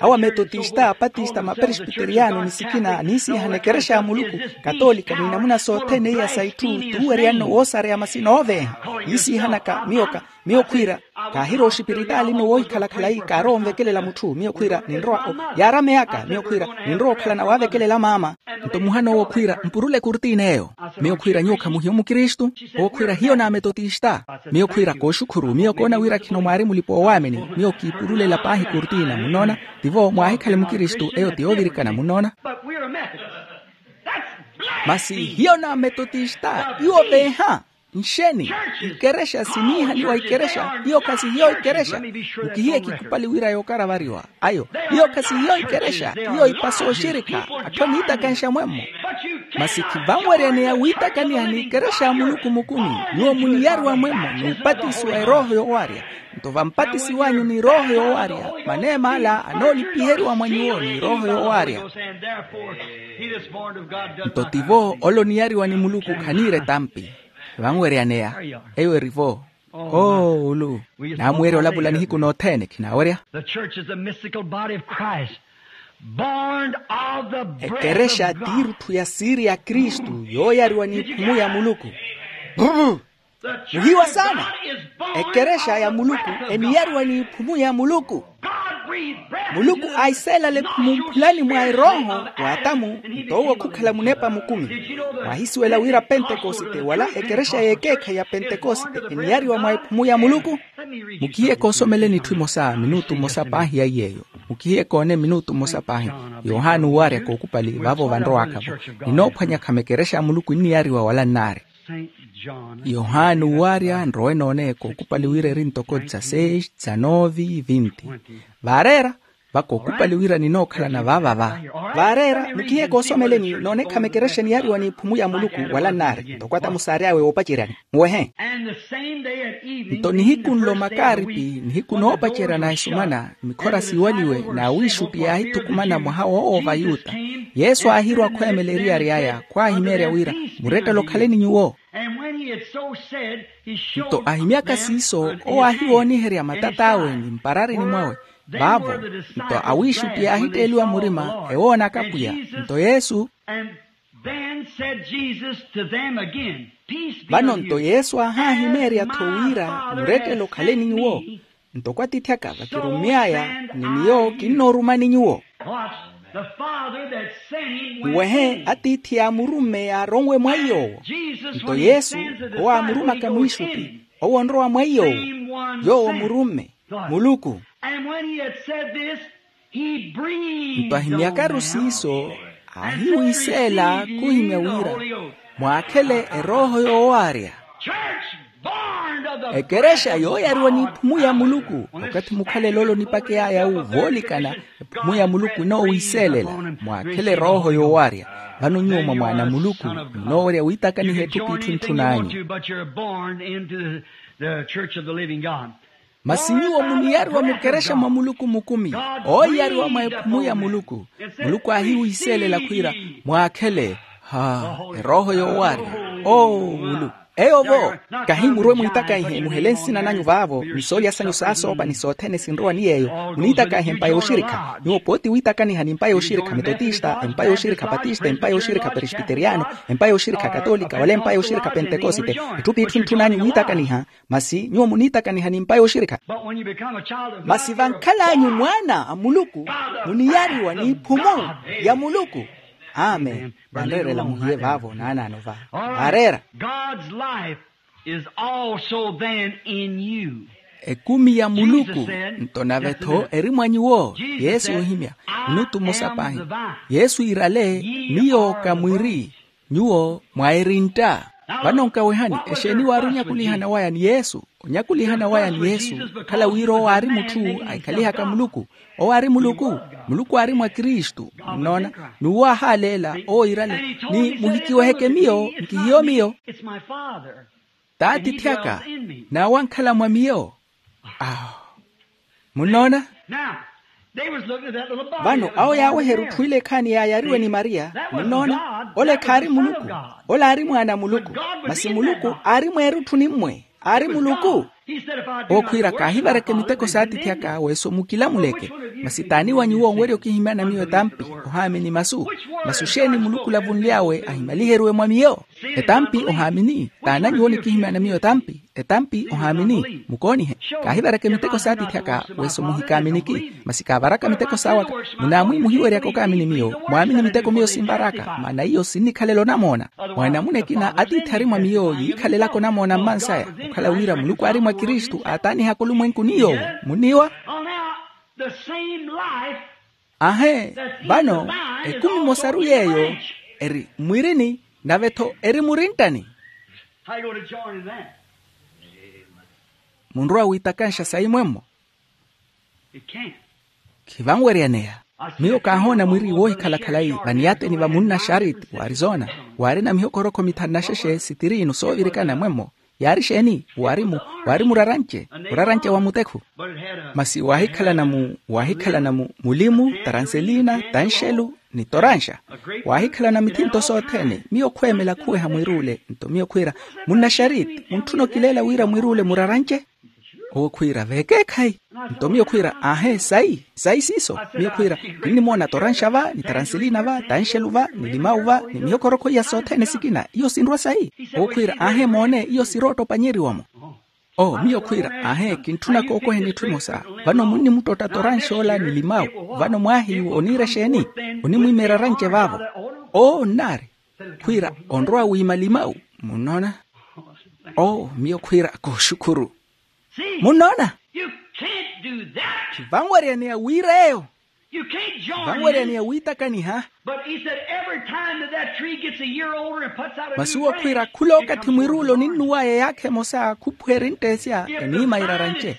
Awo ametotista apatista maperesbiteriano ni sikina aniisiihana ekerexa ya muluku katolika ni namuna sothene iya sa itthu tuuweryanno woosareya masina ooveeha. Niisiihanaka miyoka miyo khwiira kaahira oxipiritaali nno woohikhala-khala ii kaarowa onvekelela mutthu miyo khwiira ninrowa o yaarameyaka miyo khwiira ninrowa okhalana waavekelela maama. Nto muhanoowo khwiira mpurule kurtiina eyo. Miyo khwiira nyuwo khamuhiyo mukristu? Owo khwiira hiyo n'ametotista. Miyo khwiira kooxukhuru miyo koona wira khino mwaari mulipa oowaamini. Miyo kiipurulela paahi kurtiina munnoona. Tivo mwaahikhale mukristu eyo ti yoovirikana munnoona. Masi hiyo n'ametotista iwo veeha. Nxeni? Ikerexa siniihaliwa ikerexa. Iyo khasi hiyo ikerexa. Mukihiye kikupali wira yookaravariwa ayo. Iyo khasi hiyo ikerexa. Iyo ipasa oxirikha. Atthu aniitakanxa mwemmo. Masi khivanweryaneya wiitakaniha n'ikerexa ya muluku mukumi. Nyuwo muniyariwa mwemmo n'upatisiwa erooho yoowarya. Nto vampatisiw'anyu ni rooho yoowarya maneema ala anoolipiheriwa mwa nyuwo ni rooho yoowarya. Nto tivo ole oniyariwa ni muluku khaniira etampi. Vanweryaneya. Eyo erivo. Oo ulu. Naamuwerya olavula nihiku nothene khinaawerya. The church is the mystical body of Christ, born of the breath ekerexa of God. T'irutthu ya siiri ya kristu yooyariwa n'iphumu ya muluku. Muhiwa saana. Ekerexa ya muluku eniyariwa n'iphumu ya muluku. Muluku aiseelale khumumphulani mwa erooho w'atamu. Nto owo khukhala munepa mukumi. Mwahisuwela wira pentekosite wala ekerexa y'ekeekhayi ya pentekosite eniyariwa mwa ephumu ya muluku. Mukihiye koosomeleni itthu imosa minutu mmosa paahi ya iy'eyo. Mukihiye koone minutu mmosa paahi. Yohani owaarya kookupali vaavo vanrowaka-vo. Ninoophwanya khama ekerexa ya muluku enniyariwa wala nnaari. Yohani owaarya nrowe noone kookupali wira eri ntoko dzaseis dza nove vinti. Vaareera. Vaka okupali wira ninookhalana vaavava. Vaareera mukhiye koosomeleni noonekha mekerexa niyariwa n'iphumu ya muluku wala nnaari ntoko atamusaari awe woopaceryani. Muwehe. Nto nihiku nlo makaaripi nihiku noopacerya na esumana mikhora siiwaliwe n'awiixutti yaahithukumana mwaha woowo vayuta. Yesu aahirwa khweemela eriyari aya khwaahimeerya wira murettelo khaleni nyuwo. Nto ahimyaka siiso owo aahiwooniherya matat'awe ni mpararini mwawe. Vaavo nto awiixutti yaahitteeliwa murima ewoonaka pwiya. Nto yesu. Vano nto yesu aahaahimeerya-tho wira murettelo khaleni nyuwo. Ntoko atiithi aka vakirummy'aya ni miyo kinnoorumani nyuwo. Nwehe atiithi yaamurumme yaaronwe mwa iy'owo. Nto yesu owo aamurumaka mwiixutti owo onrowa mwa iy'owo. Yoowo murumme muluku. Nto ahimyakaru siiso aahiwiiseela khuhimya wira mwaakhele erooho yoowaarya. Ekerexa yooyariwa n'iphumu ya muluku okathi mukhalele ole onipakey'aya wu voolikana. Ephumu ya muluku enoowiiseelela mwaakhele erooho yoowaarya. Vano nyuwo mwa mwaana a muluku munoowerya wiitakaniha etthu p'itthu ntthun'anyu. Masi nyuwo muniyariwa mukerexa mwa muluku mukumi ooiyariwa mwa ephumu ya muluku. Muluku aahiwiiseelela khwiira mwaakhele ha erooho yoowaarya. Oo muluku eyo vo kahi murwe mwiitakaihe muhele nsina nanyu vaavo ni soolya sanyu saasoopa ni sothene sinrowa ni yeeyo. Muniitakaihe empa yooxirikha nyuwo pooti wiitakaniha ni empa yooxirikha metotista empa yooxirikha patista empa yooxirikha peresbiteriano empa yooxirikha katolika wala empa yooxirikha pentekosite. Etthu p'itthu ntthun'anyu wiitakaniha. Masi nyuwo muniitakaniha ni empa yooxirikha. Masi vankhal'anyu mwaana a muluku muniyariwa n'iphumu ya muluku. Amen. Vanreerela muhiye vaavo naanaano va vaareera. Ekumi ya muluku nto nave-tho eri mwa nyuwo. Yesu oohimya. Minutu mmosa paahi yesu iirale miyo ka mwiri. Nyuwo mwa erintta. Vano nkawehani exeeni waari onyakulihana waya ni yesu? Onyakulihana waya ni yesu okhala wira owo aari mutthu ahikhalihaka muluku. Owo aari muluku. Muluku aari mwa kristu. Munnoona? N'uwo aahaaleela owo iirale ni muhikiweheke miyo nkihiyo miyo. T'atiithi aka n'awo ankhala mwa miyo. Awo munnoona? Vano awo yaaweherya otthwile ekhaani yaayariwe ni mariya. Munnoona? Ole khaari muluku. Ole aari mwaana a muluku. Masi muluku aari mweerutthu nimmwe. Aari muluku. Ookhwiira kaahivareke miteko s'atiithi aka weso mukilamuleke. Masi t'ani wa nyuwo onwerya okihimyana miyo etampi? Ohaamini masu. Masu xeeni muluku olavunly'awe ahimaliheriwe mwa miyo? Etampi ohaamini. T'ana nyuwo onikihimyana miyo etampi? Etampi ohaamini. Mukoonihe. Kaahivareke miteko s'atiithi aka weso muhikaaminiki. Masi kaavaraka miteko s'awe aka. Munaamwi muhiweryaka okaamini miyo mwaamini miteko miyo sinvaraka maana iyo sinnikhalela onamoona. Mwa enamuna ekina atiithi ari mwa miyo yiikhalelaka onamoona mmansaya. Okhala wira muluku aari mwa kristu aataanihaka olumwenku ni yoowo. Munniiwa? Ahe. Vano ekumi emosaru yeeyo eri mwirini nave-tho eri murinttani. Munrowa wiitakanxa sayi mwemmo. Khivanweryaneya. Miyo kaahoona mwiri woohikhala khalayi vaniyateni va munnaxariti w'arizona waarina mihokorokho mithanu na xexe sitiriinu soovirikana mwemmo. Yaari xeeni? Waari mu waari muraranche muraranche wa mutekhu. Masi waahikhalana mu waahikhalana mu mulimu taranselina tanxelu ni toranxa. Waahikhalana mithinto sothene miyo khweemela khuweha mwiruule nto miyo khwiira munnaxariti muntthuna okileela wira mwiruule muraranche. Owo khwiira veekeekhayi. Nto miyo khwiira aahe sayi sayi siiso. Miyo khwiira kinnimoona toranxa va ni taranselina va tanxelu va ni limawu va ni mihokorokho iya sothene sikina iyo sinrwa sayi. Owo khwiira aahe moone iyo sirootta opanyeriwa-mo. Oo miyo khwiira aahe kintthuna kookoheni itthu imosa. Vano munnimuttotta toranxa ola ni limawu. Vano mwaahiyu oniira exeeni? Onimwiima eraranche vaavo. Oo nnaari. Khwiira onrowa wiima limawu. Munnoona? Oo miyo khwiira kooxukhuru. Munnoona? Khivanweryaneya wiira eyo. Khivanweryaneya wiitakaniha. Masi owo khwiira khula okathi mwiruule oninnuw'aya eyaakha emosa khuphuwa erinttesya eniima iraranche.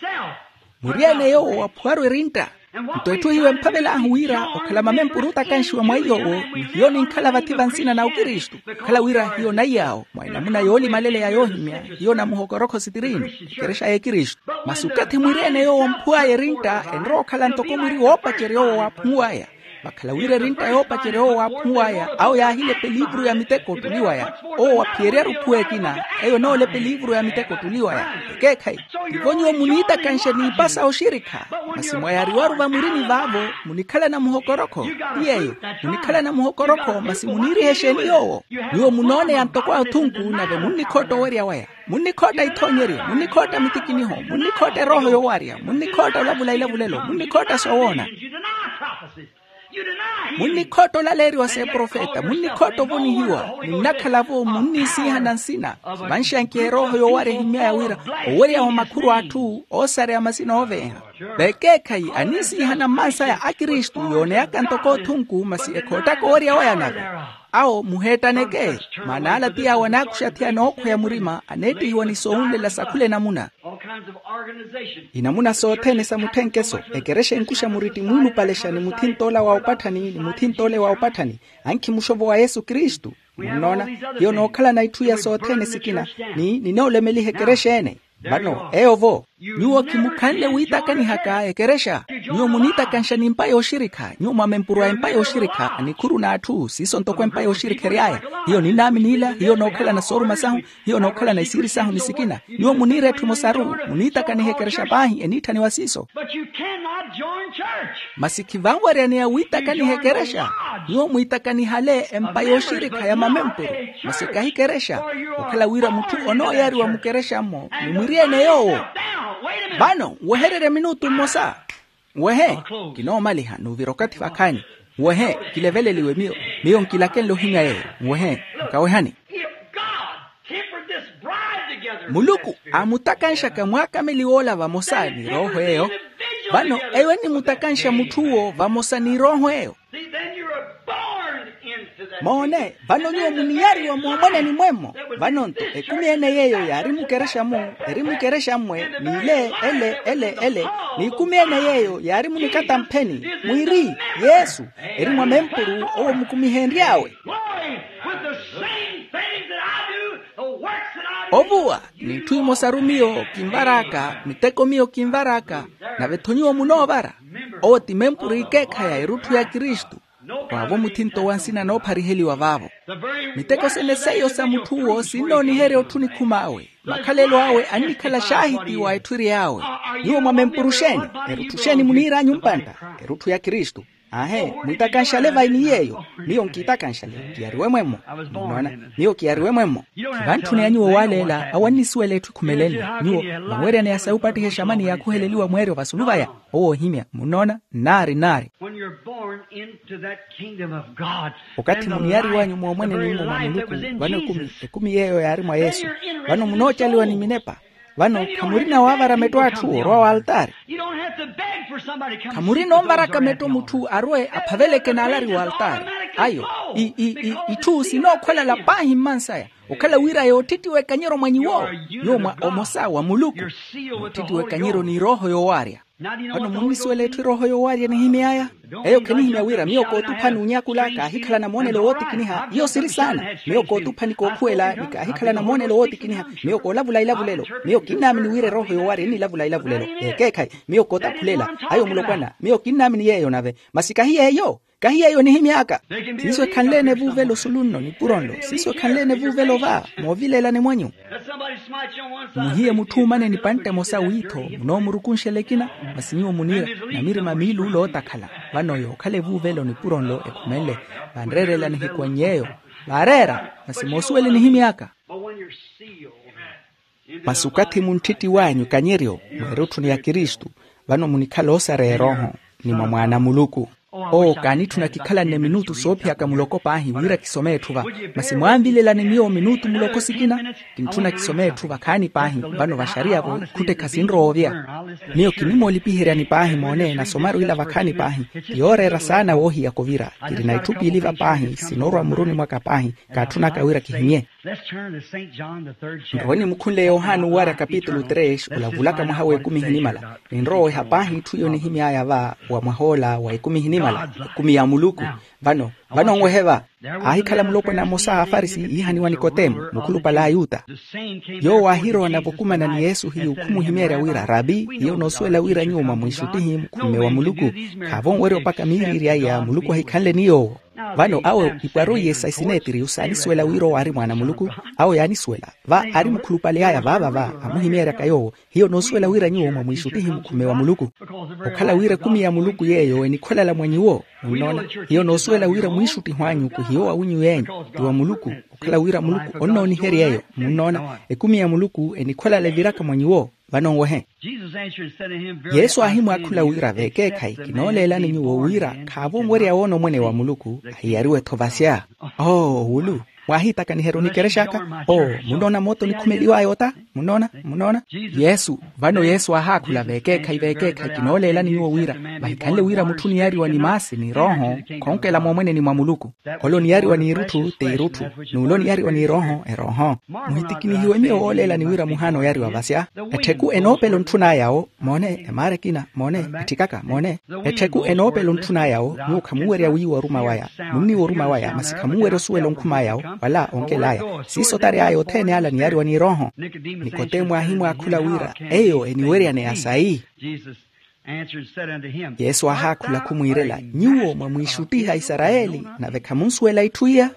Mwiriyene yoowo waphuwaru erintta. Nto etthu hiyo emphavel'ahu wira okhala mamempuru otakanxiwa mwa iy'owo, ni hiyo ninkhala vathi va nsina na okristu. Okhala wira hiyo naiy'awo mwa enamuna yoolimaleleya yoohimya, hiyo namuhokorokho sitiriinu, ekerexa y'ekristu. Masi okathi mwiri-ene yoowo omphuw'aya erintta enrowa okhala ntoko mwiri woopacerya owo waaphumuw'aya. Vakhala wira erintta yoopacerya owo waaphumuw'aya awo yaahilepa eliivuru ya miteko ottuliw'aya. Owo waphiyeryaru ophuwa ekina, eyo enoolepa eliivuru ya miteko ottuliw'aya. Ekeekhayi, tivo nyuwo muniitakanxa n'ipa sa oxirikha. Masi mwayariwaru vamwirini vaavo, munikhalana muhokorokho. Ti yeeyo, munikhalana muhokorokho masi muniiriha exeeni yoowo? Nyuwo munooneya ntoko atthunku nave munnikhootta owerya waya. Munnikhootta ithoonyeryo, munnikhootta mitikiniho, munnikhootta erooho yowarya, munnikhootta olavula ilavulelo, munnikhootta soowoona. Munnikhootta olaleeriwa s'eprofeta, munnikhootta ovonihiwa. Munnakhala-vo munniisiihana nsina. Vanxankiha erooho yowarya ehimmy'aya wira owerya wa makhuru a atthu oosareya masina ooveeha. Vekeekhayi aniisiihana mmansaya akristu yooneyaka ntoko otthunku masi ekhoottaka owerya waya nave. Awo muheettaneke. Maana ala ti awo anaakuxa athiya nookhweya murima aneettihiwa ni soowunlela sa khula enamuna. Inamuna sothene sa mutthenkeso. Ekerexa enkuxa muritti muulupalexa ni muthinta ola wa opatthani ni muthinta ole wa opatthani. Ankhimuxa ovowa yesu kristu. Munnoona, hiyo nookhalana itthu iya sothene sikina ni ninoolemeliha ekerexa ene. Vano eyo-vo, nyuwo khimukhanle wiitakanihaka ekerexa. Nyuwo muniitakanxa n'empa yooxirikha. Nyuwo mwamempuru a empa yooxirikha, anikhuru n'atthu siiso ntoko empa yooxirikha ery'aya. Hiyo ninnaamini ila hiyo nookhalana sooruma sahu. Hiyo nookhalana isiiri sahu ni sikina. Nyuwo muniira etthu emosaru, muniitakaniha ekerexa paahi eniitthaniwa siiso. Masi khivanwaryaneya wiitakaniha ekerexa. Nyuwo mwiitakanihale empa yooxirikha ya mamempuru, masi kahi ekerexa. Okhala wira mutthu onooyariwa mukerexa-mo ni mwiri-ene yoowo. Vano nwehererye minutu mmosa. Nwehe. Kinoomaliha n'uvira okathi vakhaani. Nwehe. Kileveleliwe miyo. Miyo nkilakenle ohimya yeeyo. Nwehe. Nkawehani. Muluku aamutakanxaka mwaakameliwa ola vamosa ni erooho eyo. Vano eyo enimutakanxa mutth'uwo vamosa ni erooho eyo. Moone. Vano nyuwo muniyariwa moomweneni mwemmo. Vano-nto ekumi ene yeeyo yaari mukerexa-mu, eri mukerexa-mmwe n'ile ele ele ele. N'ikumi ene yeeyo yaari munikatampheni, mwiri yesu eri mwamempuru owo mukumihenry'awe. Ovuwa n'itthu imosaru miyo kinvar'aka miteko miyo kinvar'aka. Nave-tho nyuwo munoovara. Owo ti mempuru ikeekhayi a erutthu ya kristu. Waavo muthinto wa nsina noophariheliwa vaavo. Miteko sene seiyo sa mutth'uwo sinnooniherya otthu nikhum'awe. Makhalelo awe annikhala xaahiti wa etthu ery'awe. Nyuwo mwamempuru xeeni? Erutthu xeeni muniir'anyu mpantta? Erutthu ya kristu. Aahe. Mwiitakanxale vai ni yeeyo? Miyo nkiitakanxale. Kiyariwe mwemmo. Munnoona? Miyo kiyariwe mwemmo. Khivantthuni anyuwo waaleela awo annisuwela etthu ekhumelenle. Nyuwo vanweryaneya sa yupattiha examani yaakhuheleliwa mweeryo vasulu vaya. Owo ohimya munnoona. Nnaari nnaari. When you're born into that kingdom of God, okathi muniyariwanyu moomweneni mwa muluku, vano ekumi yeeyo yaari mwa yesu. Vano munoocaliwa ni minepa. Vano khamurina waavara metto atthu orwa w'altaari. Khamurina onvaraka metto mutthu arwe aphaveleke n'alari w'altaari. Ayo itthu sinookhwelala paahi mmansaya. Okhala wira yoottittiwa ekanyero mwa nyuwo. Nyuwo mwa omosa wa muluku. Moottittiwa ekanyero n'irooho yoowaarya. Vano munnisuwela etthu erooho yoowaarya enihimy'aya? Eyo khenihimya wira miyo kootuphani onyakula kaahikhalana moonelo wootikiniha iyo siri saana. Miyo kootuphani kookhuwela ni kaahikhalana moonelo wootikiniha. Miyo koolavula ilavulelo. Miyo kinnaamini wira erooho yoowaarya enilavula ilavulelo. Ekeekhayi. Miyo kootaphulela ayo mulopwana miyo kinnaamini yeeyo nave. Masi kahi yeeyo. Kahi yeeyo enihimy'aka. Siiso ekhanleene vuuvelo sulu nno nipuro nlo siiso ekhanleene vuuvelo va moovileelani mwanyu. Muhiye mutthu omane nipantte emosa wiitho munoomurukunxela ekina. Masi nyuwo muniira namirima miiluula ootakhala. Vano yookhala evuuvelo nipuro nlo ekhumenle vanreerela nihiku ennyeeyo. Vaareera. Masi moosuwela enihimy'aka. Masi okathi munttittiw'anyu kanyeryo mweerutthuni ya kristu. Vano munikhala oosareya erooho ni mwa mwaana a muluku. Oo kaanitthuna kikhalanne minutu soophiyaka muloko paahi wira kisome etthu va. Masi mwaanvilelani miyo minutu muloko sikina. Kintthuna kisome etthu vakhaani paahi. Vano vaxariya-vo ikhutte khasinrowa ovya. Miyo kinimoolipiheryani paahi moone nasomaru ila vakhaani paahi. Ti yooreera saana woohiyaka ovira. Kirina itthu piili va paahi sinoorwa mmuruni mwaka paahi. Kaatthunaka wira kihimye. Nrowe nimukhunle yohani owarya kapitulu tres olavulaka mwaha w'ekumi ehinimala. Ninrowa oweha paahi itthu iyo nihimy'aya va wa mwah'ola wa ekumi ehinimala. Ekumi ya muluku. Vano vano nwehe va. Aahikhala mulopwana mmosa a afarisi iihaniwa nikotemo mukhulupale a ayuta. Yoowo aahirowa nave okumana ni yesu hiyu khumuhimeerya wira rabi hiyo noosuwela wira nyuwo mwamwiixuttihi mukhumme wa muluku. Khaavo nwerya opaka miiriiri aya muluku ahikhanle ni yoowo. Vano awo ipwaru iye sa isineetiriyu saanisuwela wira owo aari mwaana a muluku. Awo yaanisuwela va aari mukhulupale aya vaava va amuhimeeryaka yoowo. Hiyo noosuwela wira nyuwo mwamwiixuttihi mukhumme wa muluku. Okhala wira ekumi ya muluku yeeyo enikhwelala mwa nyuwo. Munnoona? Hiyo noosuwela wira mwiixuttihi anyu khuhiyo wa winyu yeenyu. Ti wa muluku. Okhala wira muluku onnooniherya eyo munnoona. Ekumi ya muluku enikhwelala eviraka mwa nyuwo. Vano nwehe. Yesu aahimwaakhula wira veekeekhayi kinooleelani nyuwo wira khaavo onwerya woona omwene wa muluku. Ahiyariwe-tho vasya. Oo wulu. Mwaahiitakaniherya onikerexaka. Oo munnoona moota onikhumeliw'aya ota. Munnoona? Munnoona? Yesu. Vano yesu aahaakhula veekeekhayi veekeekhayi kinooleelani nyuwo wira vahikhanle wira mutthu oniyariwa ni maasi ni rooho. Khoonkela moomweneni mwa muluku. Ole oniyariwa n'irutthu t'irutthu. N'ule oniyariwa ni rooho erooho. Muhitikinihiwe miyo wooleelani wira muhaana oyariwa vasya. Ettheku enoopela ontthun'aya-wo. Moone emaara ekina moone. Etthikaka moone. Ettheku enoopela ontthun'aya-wo nyuwo khamunwerya wiiwa oruma waya. Munniiwa oruma waya masi khamunwerya osuwela onkhum'aya-wo wala onkel'aya. Siiso tary'aya othene ala niyariwa ni erooho. Nikotemo aahimwaakhula wira eyo eniweryaneya sayi? Yesu aahaakhula khumwiirela nyuwo mwamwiixuttiha isarayeli nave khamunsuwela itthu iya.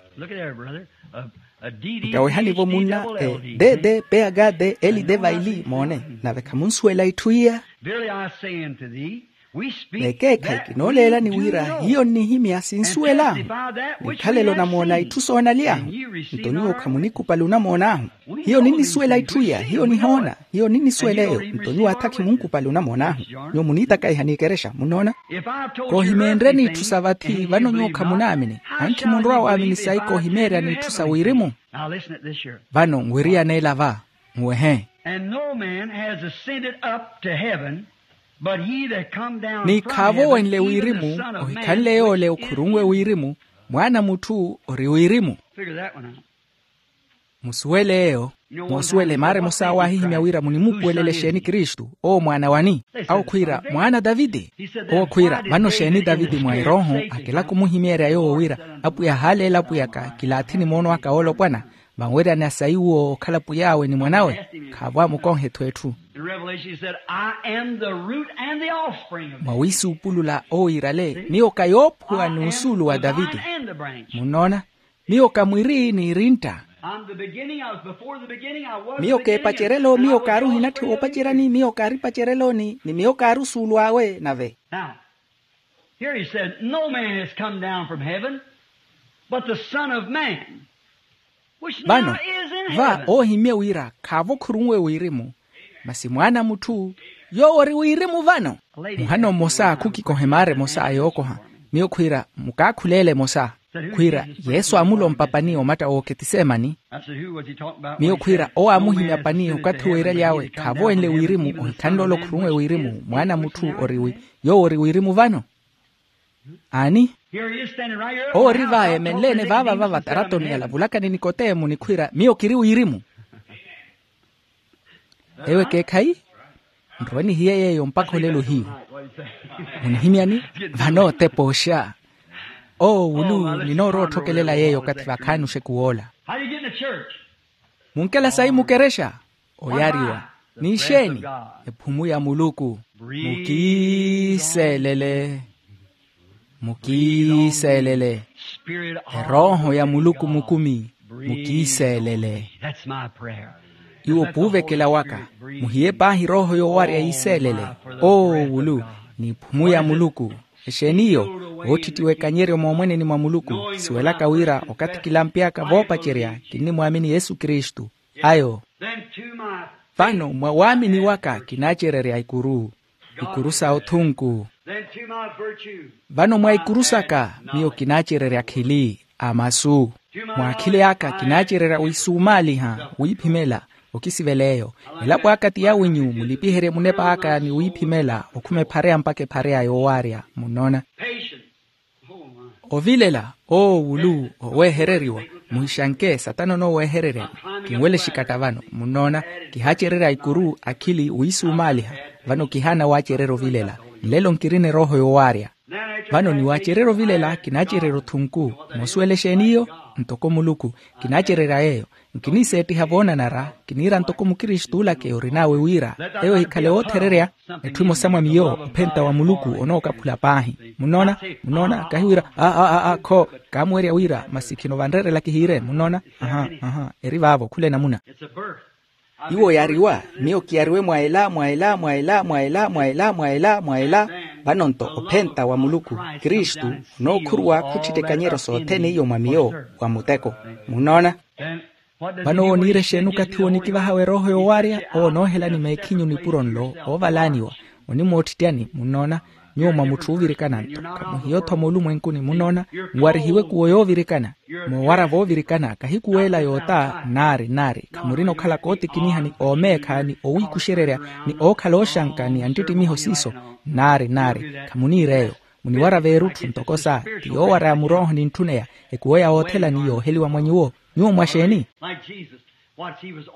Nkawehani-vo munna. Dede peyagade eli devaili moone. Nave khamunsuwela itthu iya. Vekeekhayi kinooleelani wira hiyo nnihimya sinsuwel'ahu. Nikhalelo namoona itthu soonaly'ahu. Nto nyuwo khamunikupali onamoon'ahu. Hiyo ninnisuwela itthu iya hiyo nihoona. Hiyo ninnisuwela eyo nto nyuwo atha khimunkupali onamoon'ahu. Nyuwo muniitakaiha n'ikerexa munnoona. Koohimeenreni itthu sa vathi vano nyuwo khamunaamini. Ankhi munrowa waamini sayi koohimeeryani itthu sa wirimu? Vano nwiriyaneela va. Muwehe. And no man has ascended up to heaven but he that come down from heaven, even the Son of Man. Ni khaavo wenle wirimu ohikhanle yoole okhurunwe wirimu. Mwaana a mutthu ori wirimu. Musuwele eyo. Moosuwela emaara emosa awo aahihimya wira munimuupuwelela exeeni kristu? Owo mwaana wani? Awo khwiira mwaana a taviti. Owo khwiira vano exeeni taviti mwa erooho akilaka omuhimeerya yoowo wira apwiya ahaaleela apwiyaka kilaathini moono aka woolopwana. Vanweryaneya sayi uwo okhala pwiy'awe ni mwan'awe. Khaavo amukonha etthu etthu. Mwa wiisuupulula owiirale miyo ka yoophuwa n'usuulu wa taviti. Munnoona? Miyo ka mwiri n'irintta. Miyo k'epacerelo miyo kaari ohinatthiwa opaceryani miyo kaari pacereloni ni miyo kaari osuulu awe nave. Here he said no man has come down from heaven but the son of man. Vano va oohimye wira khaavo khurunwe wirimu. Masi mwaana a mutthu yoowo ori wirimu vano. Muhano mmosa khukikoha emaara emosa a yookoha. Miyo khwiira mukaakhuleele emosa. Khwiira yesu aamulompa pani omatta w'oketisemani. Miyo khwiira owo aamuhimya pani okathi weeraly'awe khaavo wenle wirimu ohikhanle ole okhurunwe wirimu mwaana a mutthu ori wi yoowo ori wirimu vano. Aani. Owo ori va eemenle-ene vaava va vataratoni alavulakani nikotemo ni khwiira miyo kiri wirimu. Eyo ekeekhayi. Nrowe nihiye yeeyo mpakha olelo hiyu. Munihimyani? Vano otepa oxa. Owo wulu ninoorowa otthokelela yeeyo okathi vakhaani oxeku woola. Munkela sayi mukerexa. Oyariwa n'ixeeni? Ephumu ya muluku. Mukiiselele. Mukiiselele. Erooho ya muluku mukumi. Mukiiselele. Iwo puuvekela waka. Muhiye paahi erooho yoowarya yiiselele. Oowulu. N'iphumu ya muluku. Exeeni iyo? Ootthittiwa ekanyeryo moomweneni mwa muluku. Kisuwelaka wira okathi kilampy'aka voopacerya kinnimwaamini yesu kristu. Ayo. Vano mwa waamini waka kinaacererya ikuru. Ikuru sa othunku. Then to my virtue, vano mwa ikuru saka miyo kinaacererya akhili a masu. Mwa akhili aka kinaacererya wisumaaliha wiphimela. Okisivela eyo. Elapo aka ti yawinyu mulipiherye munepa aka ni wiphimela okhuma ephareya mpakha ephareya yoowarya. Munnoona? Patience. Ovilela, oowulu oweehereriwa. Muhixanke satana onooweehereryani. Kinwele xikatta vano. Munnoona? Kihaacererya ikuru akhili wiisumaaliha. Vano kihaana waacererya ovilela. Nlelo nkirina erooho yoowaarya. Vano niwaacererya ovilela kinaacererya othunku. Moosuwela exeeni iyo? Ntoko muluku. Kinaacererya yeeyo. Nkiniseettiha voonanara. Kiniira ntoko mukiristulaka eyo orin'awe wira eyo ehikhale oothererya. Etthu emosa mwa miyo ophenta wa muluku onookaphula paahi. Munnoona? Munnoona? Kahi wira a a a a kho. Kaamuwerya wira masi khino vanreerela kihiire. Munnoona? Aha. Aha. Eri vaavo khula enamuna. Iwo yaariwa. Miyo kiyariwe mwa ela mwa ela mwa ela mwa ela mwa ela mwa ela mwa ela. Vano-nto ophenta wa muluku kristu onookhuruwa khutthitta ekanyeryo sothene iyo mwa miyo wa muteko. Munnoona? Vano owo oniira exeeni okathi wonikivahawe erooho yoowaarya? Owo onoohelani meekhinyu nipuro nlo oovalaaniwa. Onimoottityani. Munnoona? Nyuwo mwa mutthu oovirikana-nto. Khamuhiyo-tho moolumwenkuni. Munnoona? Nwarihiwe kuwo yoovirikana. Moowara voovirikana kahi kuweela yoota. Nnaari nnaari khamurina okhala kootikiniha ni oomeekha ni owiikuxererya ni ookhala ooxanka ni anttittimiho siiso. Nnaari nnaari khamuniira eyo. Muniwara veerutthu ntoko sa ti yoowaraya murooho nintthuneya. Ekuwo ya woothelani yooheliwa mwa nyuwo. Nyuwo mwa xeeni?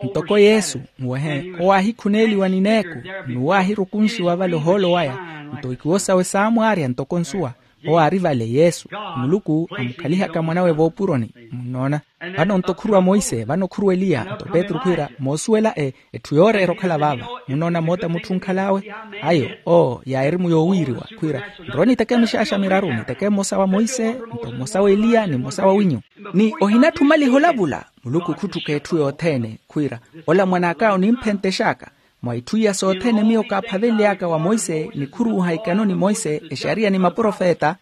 Ntoko yesu muwehe owo aahikhuneeliwa ni neeku n'uwo aahirukunxiwa vale ohoolo waya. Nto ikuwo sawe saamwaarya ntoko nsuwa. Owo aari vale yesu. Muluku amukhalihaka mwanawe voopuroni. Munnoona? Vano nto khuruwa monse vano khuruwa eliya nto petru khwiira moosuwela e etthu yooreera okhala vaava. Munnoona moota mutthu onkhal'awe? Ayo oo yaarimu yoowiiriwa khwiira nrowe niteke mixaaxa miraru niteke mmosa wa monse nto mmosa w'eliya ni mmosa wawinyu. Ni ohinatthumaliha olavula. Muluku khutthuka etthu yothene khwiira ola mwan'aka onimphentexaka. Mwa itthu iya sothene miyo kaaphavenly'aka wa monse nikhuruuha ikano ni monse exariya ni maprofeta.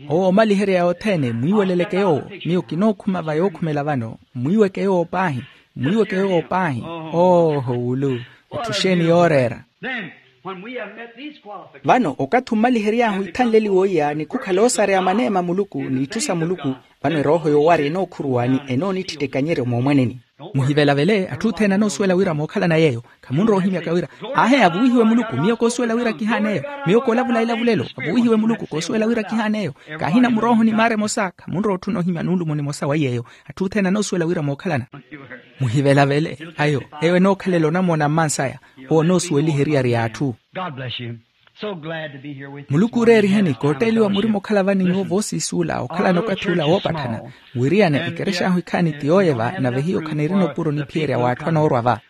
Owo omaliherya yothene mwiiweleleke yoowo. Miyo kinookhuma va yookhumela vano. Mwiiweke yoowo paahi. Mwiiweke yoowo paahi. Ooho wulu. Etthu xeeni yooreera? Vano okathi ommalihery'ahu ithanleliwa oiya ni khukhala oosareya maneema a muluku n'itthu sa muluku. Vano erooho yoowarya enookhuruwa ni enoonittitta ekanyeryo moomweneni. Muhivelavele atthu othene anoosuwela wira mookhalana yeeyo. Khamunrowa ohimyaka wira ahe avuwihiwe muluku miyo koosuwela wira kihaan'eyo. Miyo koolavula elavulelo avuwihiwe muluku koosuwela wira kihaan'eyo. Kaahina murooho ni maara emosa khamunrowa otthuna ohimya nuulumo nimosa wa iy'eyo. Atthu othene anoosuwela wira mookhalana. Muhivelavele ayo. Eyo enookhalela onamoona mmansaya. Owo onoosuweliha eriyari y'atthu. Muluku ooreeriheni kootteeliwa murima okhala vani nyuwo voosiisuula okhalana okathi ula woopatthana. Wiriyana ekerex'ahu ikhaani ti yooyeva nave hiyo khanirina opuro niphiyerya w'atthu anoorwa va.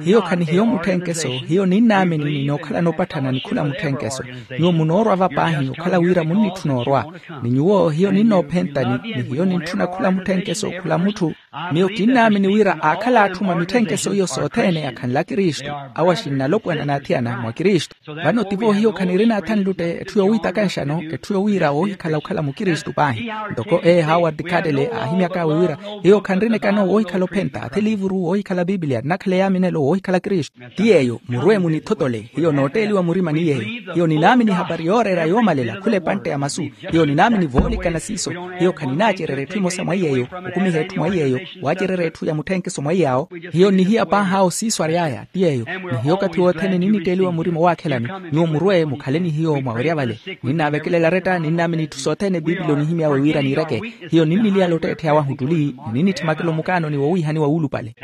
Hiyo khanihiyo mutthenkeso. Hiyo ninnaamini ni nookhalana opatthana ni khula mutthenkeso. Nyuwo munoorwa va paahi okhala wira munnitthuna orwa. Ni nyuwo hiyo ninnoophenta ni hiyo nintthuna khula mutthenkeso khula mutthu. Miyo kinnaamini wira aakhala atthu mwa mitthenkeso iyo sothene akhanle akristu. Awo axinnalopwana n'athiyana mwa kristu. Vano tivo hiyo khanirina athanlutte etthu yowiitakanxano etthu yowiira woohikhala okhala mukristu paahi. Ntoko e howard cartele aahimyak'awe wira hiyo khanrina ekano woohikhala ophenta athe liivuru woohikhala pipilia nnakhala eyaaminelo woohikhala kristu. Ti yeeyo murwe munithotole. Hiyo nootteeliwa murima ni yeeyo. Hiyo ninaamini ehapari yooreera yoomalela khula epantte ya masu. Hiyo ninaamini voolikana siiso. Hiyo khaninaacererya etthu emosa mwa iyeeyo. Okumiha etthu mwa iyeeyo. Waacererya etthu ya mutthenkeso mwa iyaawo. Hiyo nnihiya paahi awo siiso ary'aya ti yeeyo. Ni hiyo okathi wothene ninnitteeliwa murima owaakhelani. Nyuwo murwe mukhale ni hiyo mwawerya vale. Ninnaavekelela aretta ninnaamini itthu sothene piipili onihimy'awe wira niireke. Hiyo ninniliyala otteettheya wahu ottuli ni ninnitthimaka olomukaanoni wowiihaniwa wuulupale.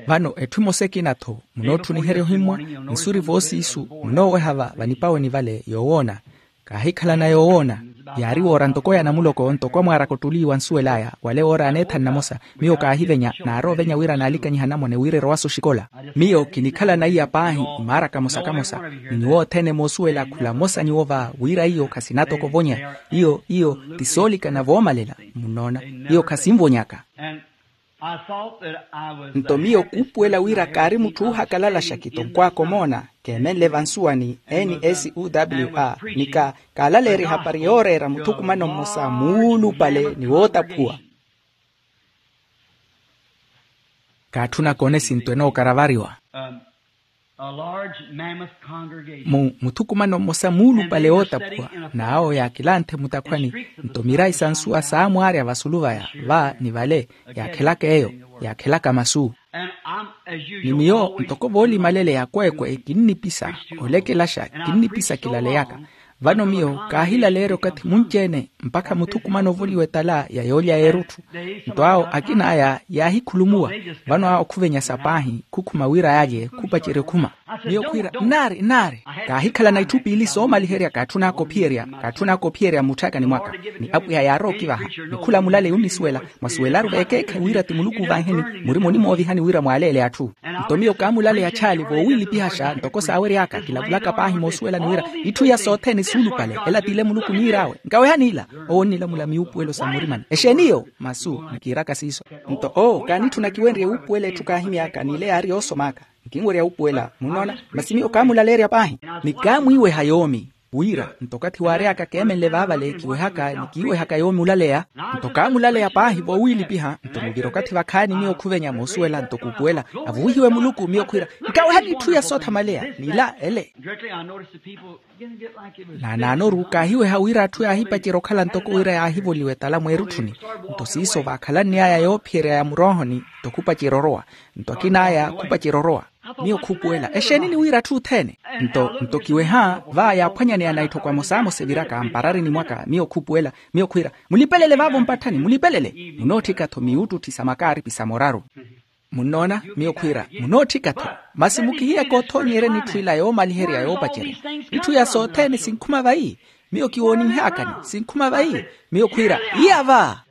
Vano etthu emosa ekina-tho. Munootthuniherya ohimmwa. Nsuri voosiisu munooweha va vanipaweni vale yoowoona. Kaahikhalana yoowoona. Yaari woora ntoko ya namuloko ntoko amwaaraka ottuli wa nsuwel'aya wale woora aneethani namosa. Miyo kaahivenya naarowa ovenya wira naalikanyiha anamwane wira erowa-se oxikola. Miyo kinikhalana iya paahi. Maara kamosa kamosa ni nyuwo othene moosuwela khula mmosa nyuwo va wira iyo khasinatoko ovonya. Iyo iyo ti soolikana voomalela. Munnoona? Iyo khasinvonyaka. Nto miyo kuupuwela wira kaari mutthu oohakalalaxa kitonkwaka omoona. Keemenle vansuwani n s u w a ni ka kaalaleerya ehapari yooreera muthukumano mmosa muulupale ni wootaphuwa. Kaatthuna koona esinto enookaravariwa. A large mammoth congregation. Mu muthukumano mmosa muulupale wootaphuwa, n'awo yaakilanthe mutakhwani. Nto mirayi sa nsuwa saamwaarya vasulu vaya, va ni vale, yaakhelaka eyo, yaakhelaka masu. Ni miyo ntoko voolimalele ya kweekwe kinnipisa, olekelaxa kinnipisa kilaleyaka. Vano miyo kaahilaleerya okathi munci-ene mpakha muthukumano ovoliwa etala ya yoolya y'erutthu. Nto awo akina aya yaahikhulumuwa. Vano awo khuvenyasa paahi khukhuma wira yaalye khupacerye okhuma. Miyo khwiira nnaari nnaari, kaahikhalana itthu piili soomaliherya kaatthun'aka ophiyerya kaatthun'aka ophiyerya mutthakani mwaka. Ni apwiya yaarowa okivaha, ni khula mulale yunnisuwela. Mwasuwelaru veekeekhe wira ti muluku ovaiheni, murimoni moovihani wira mwaaleele atthu. Nto miyo kaamulaleya chaali voowiilipihaxa ntoko saawery'aka kilavulaka paahi moosuwelani wira itthu iya sothene suulupale ela t'ile muluku niir'awe. Nkawehani ila. Owo onnilamula miwuupuwelo sa mmurimani exeeni iyo? Masu. Nkiiraka siiso. Nto oo kaanitthuna kiwenrye wuupuwela etthu kaahimy'aka n'ile yaari yoosom'aka. Nkinwerya wuupuwela munnoona. Masi miyo kaamulaleerya paahi, ni kaamwiiweha yoomi. Wira nto okathi waary'aka keemenle vaavale kiwehaka ni kiiwehaka yoomi olaleya. Nto kaamulaleya paahi voowiilipiha nto muvira okathi vakhaani miyo khuvenya moosuwela nto kuupuwela. Avuwihiwe muluku miyo khwiira, nkawehani itthu iya soothamaleya n'ila ele. Naanaanoru kaahiweha wira atthu yaahipacerya okhala ntoko wira yaahivoliwa etala mweerutthuni. Nto siiso vaakhalann'aya yoophiyerya ya muroohoni nto khupacerya orowa. Nto akin'aya khupacerya orowa. Miyo khuupuwela exeeni ni wira atthu othene. Nto nto kiweha va yaaphwanyaneya na itthoko amosamosa eviraka mpararini mwaka miyo khuupuwela. Miyo khwiira, mulipelele vaavo mpatthani mulipelele. Munootthika-tho miwuttutthi sa makaaripi sa moraru. Munnoona? Miyo khwiira, munootthika-tho. Masi mukihiyaka othoonyerya n'itthu ila yoomaliherya yoopacerya. Itthu iya sothene sinkhuma vayi. Miyo kiwooninh'akani sinkhuma vayi. Miyo khwiira, iya va.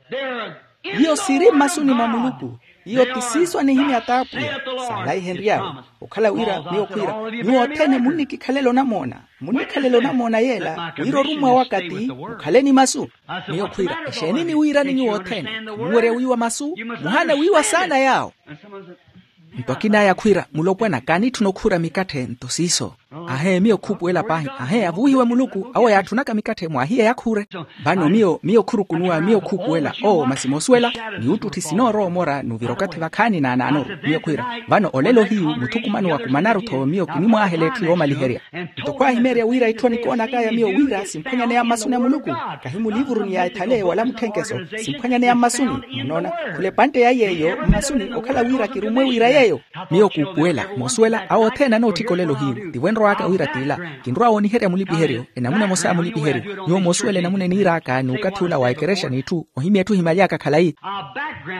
Iyo siiri mmasuni mwa muluku. Iyo ti siiso anihimya t'apwiya. Saalaihenry'awe. Okhala wira miyo khwiira, nyuwo othene munnikikhalela onamoona. Munnikhalela onamoona yeela wira orummwa waka ti mukhale ni masu. Miyo khwiira, exeeni niwiirani nyuwo othene? Muwerya wiiwa masu. Muhaana wiiwa saana yaawo. Nto akin'aya khwiira, mulopwana kaanitthuna okhuura mikatthe nto siiso. Ahee miyo khuupuwela paahi. Ahee avuwihiwe muluku awo yaatthunaka mikatthe mwaahiya yakhuure. Vano miyo miyo khurukunuwa miyo khuupuwela oo masi moosuwela. Ni uttutthi sinoorowa omora nuvira okathi vakhaani naanaanoru. Miyo khwiira, vano olelo hiyu muthukumano wakumanaru-tho miyo kinimwaahela etthu yoomaliherya. Nto khwaahimeerya wira itthu anikoonakaya miyo wira simphwanyaneya mmasuni a muluku. Kahi mulivuruni ya ethale wala mutthenkeso. Simphwanyaneya mmasuni. Munnoona? Khula epantte ya yeeyo mmasuni okhala wira kirummwe wira yeeyo. Miyo kuupuwela moosuwela awo othene anootthika olelo hiyu tivo enrow'aka wira t'ila. Kinrowa wooniherya mulipiheryo enamuna emosa ya mulipiheryo. Nyuwo moosuwela enamuna eniir'aka n'ukathi ula wa ekerexa n'itthu ohimya etthu ohimaly'aka khalayi.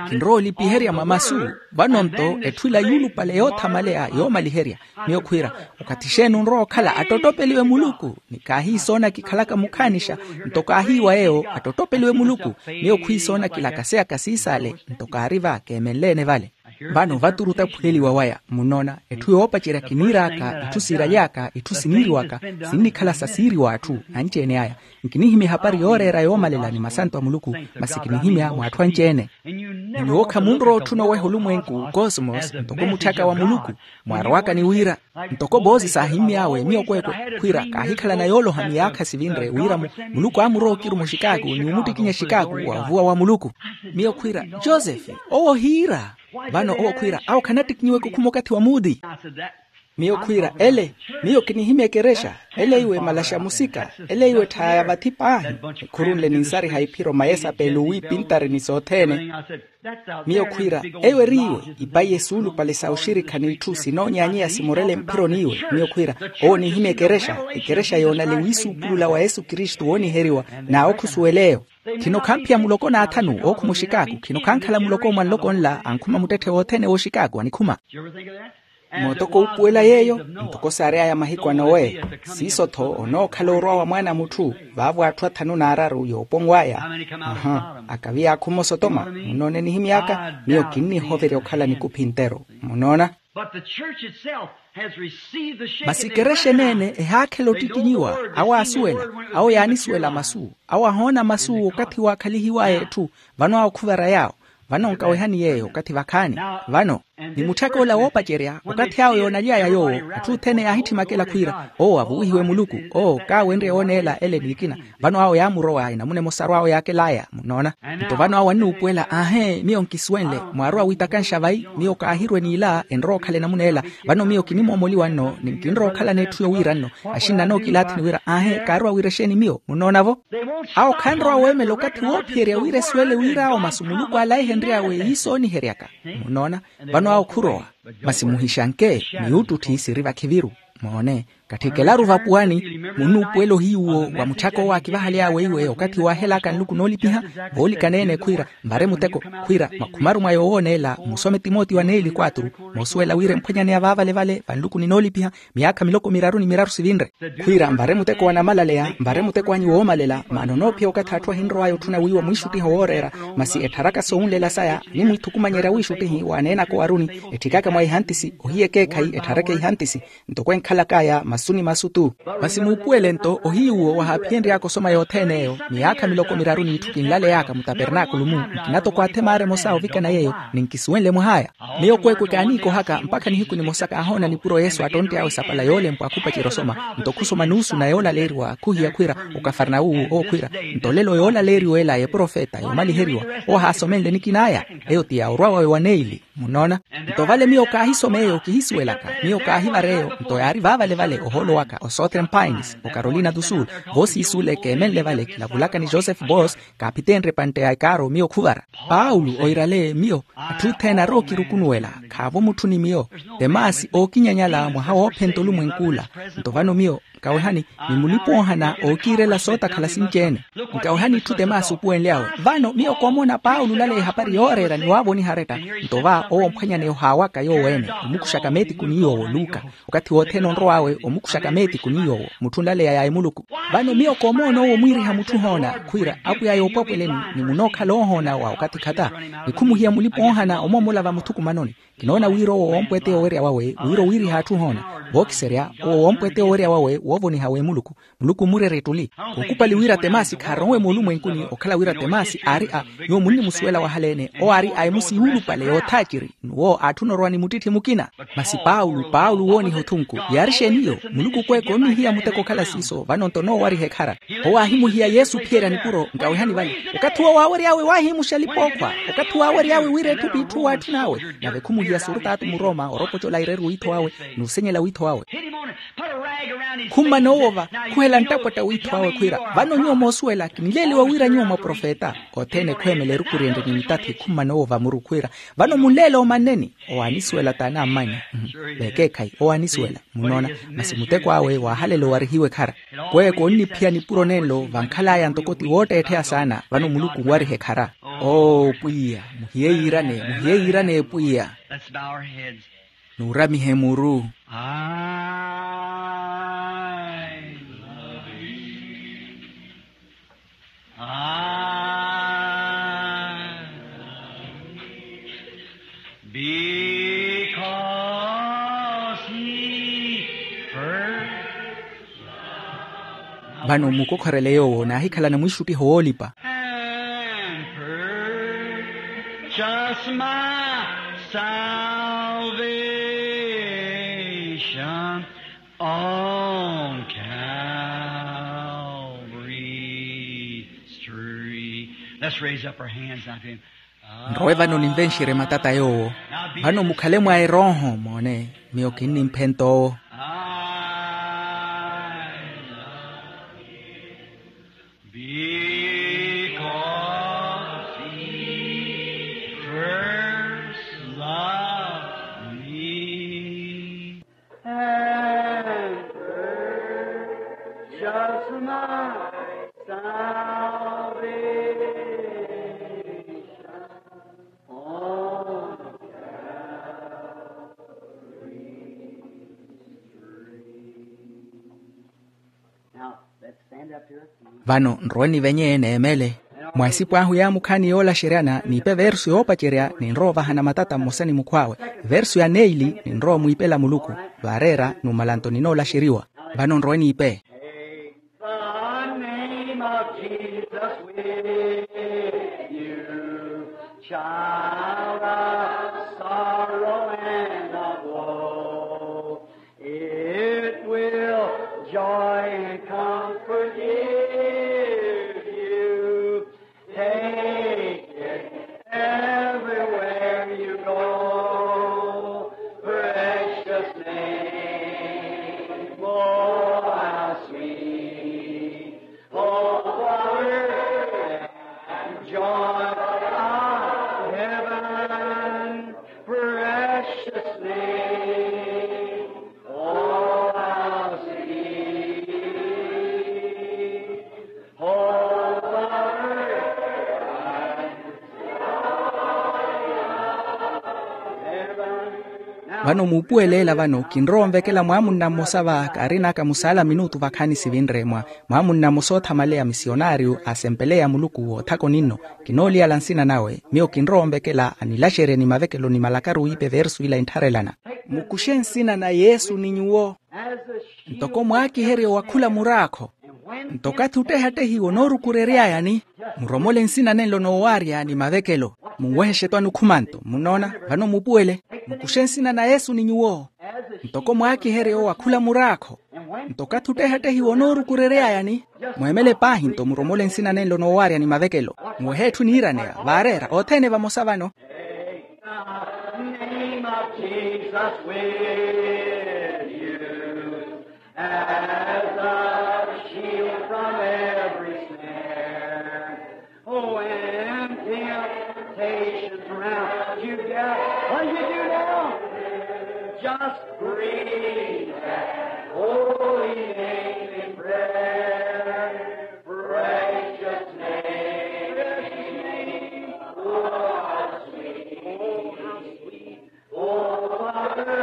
Kinrowa olipiherya mwa masu. Vano nto etthu ila yuulupale yoothamaleya yoomaliherya. Miyo khwiira, okathi xeeni onrowa okhala attottopeliwe muluku. Ni kaahiisoona kikhalaka mukhaanixa nto kaahiiwa yeeyo attottopeliwe muluku. Miyo khwiisoona kilakaseyaka siisaale nto kaari va keemenle-ene vale. Vano vaturu otaphuheliwa waya munnoona. Etthu yoopacerya kiniir'aka itthu siiraly'aka itthu siniiriwaka sinnikhala sa siiriwa atthu. Anci-ene aya nkinihimya ehapari yooreera yoomalela ni masanto a muluku. Masi kinihimya mw'atthu anci-ene. Ni nyuwo khamunrowa otthuna oweha olumwenku kosmos ntoko mutthaka wa muluku. Mwaarowaka ni wira ntoko boosi saahimmy'awe miyo kweekwe khwiira kaahikhalana yooloha miyaakha sivinre wira muluku aamurowa okiruma oxikaaku ni omuttikinya exikaaku wa ovuwa wa muluku. Miyo khwiira, josefe owo ohiira. Vano owo khwiira awo khanattikinyiweke okhuma okathi wa muudi. Miyo khwiira ele, miyo kinihimya ekerexa. Ele iwe malaxa musika ele iwe etthaya ya vathi paahi. Nikhurunle ninsariha iphiro mayesapeelo wiipintari ni sothene. Miyo khwiira, eyo eri iwe ipayi esuulupale sa oxirikha n'itthu sinoonyaanyeya simorele mphiro n'iwe. Miyo khwiira, owo onihimya ekerexa. Ekerexa yoonale wiisuupulula wa yesu kristu wooniheriwa. N'awo khusuwel'eyo. Khino khamphiya muloko n'athanu ookhuma oxikaaku khino khankhala muloko mwa nloko nla ankhuma muttetthe wothene w'oxikaaku anikhuma. Mootoko wuupuwela yeeyo. Ntoko saary'aya mahiku a nowe. Siiso-tho onookhala orwa wa mwaana a mutthu. Vaavo atthu athanu n'araru yooponw'aya. Aha, akavi yaakhuma osotoma munnoona enihimy'aka. Miyo kinnihoverya okhala nikuphi ntero. Munnoona? Masi ekerexa eneene ehaakhela ottikinyiwa. Awo aasuwela, awo yaanisuwela masu. Awo ahoona masu okathi waakhalihiw'aya etthu. Vano awo khuvara yaawo. Vano nkawehani yeeyo okathi vakhaani. Vano ni mutthaka ola woopacerya okathi awe yoonaly'aya yoowo, atthu othene yaahitthimaka ela khwiira, owo avuwihiwe muluku, owo kaawenrye wooneela ele ni ekina. Vano awo yaamurowa enamuna emosaru awo yaakel'aya munnoona. Nto vano awo annuupuwela aahe miyo nkisuwenle mwaarowa wiitakanxa vayi? Miyo kaahirwe n'ila enrowa okhala enamuna ela. Vano miyo kinimoomoliwa nno ni nkinrowa okhalana etthu yowiira nno. Axinna anookilaathini wira aahe kaarowa wira exeeni miyo munnoona-vo? Awo khanrowa weemela okathi woophiyerya wira esuwele wira awo masu muluku alaihenry'awe iisooniheryaka. Munnoona? Vano awo khurowa. Masi muhixanke, miyuuttuthi siri vakhiviru. Moone, katthikelaru vapuwani. Munnuupuwela ohiyuwo wa mutthaka owo aakivahaly'awe iwe okathi waahel'aka nluku noolipiha. Voolikana-ene khwiira, mvare muteko, khwiira makhumaru mwa yoowooneela musome timoti wa neeli kwatru, moosuwela wira emphwanyaneya vaavalevale vanluku ninoolipiha, miyaakha miloko miraru ni miraru sivinre. Khwiira mvare muteko wa namalaleya, mvare muteko anyu woomalela maana onoophiya okathi atthu ahinrow'aya otthuna wiiwa mwiixuttiho wooreera. Masi ettharaka soowunlela saya animwiithukumanyerya wiixuttihi waaneenaka owaruni, etthikaka mwa ihantisi ohiya ekeekhayi ettharaka ihantisi. Ntoko enkhalak'aya masu ni masu-tu. Masi muupuwele nto ohiyuwo wahaaphiyenry'aka osoma yothene eyo miyaakha miloko miraru n'itthu kinlaley'aka mutapernaakulu-mu. Nkina toko athe maara emosa ovikana yeeyo ni nkisuwenle mwah'aya. Miyo kweekwe kaaniikohaka mpakha nihiku nimosa kaahoona nipuro yesu attontt'awe sapala yoolempwa khupacerya osoma. Nto khusoma nuusu na yoolaleeriwa khuhiya khwiira okafarnawuwu owo khwiira. Nto olelo yoolaleeriwa ela y'eprofeta yoomaliheriwa owo haasomenle nikin'aya. Eyo ti ya orwa wawe wa neili. Munnoona? Nto vale miyo kaahisoma eyo kihisuwelaka. Miyo kaahivara eyo nto yaari vaavalevale ohoolo waka o southern pines o carolina do sul. Voosiisule keemenle vale kilavulaka ni joseph bos. Kaaphiteenrye epantte ya ekaaro miyo khuvara. Paulo oirale miyo. Atthu othene arookirukunuwela khaavo mutthu ni miyo. Temasi ookinyanyala mwaha woophenta olumwenk'ula. Nto vano miyo nkawehani ni mulipa-oohana ookiirela sootakhala sinci-ene. Nkawehani itthu temasi opuwenly'awe. Vano miyo koomoona paulo olaleya ehapari yooreera ni waavoniha aretta. Nto va owo omphwanyaneya ohaawaka yoowo-ene omukuxaka meetiku ni yoowo luka. Okathi wothene onrow'awe omukuxaka meetiku ni yoowo mutthu nlaleya ya emuluku. Vano miyo koomoona owo omwiiriha mutthu ohoona khwiira apwiya yoopwapweleni ni munookhala oohoona wa okathi khata. Ni khumuhiya mulipa-oohana omoomola vamuthukumanoni. Kinoona wira owo woompweteya owerya wawe wira owiiriha atthu ohoona. Vookiserya owo woompweteya owerya wawe woovoniha w'emuluku. Muluku omurerya ettuli. Khukhupali wira temasi khaaronwe moolumwenkuni okhala wira temasi aari a nyuwo munnimusuwela wahaleene owo aari a emusi yuulupale yoothaaciri. N'uwo aatthuna orowa ni muttitthi mukina. Masi paulo paulo wooniha othunku yaari xeeni iyo? Muluku kweeka onnihiya muteko okhala siiso vano nto noowariha ekhara. Owo aahimuhiya yesu ophiyerya nipuro nkawehani vale. Okathi uwo waawery'awe waahimuxa alipa-ookhwa. Okathi waawery'awe wira etthu p'itthu waatthun'awe. Nave khumuhiya surutaatu murooma oropocola aireru wiitho wawe n'usenyela wiitho wawe. Khummana owova khuhela nttapwatta wiitho wawe khwiira. Vano nyuwo moosuwela kinileeliwa wira nyuwo mwaprofeta. Othene khweemela eruku ryenrye ni mitathi khummana owova muru khwiira. Vano munleela omanneni. Owo aanisuwela t'anammanya. Vekeekhayi owo aanisuwela. Munnoona? Masi muteko awe waahalela owarihiwa ekhara. Kweeko onniphiya nipuro nenlo vankhal'aya ntoko ti wootteettheya saana vano muluku onwariha ekhara. Oo pwiya, muhiye yiirane muhiye yiirane pwiya. Nuuramihe muru. Vano mukokhorele yoowo naahikhalana mwiixuttiho woolipa. Nrowe vano ninvenxerye matata yoowo. Vano mukhale mwa erooho moone. Miyo kinnimphenta owo. Vano nrowe nivenye neemele. Mwa esipo ahu yaamukhaani yoolaxeryana niipe versu yoopacerya ninrowa ovahana matata mmosa ni mukhw'awe. Versu ya neili ninrowa omwiipela muluku. Vaareera numala nto ninoolaxeriwa. Vano nrowe niipe. Child of sorrow and of woe, it will joy and comfort give you. Take it everywhere you go. Precious name, oh, how sweet. Oh, what joy of heaven, precious name, oh, how sweet. Oh, what joy of heaven. Vano muupuweleela vano kinrowa onvekela mwaamunna mmosa va kaarin'aka musaala minutu vakhaani sivinre mwa mwaamunna mmosa oothamaleya misionariyu asempeleya muluku woothaka oninno. Kinooliyala nsina nawe miyo kinrowa onvekela anilaxerye ni mavekelo ni malakaru wiipe versu ila enttharelana. Mukuxe nsina na yesu ni nyuwo ntoko mwaakiherye owakhula muraakho. Nto okathi ottehattehiwa onoorukurery'ayani muromole nsina nenlo noowaarya ni mavekelo. Munwehexe etwani okhumanto munnoona. Vano mupuwele mukuxe nsina na yesu ni nyuwo ntoko mwaakiherye owakhula muraakho. Nto okathi ottehattehiwa onoorukurery'ayani mweemele paahi nto muromole nsina nenlo noowaarya ni mavekelo. Muwehe etthu eniiraneya vaareera othene vamosa vano. Take the name of Jesus with you as a shield from every snare. When temptations round you gather, what do you do now? Just breathe that holy name in prayer. Precious name, oh, how sweet, oh, how sweet.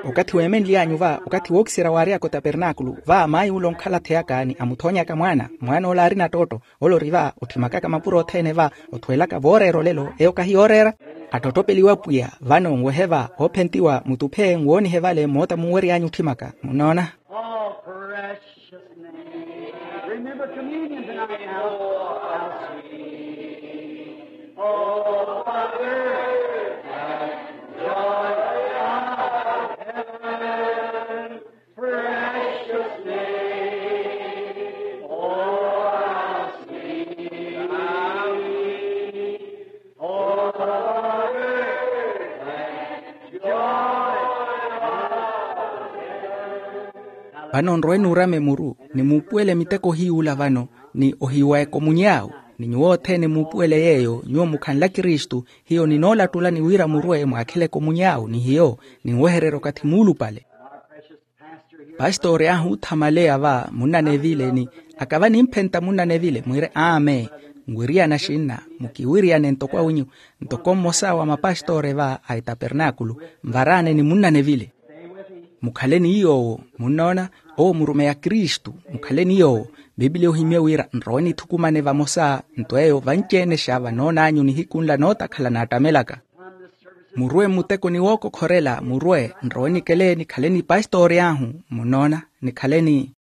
Okathi weemenly'anyu va okathi wookiserya waary'aka otapernaakulu va mayi ula onkhala atheyaka ni amuthoonyaka mwaana mwaana ola aarina attootto. Ole ori va otthimakaka mapuro othene va othweelaka vooreera olelo eyo kahi yooreera. Attotopeliwa pwiya vano nwehe va oophentiwa mutuphe nwoonihe vale moota munwery'anyu otthimaka munnoona. Oh, precious name. Remember communion tonight now. How sweet. Oh, Father, joy of heaven. Precious name, oh, how sweet, oh, how sweet, oh, how sweet. Vano nrowe nuurame muru ni muupuwele miteko hiy'ula vano ni ohiiwa ekomuny'awu. Ni nyuwo othene muupuwele yeeyo nyuwo mukhanle akristu. Hiyo ninoolattulani wira murwe mwaakhele ekomuny'awu ni hiyo ninwehererye okathi muulupale. Pastori ahu othamaleya va munnane evile ni akava nimphenta munnane evile mwiire aame. Nwiriyana xinna mukiwiriyane ntoko awinyu ntoko mmosa wa mapastori va a etapernaakulu. Nvaraane ni munnane evile mukhale ni yoowo munnoona. Owo murumeya kristu mukhale ni yoowo. Bibiliya ohimye wira nrowe nithukumane vamosa nto eyo vanci-ene xa vanoon'anyu nihiku nla nootakhala naattamelaka. Murwe mmuteko ni wookokhorela murwe nrowe nikele nikhale ni pastori ahu munnoona nikhale ni